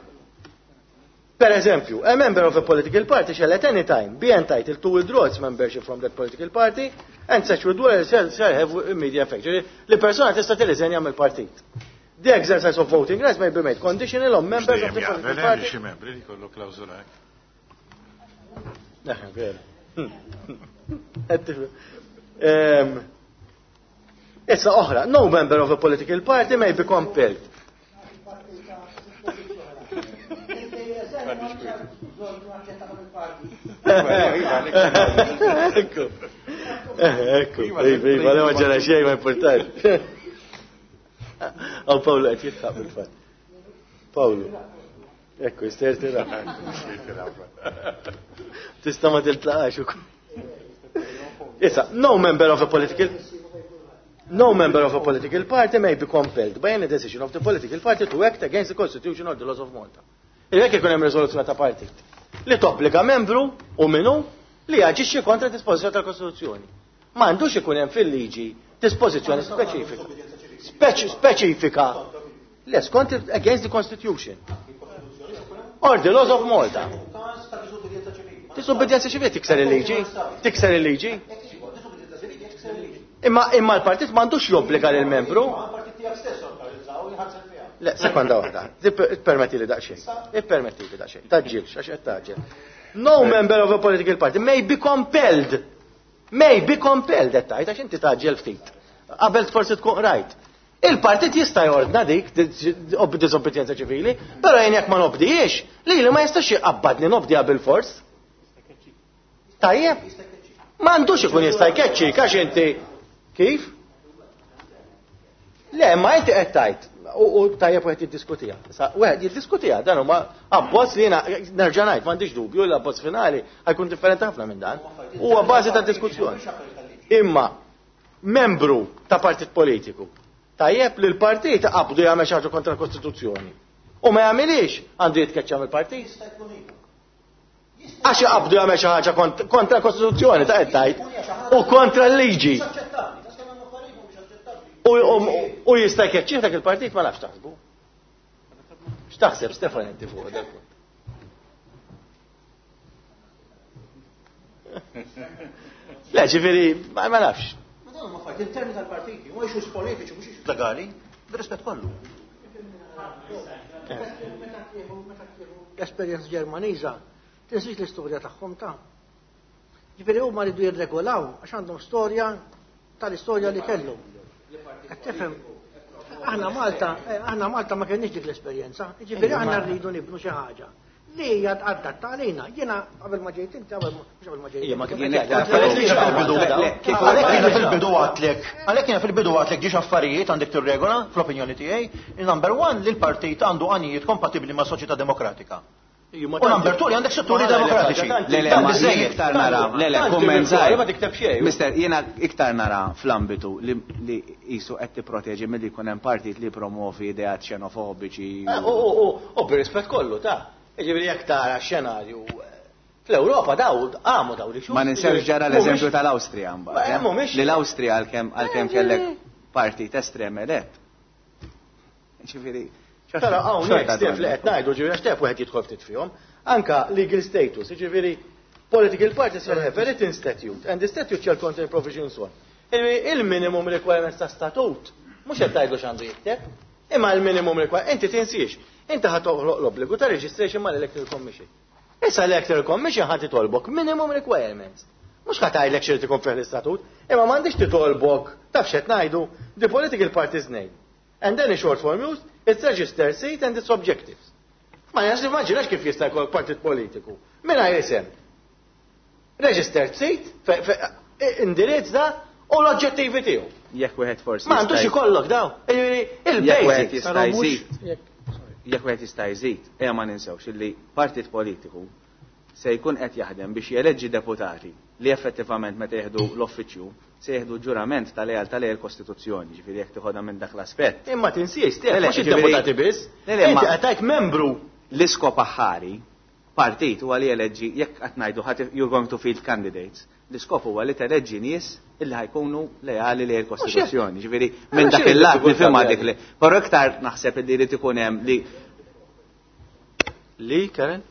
Per eżempju, a member of a political party shall at any time be entitled to withdraw its membership from that political party and such withdrawal shall have immediate effect. Li persona tista' tirriżenja mill-partit. The exercise of voting rights may be made conditional on members of the political party. Xi membri li kollu klawżola hekk. Issa oħra, no member of a political party may be compelled. Ekku. Ekku, iva, ma ġara xejn ma importanti. Għaw Pawlu qed jitħaq bil-fatt. Pawlu. Ekku, jister tira. Tista' ma tiltlaqax ukoll. Issa, no member of a political No member of a political party may be compelled by any decision of the political party to act against the constitution or the laws of Malta. Jekk ikun hemm riżoluzzjoni ta' partit li tobbliga membru u minu li jaġixxi kontra dispożizzjoni tal-Kostituzzjoni. Ma għandux ikun hemm fil-liġi dispożizzjoni speċifika. Speċifika. Le, skont against the Constitution. Or the laws of Malta. Disobbedjenza ċivili tikser il-liġi. Tikser il-liġi. Imma imma l-partit m'għandux jobbliga lil membru. Le, sekonda waħda. Ippermetti li daqsxejn. Ippermetti li daqsxejn. Taġġilx għax qed taġġel. No member of a political party may be compelled. May be compelled qed tgħid għax inti taġġel ftit. Qabel forsi tkun rajt. Il-partit jista' jordna dik disobbedjenza ċivili, però jien jekk ma nobdijiex, li li ma jistax jqabbadni nobdija bil-fors. Tajjeb? Ma għandux ikun jista' jkeċċi għax inti kif? Le, ma inti qed tgħid u tajjeb wieħed jiddiskutiha. Sa wieħed jiddiskutiha dan huma abbozz li jiena nerġa' ngħid m'għandix dubju l abbozz finali ħajkun differenti ħafna minn dan. Huwa bażi ta' diskussjoni. Imma membru ta' partit politiku tajjeb li l-partit qabdu jagħmel xi ħaġa kontra l-Kostituzzjoni. U ma jagħmilix għandu jitkeċċa mill-partit. Għax jaqbdu jagħmel xi ħaġa kontra l-Kostituzzjoni ta' qed tgħid u kontra l-liġi. U jista' jkeċċih dak il-partit ma nafx taħsbu. X'taħseb Stefan inti fuq dak? Le, ġifieri, ma nafx. Ma dawn huma affarijiet interni tal-partiti, huma issues politiċi mhux issues legali, bir-rispett kollu. L-esperjenza Ġermaniża tinsiex l-istorja tagħhom ta'. Ġifieri huma rridu jirregolaw għax għandhom storja tal-istorja li kellhom. Qed tifhem? Aħna Malta, aħna Malta ma kenniex dik l-esperjenza. Ġifieri aħna rridu nibnu xi ħaġa li hija adatta għalina. Jiena qabel ma ġejt inti qabel mhux qabel ma ġejt. Ija, ma kif Jien qed iktar jgħid. Għalhekk jiena fil-bidu għatlek, għalhekk jiena fil-bidu għatlek ġiex affarijiet għandek tirregola fl-opinjoni tiegħi. Number one li l-partit għandu għanijiet kompatibbli ma' soċjetà demokratika. U number two li għandek setturi demokratiċi. Le, le, Dan ma jien biżejjed. iktar nara, le, le, kumment żgħir. Ma tikteb xejn. Mister, jiena iktar nara fl-ambitu li li qisu qed tipproteġi milli jkun hemm partit li promovi ideat xenofobiċi. U bir-rispett kollu ta' Ġifieri jekk tara xenarju fl-Ewropa daw għamu daw li xhur. Ma ninsewx ġara l-eżempju tal-Awstrija mbagħad. Ma, mhumiex. Li l-Awstrija għalkemm għalkemm kellek partit estrem elett. Ġifieri. Tara hawnhekk xorta Stef li qed ngħidu ġifieri għax tef wieħed jidħol ftit fihom. Anka legal status, ġifieri political parties shall have a written statute and the statute shall contain provisions on. Il-minimum requirements ta' statut mhux qed tgħidlu x'għandu jikteb, imma l-minimum requirement inti tinsiex. Inti ħa toħloq l-obbligu ta' registration mal-Electoral Commission. Issa l-Electoral Commission ħa titolbok minimum requirements. Mhux ħa tgħidlek x'irid ikun fih l-istatut, imma m'għandix titolbok taf x'qed ngħidu the political party's name. And then in short form used, its registered seat and its objectives. Ma nafx immaġinax kif jista' jkollok partit politiku. Mingħajr isem. Registered seat, indirizz da u l-oġġettivi tiegħu. Jekk wieħed forsi. Ma għandux jista' ikollok daw. Jekk wieħed Il-basics. jista' jżid. Jekk wieħed jista' jżid, ejja ma ninsewx illi partit politiku se jkun qed jaħdem biex jeleġġi deputati li effettivament meta jieħdu l-offiċju se jieħdu ġurament ta' lealtà lejn il-Kostituzzjoni, ġifieri jekk tieħodha minn dak l-aspett. Imma tinsiex, Stef, Le, le, mhux ġifieri- id-deputati biss. Le, le, Inti ma- qed tgħid membru. L-iskop aħħari partit huwa li jeleġġi jekk qed ngħidu ħadd you're going to field candidates. L-iskop huwa li teleġġi nies illi ħajkunu leali lejn il-Kostituzzjoni. Ġifieri minn Mhux dak il-lat diffikultà nifhimha leali. dik li. Però iktar naħseb li jrid ikun hemm li Li, Karen?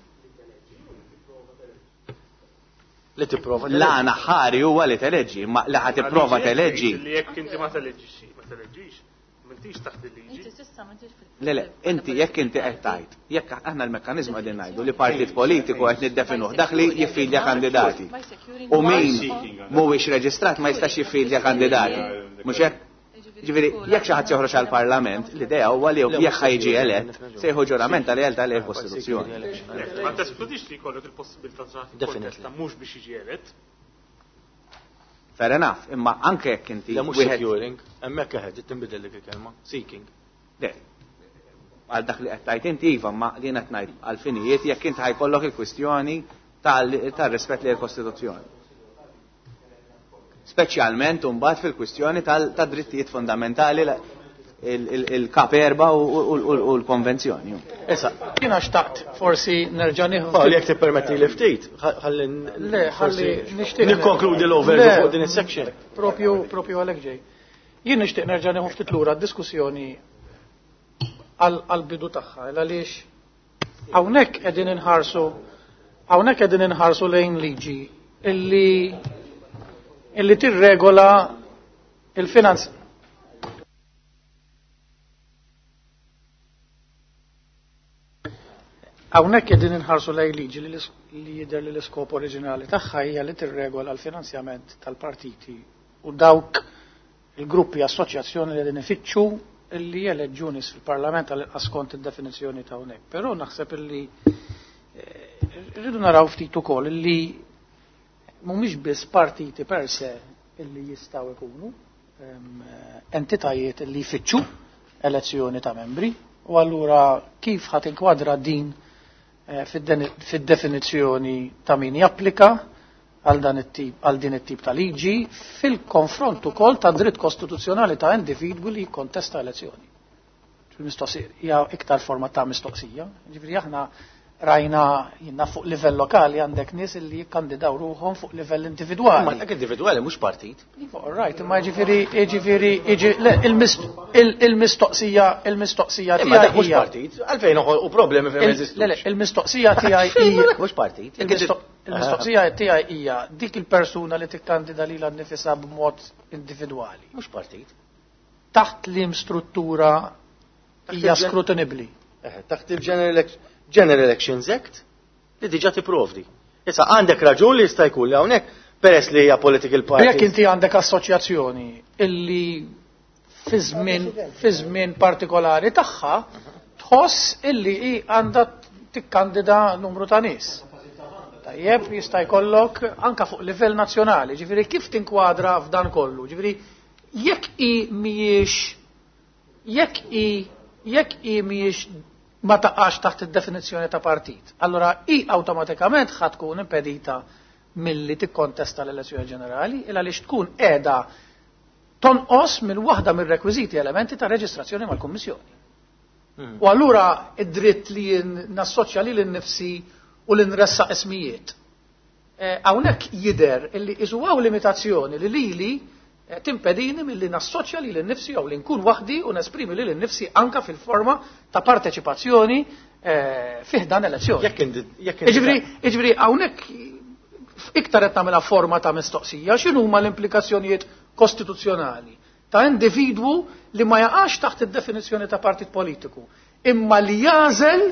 Li tipprova. L-għana ħari huwa li teleġġi, ma li ħa tipprova teleġġi. Li jekk inti ma teleġġix, ma teleġġix, m'intix taħt il-liġi. Inti s'issa m'intix fil- Le, le, inti jekk inti qed tgħid, jekk aħna l-mekkaniżmu qegħdin ngħidu li partit politiku qed niddefinuh dak li jiffilja kandidati. U min mhuwiex reġistrat ma jistax jiffilja kandidati. Mhux hekk? Ġifieri, jekk xi ħadd joħroġ għall-Parlament, l-idea huwa li jekk ħa jiġi elett, se jieħu ġurament għal lealtà lejn il-Kostituzzjoni. Ma teskludix li jkollok il-possibilità ta' Definitely. kontesta mhux biex jiġi elett. Fair enough, imma anke jekk inti Le mhux wieħed securing, hemmhekk eħed tinbidel dik il-kelma, seeking. Le, għal dak li qed tgħid inti iva, ma li qed ngħid għal finijiet jekk inti ħajkollok il-kwistjoni tal-rispett lejn il-Kostituzzjoni. Speċjalment imbagħad fil-kwistjoni tad-drittijiet fundamentali il-kap 4 u l-konvenzjoni. Issa, Jiena xtaqt forsi nerġa' nieħu Paul, jekk tippermetti li ftit, ħalli Le, ħalli nixtieq nikkonkludi l-overview Le, fuq din is-section. Propju għalhekk ġej. Jien nixtieq nerġa' nieħu ftit lura d-diskussjoni għal bidu tagħha, għaliex hawnhekk qegħdin inħarsu hawnhekk qegħdin inħarsu lejn liġi illi tirregola il-finanz. Hawnhekk qegħdin inħarsu lejn liġi li jidher li l-iskop oriġinali tagħha hija li tirregola l-finanzjament tal-partiti u dawk il-gruppi assoċjazzjoni li qegħdin ifittxu illi jeleġġu nies fil-Parlament għal inqas skont id-definizzjoni ta' hawnhekk. Però naħseb illi rridu naraw ftit ukoll illi mhumiex biss partiti per se illi jistgħu jkunu entitajiet illi jfittxu elezzjoni ta' membri u allura kif ħadd inkwadra din fid-definizzjoni ta' min japplika għal dan it-tip, għal din it-tip ta' liġi fil-konfront ukoll ta' dritt kostituzzjonali ta' individwi li jikkontesta elezzjoni. Mistoqsija, hija iktar forma ta' mistoqsija. Ġifieri aħna rajna jiena fuq livell lokali għandek nies li jikkandidaw ruħhom fuq livell individwali. Ma dak individwali mhux partit. Iva, all right, imma ġifieri, ġifieri, le, il-mistoqsija, il-mistoqsija Imma dak tiegħi mhux hija. partit, għalfejn u problemi fejn ma Le, le, jeżistux. il-mistoqsija tiegħi hija. Dak mhux partit. Il-mistoqsija tiegħi hija dik il-persuna li tikkandida lilha nnifisha b'mod individwali. Mhux partit. Taħt liem struttura hija skrutinibbli. Taħt il-General Elections Act li diġà tipprovdi. Issa għandek raġun li jista' jkun li hawnhekk peress li hija political party. Jekk inti għandek assoċjazzjoni illi fi żmien partikolari tagħha tħoss illi hi għandha tikkandida numru ta' nies. Tajjeb, jista' jkollok anka fuq livell nazzjonali, ġifieri kif tinkwadra f'dan kollu, ġifieri jekk hi mhijiex jekk hi jekk hi mhijiex ma taqax taħt id-definizzjoni ta' partit, allora hi awtomatikament ħa tkun impedita milli tikkontesta l-elezzjoni ġenerali, il għaliex tkun qiegħda tonqos minn waħda mir-rekwiżiti elementi ta' reġistrazzjoni mal-Kummissjoni. U allura id-dritt li jien nassoċja lili nnifsi u li nressaq ismijiet. Hawnhekk jidher illi iżuwaw limitazzjoni li lili timpedini milli nassoċja lili nnifsi jew li nkun waħdi u nesprimi lili nnifsi anka fil-forma ta' parteċipazzjoni fih dan elezzjoni. Jekk inti, jekk inti Iġifieri hawnhekk iktar qed nagħmilha forma ta' mistoqsija, x'inhuma l-implikazzjonijiet kostituzzjonali ta' individwu li ma jaqax taħt id-definizzjoni ta' partit politiku, imma li jażel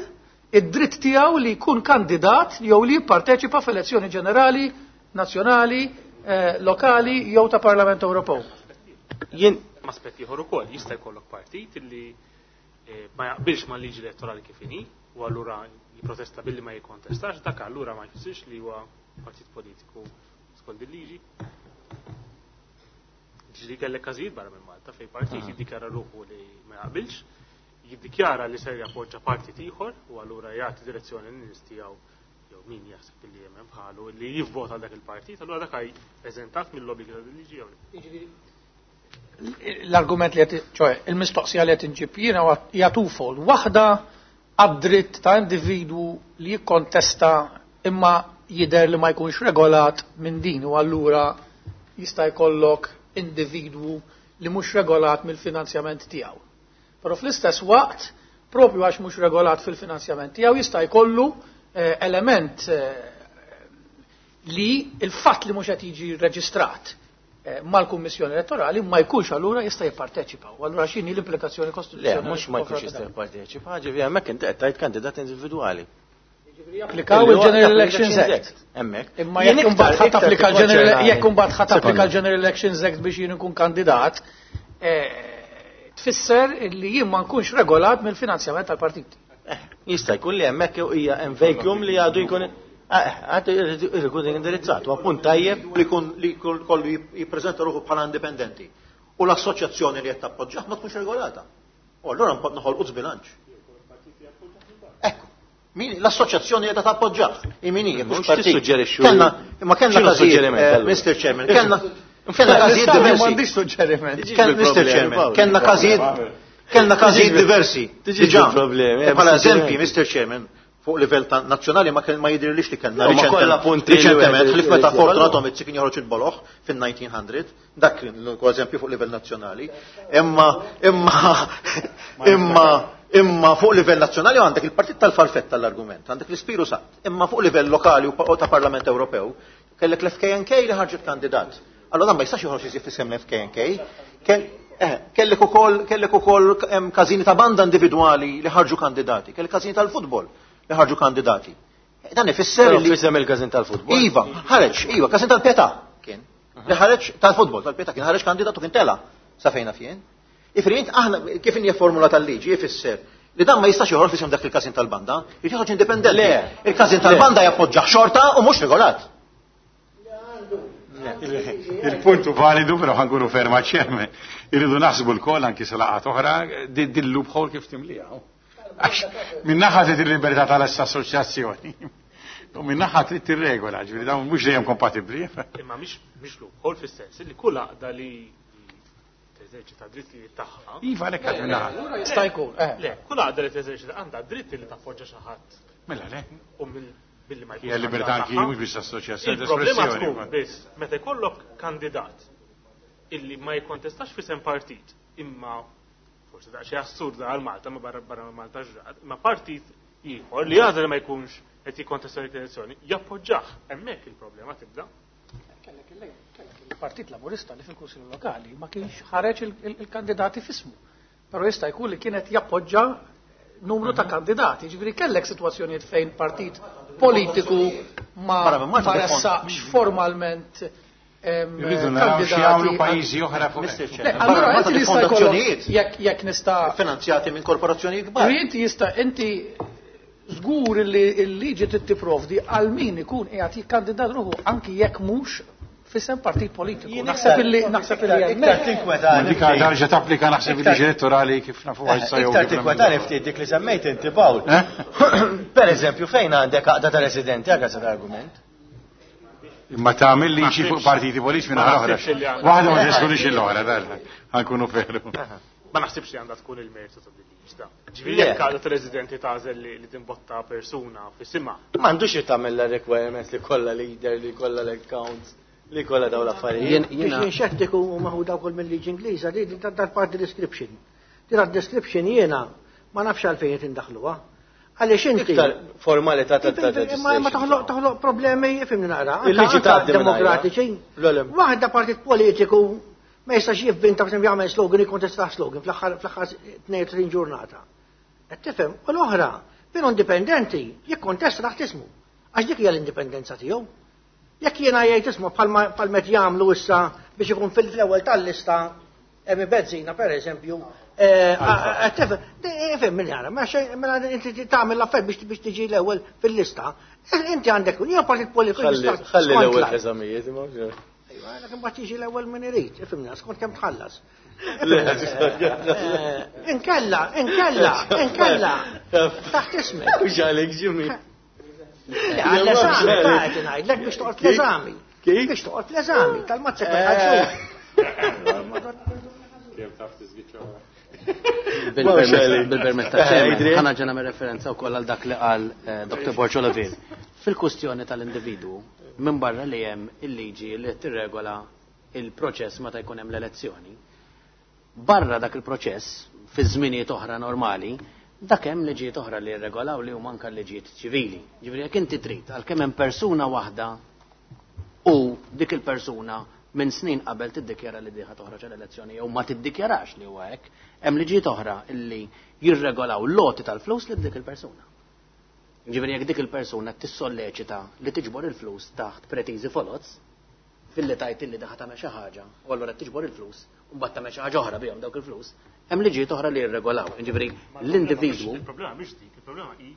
id-dritt tiegħu li jkun kandidat jew li jipparteċipa f'elezzjoni ġenerali, nazzjonali, lokali jew ta' Parlament Ewropew. Jien ma aspett ieħor ukoll jista' jkollok partit li ma jaqbilx mal-liġi elettorali kif inhi u allura jipprotesta billi ma jikkontestax, dak allura ma jfissirx li huwa partit politiku skont il-liġi. Ġieli kellek każijiet barra minn Malta fejn partit jiddikjara ruħu li ma jaqbilx, jiddikjara li ser jappoġġa partit ieħor u allura jagħti direzzjoni lin-nies tiegħu jew min jaħseb li jemmen bħalu li jivvota dak il-partit, allura dak hi eżentat mill-obbligi ta' liġi jew le. L-argument li qed, ċoe, il-mistoqsija li qed inġib jiena hija twofold. Waħda għad-dritt ta' individwu li jikkontesta imma jidher li ma jkunx regolat minn din u allura jista' jkollok individwu li mhux regolat mill-finanzjament tiegħu. Però fl-istess waqt propju għax mhux regolat fil-finanzjament tiegħu jista' jkollu element li il-fatt li mhux qed jiġi reġistrat mal-Kummissjoni Elettorali ma jkunx allura jista' jipparteċipa. U allura x'inhi l-implikazzjoni Le, kostituzzjonali? mhux ma jkunx jista' jipparteċipa, ġifieri hemmhekk inti qed tgħid kandidat individwali. Japplikaw il-General Elections Act. Hemmhekk. Imma Jien jekk imbagħad iktar- ħadd applika iktar l-General tikkonċernani. jekk imbagħad ħadd applika Sekonda. l-General Elections Act biex jien ikun kandidat, tfisser li jien ma nkunx regolat mill-finanzjament tal-partiti. Jista' jkun li hemmhekk hija hemm vacuum li għadu jkun għadu jkun indirizzat u appunt tajjeb Li jkun li kollu jippreżenta ruħu bħala indipendenti. U l-assoċjazzjoni li qed tappoġġjah ma tkunx regolata. U allura npodd noħolqu żbilanċ. Ekku, min l-assoċjazzjoni qed tappoġġjah. Min hi, mhux Mhux partit. tissuġġerixxu. Kellna imma kellna X'inhu każijiet, suġġeriment allura? Mr. Chairman, kellna kellna każijiet diversi. M'għandix suġġeriment. Mr. Chairman, kellna każijiet kellna każijiet diversi. Tiġi Diġà. problemi, Bħala Mr. eżempji, Chairman. Mr. Chairman, fuq livell ta' nazzjonali ma ma jidhirlix li kellna Ma kollha punti li riċentement wieħed ħlief meta irid Fortunato Mizzi kien joħroġ il-boloħ fin-1900, dak kien l-uniku eżempju fuq livell nazzjonali. Imma imma imma imma fuq livell nazzjonali għandek il-partit tal-farfett tal-argument, għandek l-Ispiru Sant. Imma fuq livell lokali u ta' Parlament Ewropew, kellek l-FKNK li ħarġet kandidat. Allora dan ma jistax joħroġ iżjed f'isem l-FKNK. Kellek ukoll kellek ukoll każini ta' banda individwali li ħarġu kandidati, kellek każini tal-futbol li ħarġu kandidati. Dan ifisser Però li f'isem il-każin tal-futbol. Iva, ħareġ, iva, każin tal-Pietà kien. Li ħareġ tal-futbol, tal-Pietà kien ħareġ kandidat u kien tela sa fejna fien. Ifri int aħna kif inhi formula tal-liġi ifisser li dan ma jistax joħroġ f'isem dak il-każin tal-banda, jrid joħroġ indipendenti. Le. Il-każin tal-banda jappoġġah xorta u mhux regolat. Il-puntu validu, però ħankunu ferma ċerme. Irridu naħsbu l-koll anki salaqat oħra, din loophole kif timlija. Għax minnaħa trid il-libertà tal-assoċjazzjoni. U minnaħa trid tirregola, ġifieri dawn mhux dejjem kompatibbli. Imma mhix loophole fis-sens li kull għaqda li teżerċita drittijiet tagħha. Iva għalhekk għad minnaħa. Jista' jkun. Le, kull għaqda li teżerċita għandha dritt li tappoġġa xi ħadd. Mela le. U billi ma Hija libertà anki mhux biss assoċjazzjoni Il-problema espressjoni. tkun biss meta jkollok kandidat illi ma jikkontestax f'isem partit imma forsi daqsxejn assurda għal Malta ma barra barra Malta ġrad, imma partit ieħor li għażel ma jkunx qed jikkontesta dik l-elezzjoni jappoġġah. Hemmhekk il-problema tibda. Kellek il-Partit Laburista li fil-Kunsill Lokali ma kienx ħareġ il-kandidati f'ismu. Però jista' jkun li kienet jappoġġa numru ta' kandidati. Ġifieri kellek sitwazzjonijiet fejn partit politiku ma Barra minn Malta ma ressaqx formalment Irridu naraw x'jagħmlu pajjiżi oħra fuq. Mr. Le, Chairman, allura barra inti Malta jista' jkollok fondazzjonijiet jekk nista' finanzjati minn korporazzjonijiet kbar. Inti jista' inti żgur li l-liġi trid tipprovdi għal min ikun qiegħed jikkandidat ruħu anki jekk mhux f'isem partit politiku. Naħseb illi naħseb illi Iktar hemmhekk tinkwetani. Dik darġa tapplika naħseb il-liġi elettorali kif nafu għal jew Iktar kif tinkwetani nagħmlu. ftit dik li semmejt inti Pawl. Eh? Per eżempju, fejn għandek għaqda ta' residenti għal ta' argument? Imma tagħmel liġi fuq partiti politiċi minn Ma oħra. naħsibx li għandha. Waħda ma teskludix l-oħra, dar. Ħankunu veru. Ma naħsibx li għandha tkun il-mertu ta' din liġi da. Ġifieri Le. jekk għadha residenti tagħżel li timbotta persuna f'isimha. M'għandux jitagħmel la requirements li kollha leader, li kollha l-accounts, li kollha dawn l-affarijiet. Biex jien xettiku u maħuda wkoll mill-liġi Ingliża, di dal-parti description. Din description jiena ma nafx għalfejn qed indaħluha. Għaliex inti Iktar formalità ta' ta' Ma toħloq toħloq problemi fimni naqra. Anka- Il-liġi anka tgħaddi minn demokratiċi. Le, le. Waħda partit politiku ma jistax jivvinta per jagħmel slogan jikkontesta slogan fl-aħħar fl-aħħar 32 ġurnata. Qed tifhem, u l-oħra, min indipendenti jikkontesta taħt ismu. Għax dik hija l-indipendenza tiegħu. Jekk jiena jgħid ismu bħalma bħal jagħmlu issa biex ikun fil-ewwel tal-lista Emi Bezzina per eżempju, tifhem min jara, ma xejn mela inti tagħmel l-affarijiet biex tiġi l-ewwel fil-lista, inti għandek jien partit politiku Ħalli jista' ħalli skont l-ewwel l- eżamijiet imma. Ejwa, għalhekk imbagħad jiġi l-ewwel min irid, ifhimna, skont kemm tħallas. Le, Inkella, inkella, inkella, taħt ismek. Mhux għalik Jimmy. Le, Għall-eżami, ta' qed ngħidlek biex toqgħod fl-eżami. Kif? Biex toqgħod fl-eżami, tal-mazzek ma jħallsux. Kemm taf tiżgiċċa. Bil-permess ta' chairman, Adrian. ħana ġena me referenza wkoll għal dak li qal Dr. Borġolovin. Fil-kustjoni tal-individwu, minn barra li hemm il-liġi li tirregola il-proċess meta jkun hemm l-elezzjoni, barra dak il-proċess, fi żminijiet oħra normali, Dak hemm liġijiet oħra li jirregolaw li huma anke liġijiet ċivili. Ġifieri jekk inti trid għalkemm hemm persuna waħda u dik il-persuna minn snin qabel tiddikjara li diħa toħroġ għall-elezzjoni jew ma tiddikjarax li huwa hekk, hemm liġijiet oħra li jirregolaw l-għoti tal-flus lil dik il-persuna. Ġifieri jekk dik il-persuna tissolleċita li tiġbor il-flus taħt pretiżi foloz, filli tgħid illi daħa tagħmel xi ħaġa u allura tiġbor il-flus u mbagħad tagħmel xi ħaġa oħra bihom dawk il-flus, hemm liġijiet oħra li jirregolaw. Ġifieri l-individwu. Il-problema mhix dik, il-problema hi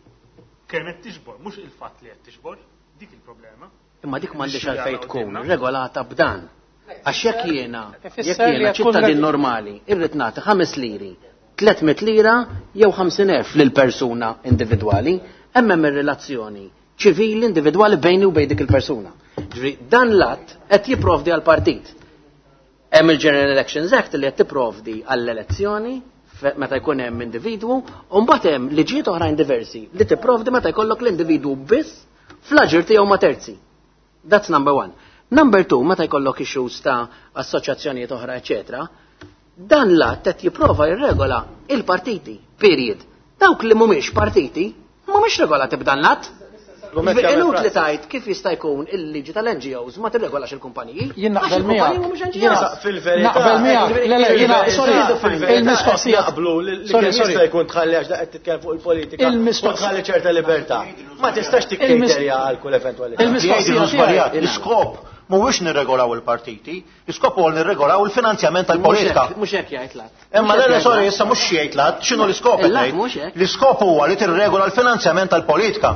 kemm qed tiġbor, mhux il-fatt li qed tiġbor, dik il-problema. Imma dik m'għandix għalfejn tkun regolata b'dan. Għax jekk jiena, jekk jiena ċittadin normali, irrid nagħti 5 liri, 300 lira jew 50,000 lil persuna individwali, hemm hemm ir-relazzjoni ċivili individwali bejni u bejn dik il-persuna. Ġifieri dan l-att qed jipprovdi għal partit. Hemm il-General Elections Act li qed tipprovdi għall-elezzjoni meta jkun hemm individwu, u mbagħad hemm liġijiet oħrajn diversi li tipprovdi meta jkollok l-individwu biss fl-aġir tiegħu ma' terzi. That's number one. Number two, meta jkollok issues ta' assoċjazzjonijiet oħra, eċetera, dan l-att qed jipprova jirregola il-partiti, period. Dawk li mhumiex partiti, mhumiex regolati b'dan l-att. Inutli tajt kif jista' jkun il-liġi tal-NGOs ma tirregolax il-kumpaniji. Jien naqbel miegħek. Fil-verità. Naqbel miegħek. Le, le, jiena sorry, il-mistoqsija. Naqblu li kemm jista' jkun tħalli għax qed titkellem fuq il-politika. Il-mistoqsija. Tħalli ċerta libertà. Ma tistax tikkejterja għal kull eventwalità. Il-mistoqsija żbaljat. L-iskop mhuwiex nirregolaw il-partiti, l-iskop huwa nirregolaw il-finanzjament tal-politika. Mhux hekk jgħid l-att. Imma le, sorry, issa mhux jgħid l-att, x'inhu l-iskop? L-iskop huwa li tirregola l-finanzjament tal-politika.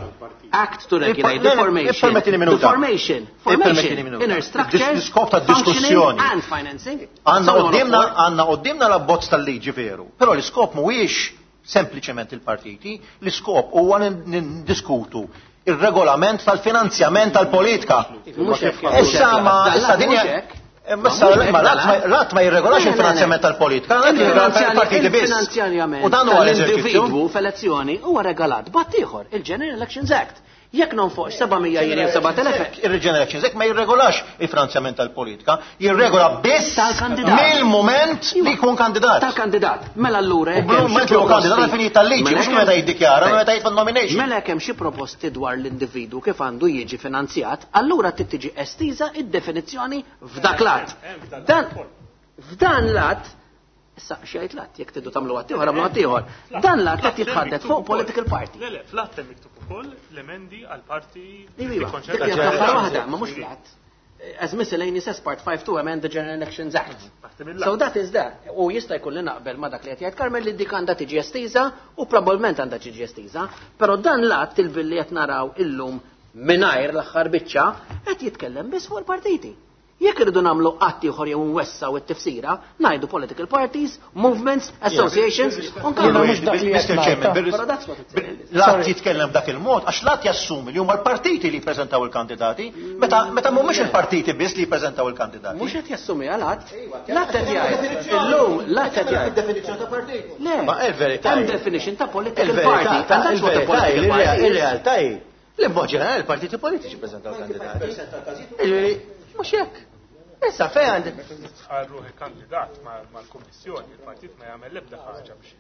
Act to regulate the formation. Permettini minuta. The formation, formation, inner structure, L-iskop tad-diskussjoni. and financing. Għandna qudiemna l-abbozz tal-liġi veru, però l-iskop mhuwiex sempliċement il-partiti, l-iskop huwa nindiskutu il-regolament tal-finanzjament tal-politika. Issa ma issa din Issa l-att ma jirregolax il-finanzjament tal-politika, l-att jirregola il-partiti biss. Il-finanzjament U dan huwa l-eżerċizzju. tal-individwu f'elezzjoni huwa regolat b'att ieħor, il-General Elections Act. Jekk nonfoqx 700 jien jew 7000. Il-General Elections Act ma jirregolax il-finanzjament tal-politika, jirregola biss Tal-kandidat. mill-moment li jkun kandidat. Tal-kandidat. Mela allura U mill-moment li hu kandidat għal finijiet tal-liġi, mhux meta jiddikjara, meta jitfa' nomination. Mela jekk hemm xi proposti dwar l-individwu kif għandu jiġi finanzjat, allura trid tiġi estiża id-definizzjoni f'dak l-att. Dan f'dan l-att issa xejn l-att, jekk tridu tagħmlu att ieħor, agħmlu att ieħor. Dan l-att qed jitħaddet fuq political party. Le, le, fl-att hemm miktub ukoll l-emendi għal parti Iva, dik hija l-aħħar waħda, ma mhux fl-att. As miscellaneous as part 5 to amend the General Elections Act. So that is that. U jista' jkun li naqbel ma dak li qed jgħid Carmel li dik għandha tiġi estiża u probabbilment għandha tiġi estiża, però dan l-att il-billi qed naraw illum mingħajr l-aħħar biċċa qed jitkellem biss fuq il-partiti. Jekk irridu nagħmlu att ieħor jew nwessaw it-tifsira, ngħidu political parties, movements, associations, u nkamlu mhux dak li Mr. qed Chairman, ngħid. Però that's what it says. L-att jitkellem b'dak il-mod, għax l-att jassumi li huma l-partiti li jippreżentaw il-kandidati, meta mhumiex il-partiti biss li jippreżentaw il-kandidati. Mhux qed jassumi għal att. L-att qed jgħid. Illum l-att qed jgħid. Definizzjoni ta' partit. Le, Ma il-verità. hemm definition ta' political Il-verità, party. And that's what a il-verità, political party is. il-realtà hi li b'mod ġenerali il-partiti politiċi ppreżentaw kandidati. Jiġifieri, mhux hekk. Issa fejn għandek Għal ruħi kandidat mal-Kummissjoni, il-partit ma jagħmel l-ebda ħaġa biex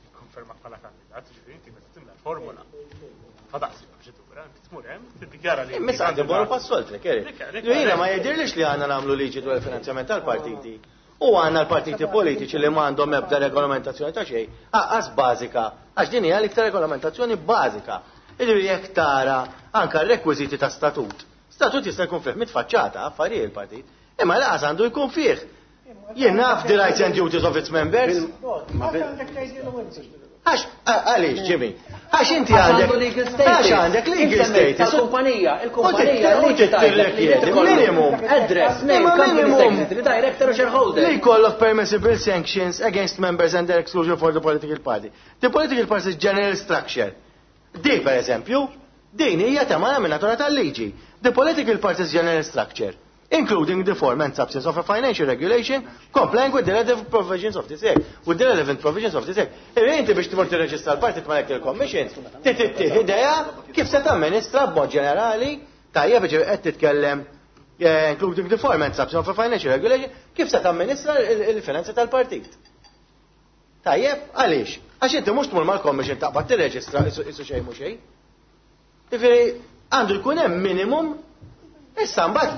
jikkonferma bħala kandidat, ġifieri inti meta timla l-formula. Ta' daqs il-proċedura, inti tmur hemm, tiddikjara li. Imma għandi morru passoltrek, Erik. Jiena ma jidhirlix li għandna nagħmlu liġi dwar il-finanzjament tal-partiti. U għandna l-partiti politiċi li m'għandhom ebda regolamentazzjoni ta' xejn, aqqas bażika, għax din hija l-iktar regolamentazzjoni bażika. Jiġifieri jekk tara anka r-rekwiżiti ta' statut. Statut jista' jkun fih mitfaċċata affarijiet il-partit, imma laqas għandu jkun fih. Jien naf the rights and duties of its members. Għax, għaliex, Jimmy, għax inti għandek, għax għandek legal status. Tal-kumpanija, il-kumpanija U tirrikjedi minimum. Address, name, Imma company minimum. secretary, director u shareholder. Li jkollok permissible sanctions against members and their exclusion for the political party. The political party's general structure. Di, per eżempju, din hija temana minn natura tal-liġi. The political party's general structure, including the form and substance of a financial regulation complying with the relevant provisions of this act. With the relevant provisions of this act. Irri inti biex tmur tirreġistra l-partit ma' Electoral Commission, tittiħ idea kif se tamministra b'mod ġenerali, tajjeb biex qed titkellem including the form and substance of a financial regulation, kif se tamministra il-finanzi tal-partit. Tajjeb, għaliex? Għax inti mhux tmur mal-commission taqbad tirreġistra isu xejn mhu xejn. Jiġifieri għandu jkun hemm minimum issa mbagħad.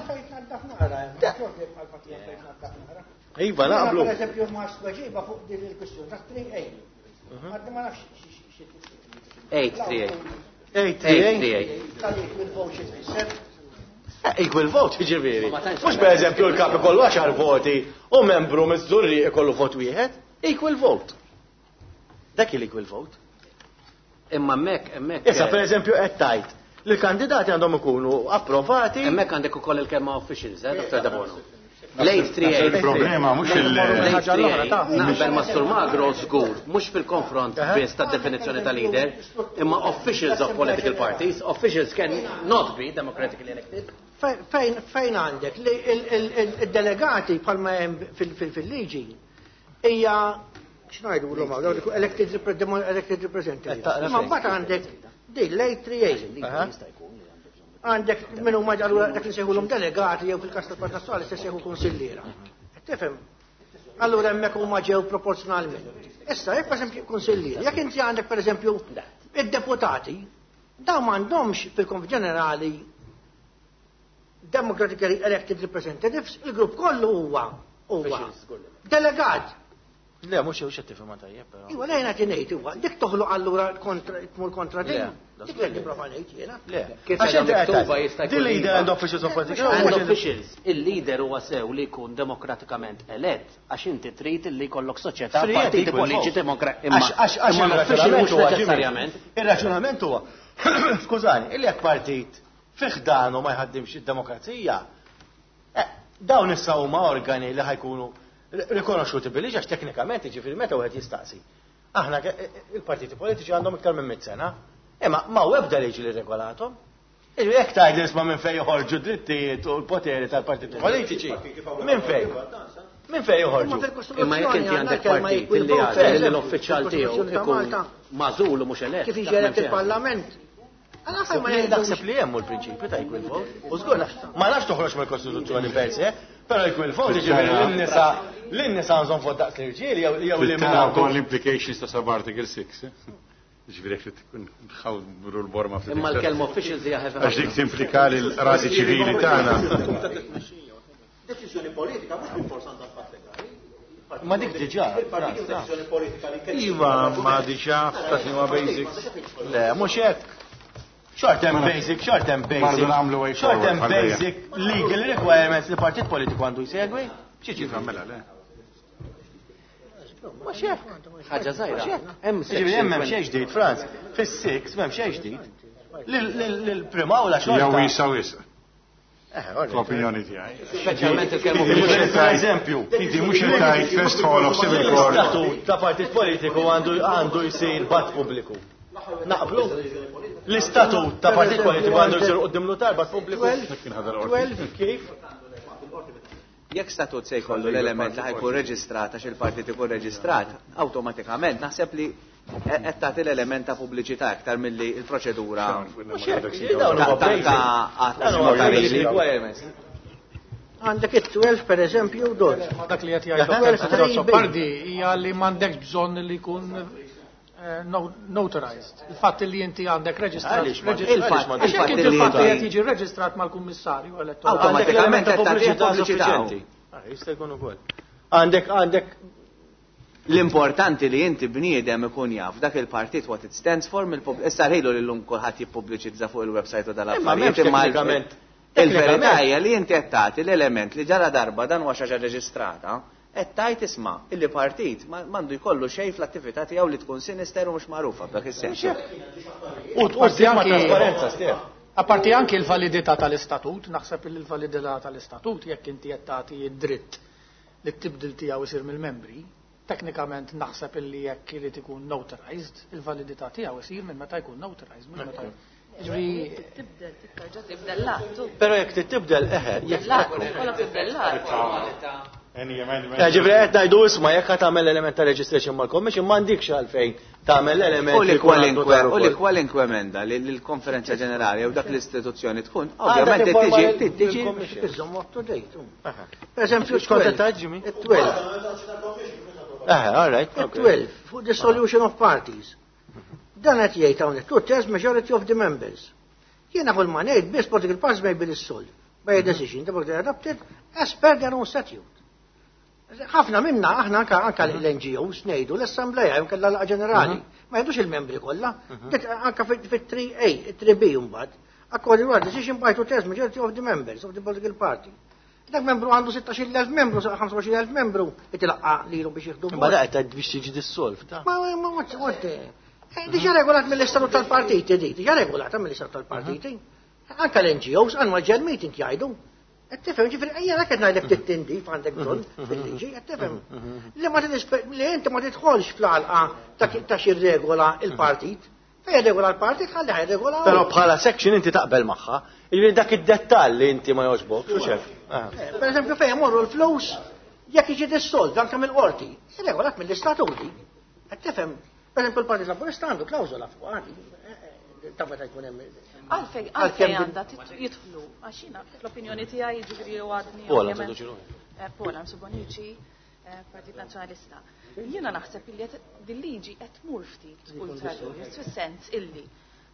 Iva, naqblu. Per eżempju, ma tweġiba fuq din il-kwistjoni ta' 3A. Għaddi ma nafx xi 8-3-A. 8-3-A. Tal-equal vote xi tfisser. Equal vote, ġifieri. Mhux per eżempju l-kap ikollu 10 voti u membru miż-Żurri ikollu vot wieħed. Equal vote. Dak il-equal vote. Imma hemmhekk, hemmhekk. Issa per eżempju qed tgħid li l-kandidati għandhom ikunu approvati. Hemmhekk għandek ukoll il-kelma officials, eh, Dr. Debono. Late 3A. Il-problema mhux il- Late 3A. Naqbel ma' Sur Magro żgur, mhux fil-konfront biss tad-definizzjoni ta' leader, imma officials of political parties, officials can not be democratically elected. Fejn għandek li il-delegati bħalma hemm fil-liġi hija x'ngħidu l hawn elected representatives. Ma mbagħad għandek din late 3A. Għandek min huma allura dak li sejħulhom delegati jew fil-każ tal-Partit Nazzjonali se sejħu kunsilliera. Tifhem? Allura hemmhekk huma ġew proporzjonalment. Issa jekk pereżempju kunsilliera, jekk inti għandek pereżempju id-deputati, dawn m'għandhomx fil-Konf Ġenerali democratically elected representatives, il-grupp kollu huwa huwa delegat. Le, mhux mhux qed tifhimha tajjeb, però. Iwa, lejna ngħid huwa, dik toħloq allura kontra tmur kontra din. Dik li nipprova ngħid jiena. Le. Kif Għax inti qed miktuba jista' tgħid, Din jkun leader iva. and officials of political And officials, il-leader huwa sew li jkun demokratikament elett għax inti trid li jkollok soċjetà Free partiti equal politiċi vote. demokratiċi. Għax għax għax Imma l-official il-raġunament mhux huwa, Jimmy, neċessarjament. Il-raġunament huwa, skużani, illi jekk partit fi ħdanu ma jħaddimx id-demokrazija, dawn issa huma organi li ħa jkunu rikonoxxuti bil-liġi għax teknikament jiġifieri meta wieħed jistaqsi. Aħna il-partiti politiċi għandhom iktar minn 100 sena, imma ma hu ebda liġi li regolatom. Jiġifieri jekk tgħid li isma' minn fejn joħorġu drittijiet u l-poteri tal-partiti politiċi, minn fejn? Minn fejn joħorġu? Imma jekk inti għandek partit li jagħżel li l-uffiċjal tiegħu ikun magħżul u mhux elett. Kif jiġi elett il-Parlament. Għala ma Naħseb li hemm l-prinċipju ta' equal vote. U żgur ma nafx toħroġ mill-Kostituzzjoni per se, però equal vote jiġifieri lin-nisa lin-nisa għandhom vot daqs l-irġiel jew li Tara wkoll l-implications ta' sub-article 6. eh? Ġifieri jekk tkun nħawru l-borma ftit Imma iktar. l-kelma officials hija ħefa. Għax dik timplika li l-qrati ċivili tagħna. Deċiżjoni politika mhux bil-fors għandha impatt legali. Ma dik diġà, Il-partit deċiżjoni politika li keċċi. Iva, ma diġà f'dak li huwa basics. Le, mhux hekk. Short and basic, short and basic. Mardu nagħmlu way Short forward, and ħalli. basic legal requirements li partit politiku għandu jsegwi. Xi Iva, mela, le. Mhux hekk. Ħaġa żgħira. Hemm Ġifieri hemm m'hemm xejn ġdid, Franz. Fis-six m'hemm xejn ġdid. Lil-primawla xorta. Jew wiesa wiesa. Eh, Fl-opinjoni tiegħi. Speċjalment il-kelma Inti mhux Per qed tgħid- eżempju, Inti mhux qed tgħid first hall of civil court. L-istatut ta' partit politiku għandu jsir bat pubbliku. Naqblu? L-istatut ta' partit politiku għandu jsir quddiem notar bat pubbliku. 12 Kif? Jekk statut se jkollu l-element li ħa jkun reġistrat għax il-partit ikun reġistrat, awtomatikament naħseb li qed tagħti l-element ta' pubbliċità aktar milli l-proċedura Mhux hekk, dawn huma ta' basic. ta' Dawn huma basic notarili. requirements. Għandek it-12 per eżempju dot. Dak li qed jgħid Dr. Azzopardi hija li m'għandekx bżonn li jkun notarized. Il-fatt li inti għandek reġistrat. Għaliex ma- Il-fatt għaliex ma- għaliex il-fatt inti li il-fatt li inti- qed jiġi reġistrat mal-kummissarju elettorali. Awtomatikament Għandek qed tagħti pubbliċità pubbliċità. suffiċjenti. Ah, Jista' jkun ukoll. Għandek għandek L-importanti li inti bniedem ikun jaf dak il-partit what it stands for mill Issa ħilu li llum kulħadd jippubbliċizza fuq il-website u Imma dal-affarijiet m'hemmx teknikament. il-verità hija li inti qed tagħti l-element li ġara darba dan huwa xi ħaġa reġistrata, qed tgħid isma' illi partit m'għandu jkollu xejn fl-attività tiegħu li tkun sinister u mhux magħrufa f'dak is-sens. U tqossib ma' trasparenza, Stef. Apparti anki l-validità tal-istatut, naħseb li l-validità tal-istatut jekk inti qed tagħti d-dritt li t-tibdil tiegħu isir mill-membri, teknikament naħseb illi jekk irid ikun notarized, il-validità tiegħu isir minn meta jkun notarized, mhux meta. Jiġifieri Tibdel, terġa' tibdel l-att. Però jekk tibdel eħe, jekk L-att, kollha tibdel l-att. Any amendment? Ġifieri qed ngħidu isma' jekk ħa tagħmel element ta' registration mal-commission m'għandikx għalfejn tagħmel element U li li jkun għandu kwalinkwe, tar u li ukoll. kwalinkwe emenda li l-konferenza ġenerali jew dak l-istituzzjoni tkun, Għandha ovvjament tinforma tiġi lil- tiġi lill-commission. Iżomm up to date. Per eżempju, X'kont qed tgħid, Jimmy? 12. All right. Okay. 12, fuq dissolution of parties. Dan qed jgħid hawnhekk, two-thirds majority of the members. Jiena kull ma ngħid biss political parties may be dissolved by a decision that was adopted as per their own statute. Ħafna minna, aħna anka anka l-NGOs ngħidu l-Assembleja jew kellha laqgħa ġenerali. Ma jgħidux il-membri kollha. Dik anka fit-3A, 3B mbagħad. According to a decision by two-thirds majority of the members of the political party. Dak membru għandu 16.000 membru, 25.000 membru, itilaqqa lilu biex jieħdu. Ma da qed biex tiġi dissolved. Ta. Ma what, diġà regolat mill-istatut tal-partiti di, diġà regolata mill-istatut tal-partiti. Anka l-NGOs għannu general meeting jgħidu. Qed tifhem, ġifieri ejja qed ngħidlek tindif għandek bżonn fil-liġi, qed tifhem. Li ma li inti ma tidħolx fl-għalqa ta' xi regola il-partit. Fejn regola l-partit ħalli ħaj regola. Però bħala section inti taqbel magħha, jiġifieri dak id-dettall li inti ma jogħġbok, xu xef. Per eżempju fejn morru l-flus jekk jiġi dissolt anke mill-qorti, regolat mill-istatuti. Qed tifhem, per eżempju l-Partit Laburista għandu klawżola fuq għadi. Ta' meta jkun hemm. Għalfej, għalfej għandha jidħlu, għax jiena fl-opinjoni tiegħi jiġifieri u għadni. Pola, ovvjament, introduċi ruħek. Pola Msubonici, Partit Nazzjonalista. Jiena naħseb illi dil-liġi qed tmur ftit ultra fis-sens illi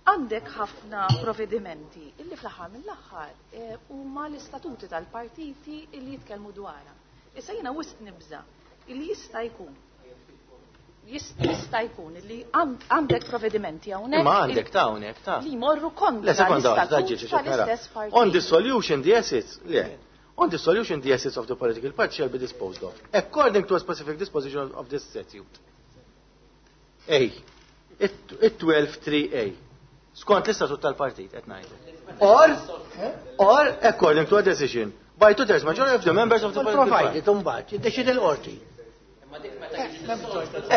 għandek ħafna provvedimenti illi fl-aħħar mill-aħħar huma l-istatuti tal-partiti illi jitkellmu dwarha. Issa jiena wisq nibża illi jista' jkun jista' jkun illi għandek provvedimenti hawnhekk Imma għandek ta' hawnhekk ta' li jmorru kontra Le, sekonda, l-istatut daġġi, tal-istess partit. On dissolution, the assets, yeah. On dissolution, the assets of the political party shall be disposed of according to a specific disposition of this statute. A. It 12.3a. Skont l-istatut tal-partit, qed ngħidu. Or, according to a decision by two-thirds majority of the members of the political party. Provided mbagħad jiddeċidi l-qorti.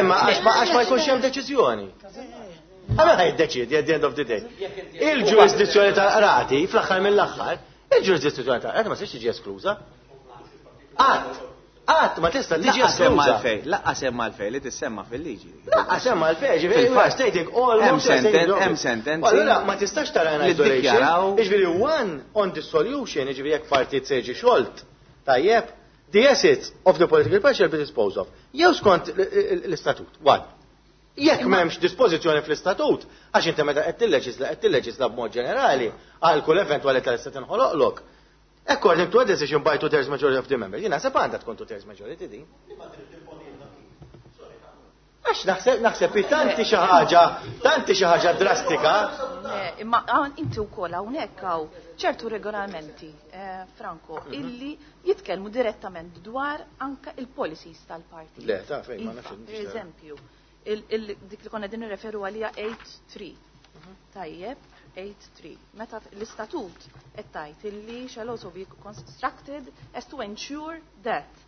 Imma għax ma jkunx hemm deċiżjoni. Għamma ħaj jiddeċidi at the end of the day. Il-ġurisdizzjoni tal-qrati, fl-aħħar mill-aħħar, il-ġurisdizzjoni tal-qrati ma tistax tiġi eskluża. Qatt, qatt ma tista' tiġi Laqqas hemm eskluża. għalfejn, laqqas hemm għalfejn li tissemma fil-liġi. Laqqas hemm għalfejn, ġifieri Fil-fatt, we are stating all hemm most are stating the hemm obvious. sentenzi Allura ma tistax tara in li isolation. ddikjaraw- Jiġifieri one on dissolution, jiġifieri jekk partit se jiġi xolt, tajjeb, the assets of the political party shall be disposed of. Jew skont l-istatut, one. Jekk m'hemmx dispożizzjoni fl-istatut, għax inti meta qed tilleġisla qed tilleġisla b'mod ġenerali għal kull eventwalità li se tinħoloqlok. According to a decision by two-thirds majority of the members. Jien naħseb għandha tkun two-thirds majority din. Għax naħseb li tanti xi ħaġa, tanti xi ħaġa drastika. Le, imma inti wkoll hawnhekk hawn ċertu regolamenti, Franco, illi jitkellmu direttament dwar anka il-policies tal-partit. Le, ta' fejn, ma Iva, nafx Per eżempju, dik li konna din nirreferu għalija 8.3. Tajjeb, 8.3. Meta l-istatut qed tgħid illi shall also be constructed as to ensure that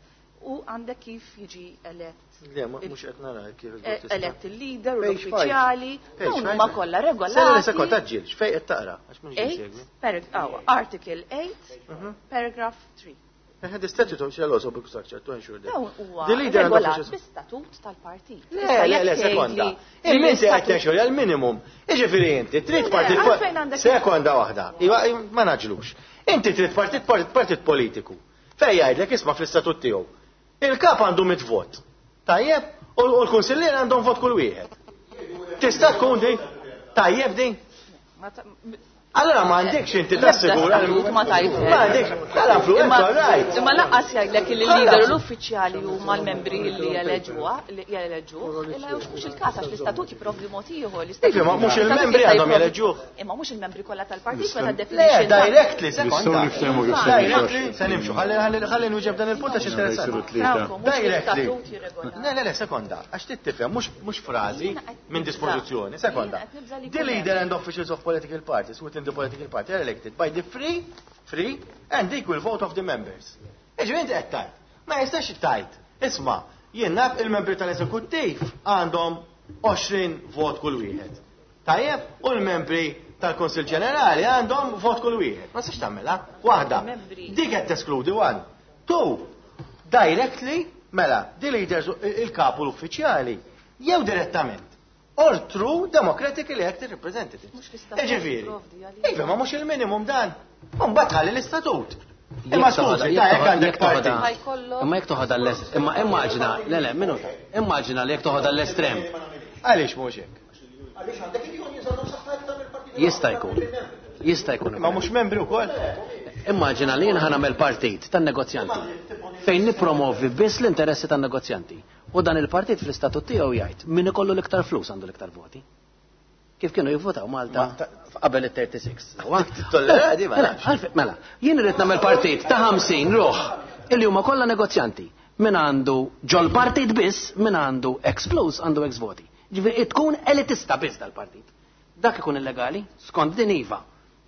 u għandek kif jiġi elett. Le, mhux qed nara kif il-tista'. Elett il-leader u Page l-uffiċjali, five. Page dawn five. huma kollha Sena regolati. sekond taġġilx, fejn qed taqra, għax mhux Eight, insegwi. article 8, paragraph 3. The statute shall also be structured to ensure that. Dawn huwa The leader and regolat officials- bi-statut tal-partit. Le, Issa le, jekk le, tgħid sekonda. li Il-minti qed l-istatut- tenxur għal-minimum. Jiġifieri inti trid Le, partit għalfejn għandek- Sekonda waħda. Iva, ma naġlux. Inti trid partit politiku. Fejn jgħidlek isma' fl-istatut tiegħu. Il-kap għandu mit vot. Tajjeb, u l-kunsillier għandhom vot kull wieħed. Tista' tkun di? Tajjeb din? Ma ta- Allora ma għandekx inti L-ebda tassigura. statut ma tajt. Ma għandekx, bħala influenza, right. Imma lanqas jgħidlek li l-leader u l-uffiċjali huma l-membri li jeleġuha, li jeleġuh, illa mhux il-każ għax l-istatut jipprovdi mod ieħor. l-istatut Iva, ma mhux l-istatut il-membri jista' għandhom jipprovdi- jeleġuh. Imma mhux il-membri kollha tal-partit meta Le, definition ta' directly, Nistgħu sekonda. niftehmu kif se Directly, nimxu. se nimxu. Ħalli nwieġeb dan il-punt għax interessanti. Jsiru tlieta. Franco, mhux Directly. l-istatut jirregola. Le, le, le, sekonda. Għax tittifhem, mhux frażi Jiena qed minn nibża'. dispożizzjoni. Sekonda. Jiena qed nibża' li The jkun hemm. leader and officials of political parties within the political party are elected by the free and equal vote of the members. Iġifieri inti qed tgħid. Ma jistax tgħid. Isma', jien naf il-membri tal-eżekuttiv għandhom 20 vot kull wieħed. Tajjeb, u l-membri tal-Konsil Ġenerali għandhom vot kull wieħed. Ma tistax tagħmilha. Waħda. Membri. Dik qed teskludi one. Two, directly, mela, the leaders, il-kapu l-uffiċjali, jew direttament, or through democratically elected representatives. Mhux l-istatut Iġifieri. jipprovdi għalija. Iva, ma mhux il-minimum dan. Mbagħad ħalli l-istatut. Imma skużi, ta' jekk għandek partit. Imma jekk toħodha l imma immaġina, le le, minuta, immaġina li jekk toħodha l-estrem. Għaliex mhux hekk? Għaliex għandek il-unions għandhom saħħa iktar mill-partit. Jista' jkun. Jista' jkun. Ma mhux membri wkoll. Immaġina li jien nagħmel partit tan-negozjanti fejn nippromovi biss l-interessi tan-negozjanti. U dan il-partit fl-istatut tiegħu jgħid min ikollu l-iktar flus għandu l-iktar voti. Kif kienu jivvotaw Malta qabel it-36. Mela, mela, jien irrid nagħmel partit ta' 50 ruħ illi huma kollha negozjanti. Min għandu ġol partit biss, min għandu ex flus għandu ex voti. Ġifieri tkun elitista biss dal-partit. Dak ikun illegali, skont din iva.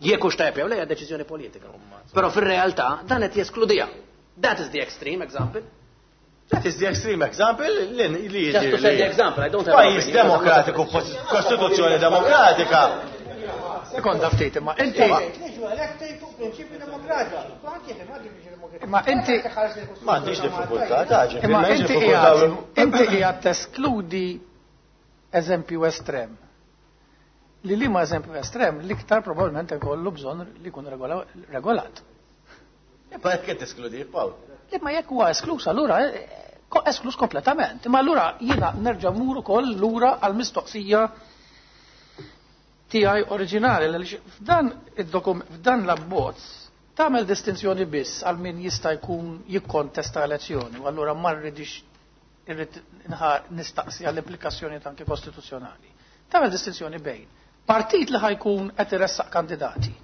Jekk hux tajjeb jew le hija deċiżjoni politika. Però fir-realtà dan qed jeskludiha. That is the extreme example. That is the extreme example li li Just to set the example, I don't have Pajjiż demokratiku, kostituzzjoni demokratika. Sekonda ftit, imma inti. Imma inti. M'għandix diffikultà, ta' Imma inti qiegħed inti qiegħed teskludi eżempju estrem. Li liema eżempju estrem l-iktar probabbilment ikollu bżonn li jkun regolat. Imma jekk qed teskludi, Pawl. Imma jekk huwa esklus allura eh, esklus kompletament. Imma allura jiena nerġa' mmur ukoll lura għall-mistoqsija tiegħi oriġinali għaliex f'dan f'dan l-abbozz tagħmel distinzjoni biss għal min jista' jkun jikkontesta elezzjoni u allura ma rridix irrid nistaqsi għall implikazzjoni anke kostituzzjonali. Tagħmel distinzjoni bejn partit li ħajkun qed iressaq kandidati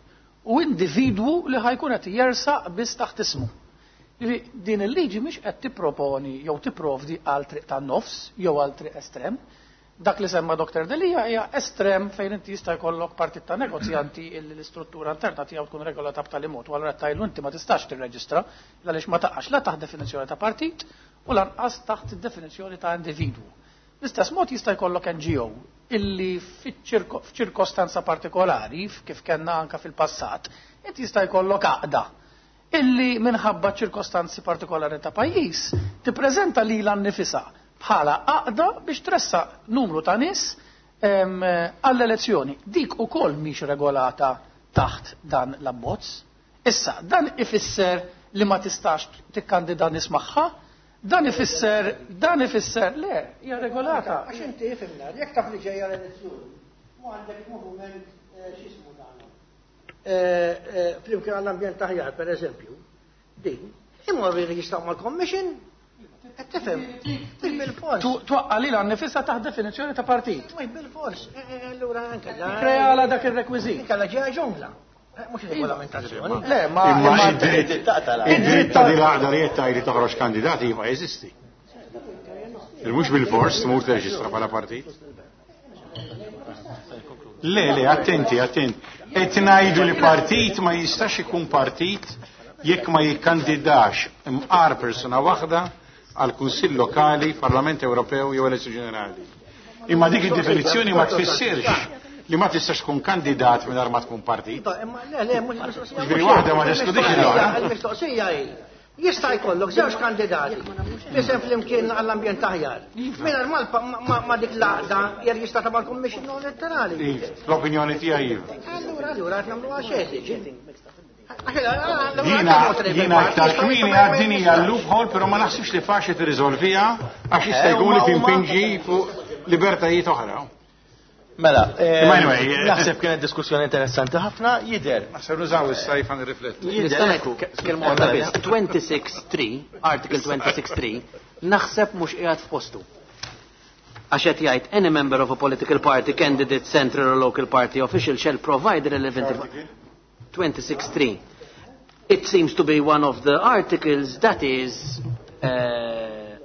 u individwu li ħajkun qed jersaq biss taħt ismu. Din il-liġi mhix qed tipproponi jew tipprovdi għal triq tan-nofs jew għal triq estrem. Dak li semma Dr. Delia hija estrem fejn inti jista' jkollok partit ta' negozjanti illi l-istruttura interna tiegħu tkun regolata b'tali mod u allura tgħidlu inti ma tistax tirreġistra għaliex ma taqax la taħt definizzjoni ta' partit u lanqas taħt id-definizzjoni ta' individwu. L-istess mod jista' jkollok NGO illi f'ċirkostanza partikolari, kif kellna anka fil-passat, inti jista' jkollok għaqda illi minħabba ċirkostanzi partikolari ta' pajjiż tippreżenta lilha nnifisha bħala għaqda biex tressaq numru ta' nies għall-elezzjoni. Dik ukoll mhix regolata taħt dan l-abbozz. Issa, dan ifisser li ma tistax tikkandida nies magħha, dan ifisser, dan ifisser, le, hija regolata. Għax inti ifhimna, jekk taf li ġejja l-elezzjoni, u għandek moviment eh, x'ismu dan. Eh, eh, flimkien għall-ambjent aħjar, per eżempju, din, imorru jirreġistraw mal-commission, qed tifhem, bil-fors. Twaqqa' lilha nnifisha taħt definizzjoni ta' partit. Mhux bil-fors, eh, allura ankella. Kreala dak ir-rekwiżit. Inkella ġeja ġungla. Mhux regolamentazzjoni. Le, ma id-dritt ta' din l-għaqda li qed tgħid li toħroġ kandidati ma jeżisti. Il-mhux bil-fors tmur tirreġistra bħala partit. Le, le, attenti, attenti. Qed ngħidu li partit ma jistax ikun partit jekk ma jikkandidax imqar persuna waħda għal Kunsill Lokali, Parlament Ewropew jew Elezzjoni Ġenerali. Imma dik id-definizzjoni ma tfissirx li ma tistax tkun kandidat mingħajr ma tkun partit. Iva, imma le, le, mhux mistoqsija. Ġifieri waħda ma teskludix l-oħra. Il-mistoqsija hi Jista' jkollok żewġ kandidati li flimkien għall-ambjent aħjar. Mingħajr ma dik l-għaqda jirreġistrata mal-Commission Elettorali. Iva, l-opinjoni tiegħi iva. Allura, allura qed nagħmlu għax Jiena jiena iktar kmieni għad din hija loophole, però ma naħsibx li faċli tirriżolviha għax jista' jkun li timpinġi fuq libertajiet oħra. Mela, Imma anyway, naħseb kienet diskussjoni interessanti ħafna, jidher. Naħseb nużaw is-sajf għan nirriflettu. Nista' ngħid kelma waħda biss. 26.3, Article 26.3, naħseb mhux qiegħed f'postu. Għax qed jgħid any member of a political party, candidate, central or local party official shall provide relevant 26.3. It seems to be one of the articles that is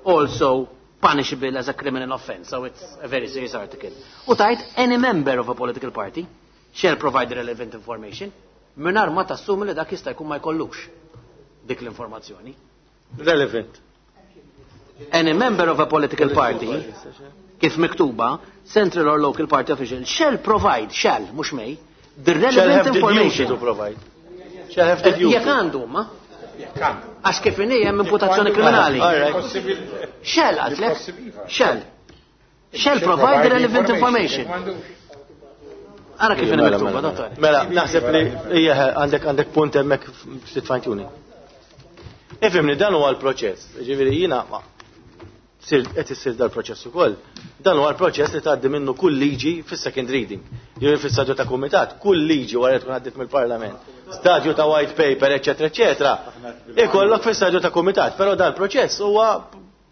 also punishable as a criminal offense, so it's a very serious article. U tgħid any member of a political party shall provide the relevant information mingħajr ma tassumi li dak jista' jkun ma jkollux dik l-informazzjoni. Relevant. Any member of a political party, kif miktuba, central or local party official, shall provide, shall, mhux may, the Shall relevant have the duty information. to provide. Shall have the duty. Jekk għandu, ma? Għax kif inhi hemm imputazzjoni kriminali. All right. Shall għatlek? Shall. Shall provide the relevant information. Ara kif inhi Mela, miktuba, mela, dottor. Mela, naħseb li hija għandek għandek punt hemmhekk ftit fine tuning. Ifhimni dan huwa l-proċess. Ġifieri jiena qed issir dal-proċess ukoll. Dan huwa l-proċess li tgħaddi minnu kull liġi fis-second reading. Jiġifieri fis-stadju ta' kumitat, kull liġi wara tkun għaddiet mill-Parlament, stadju ta' white paper, eċetera, eċetera, ikollok fis-stadju ta' kumitat, però dal-proċess huwa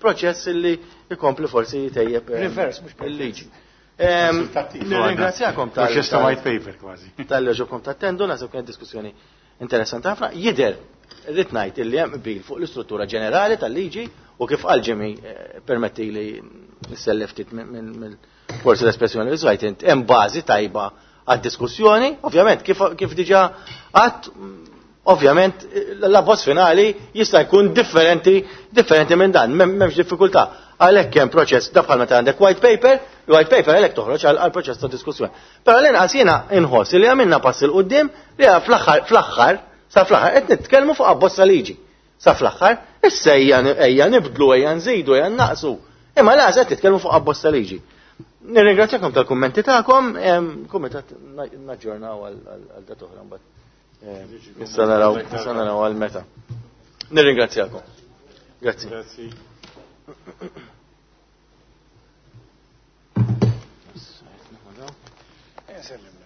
proċess li jkompli forsi jtejjeb eh, Reverse, mhux il-liġi. Nirringrazzjakom tal Proċess ta' white paper kważi. Tal-li ġobkom tattendu, naħseb kienet diskussjoni interessanti ħafna. Jidher, rrid ngħid illi hemm qbil fuq l-istruttura ġenerali tal-liġi u kif qal Jimmy eh, permetti li nsellef ftit minn forsi l-espressjoni li żajt int, hemm bażi tajba għad-diskussjoni, ovvjament kif, kif diġà għadt ovvjament l-abbozz finali jista' jkun differenti differenti minn dan, m'hemmx diffikultà. Għalhekk hemm proċess da bħal meta għandek white paper, white paper għalhekk toħroġ għal proċess ta' diskussjoni. Però l-inqas jiena inħoss li għamilna pass il quddiem li fl-aħħar fl-aħħar sa fl-aħħar qed nitkellmu fuq abbozz ta' liġi. Sa fl-aħħar issa ejja ejja nibdlu ejja nżidu ejja naqsu. Imma l qed nitkellmu fuq abbozz ta' liġi. Nirringrazzjakom tal-kummenti tagħkom, kumitat naġġornaw għal dat oħra mbagħad. Issa naraw, issa naraw għal meta. Nirringrazzjakom. Grazzi. Grazzi. Sellem.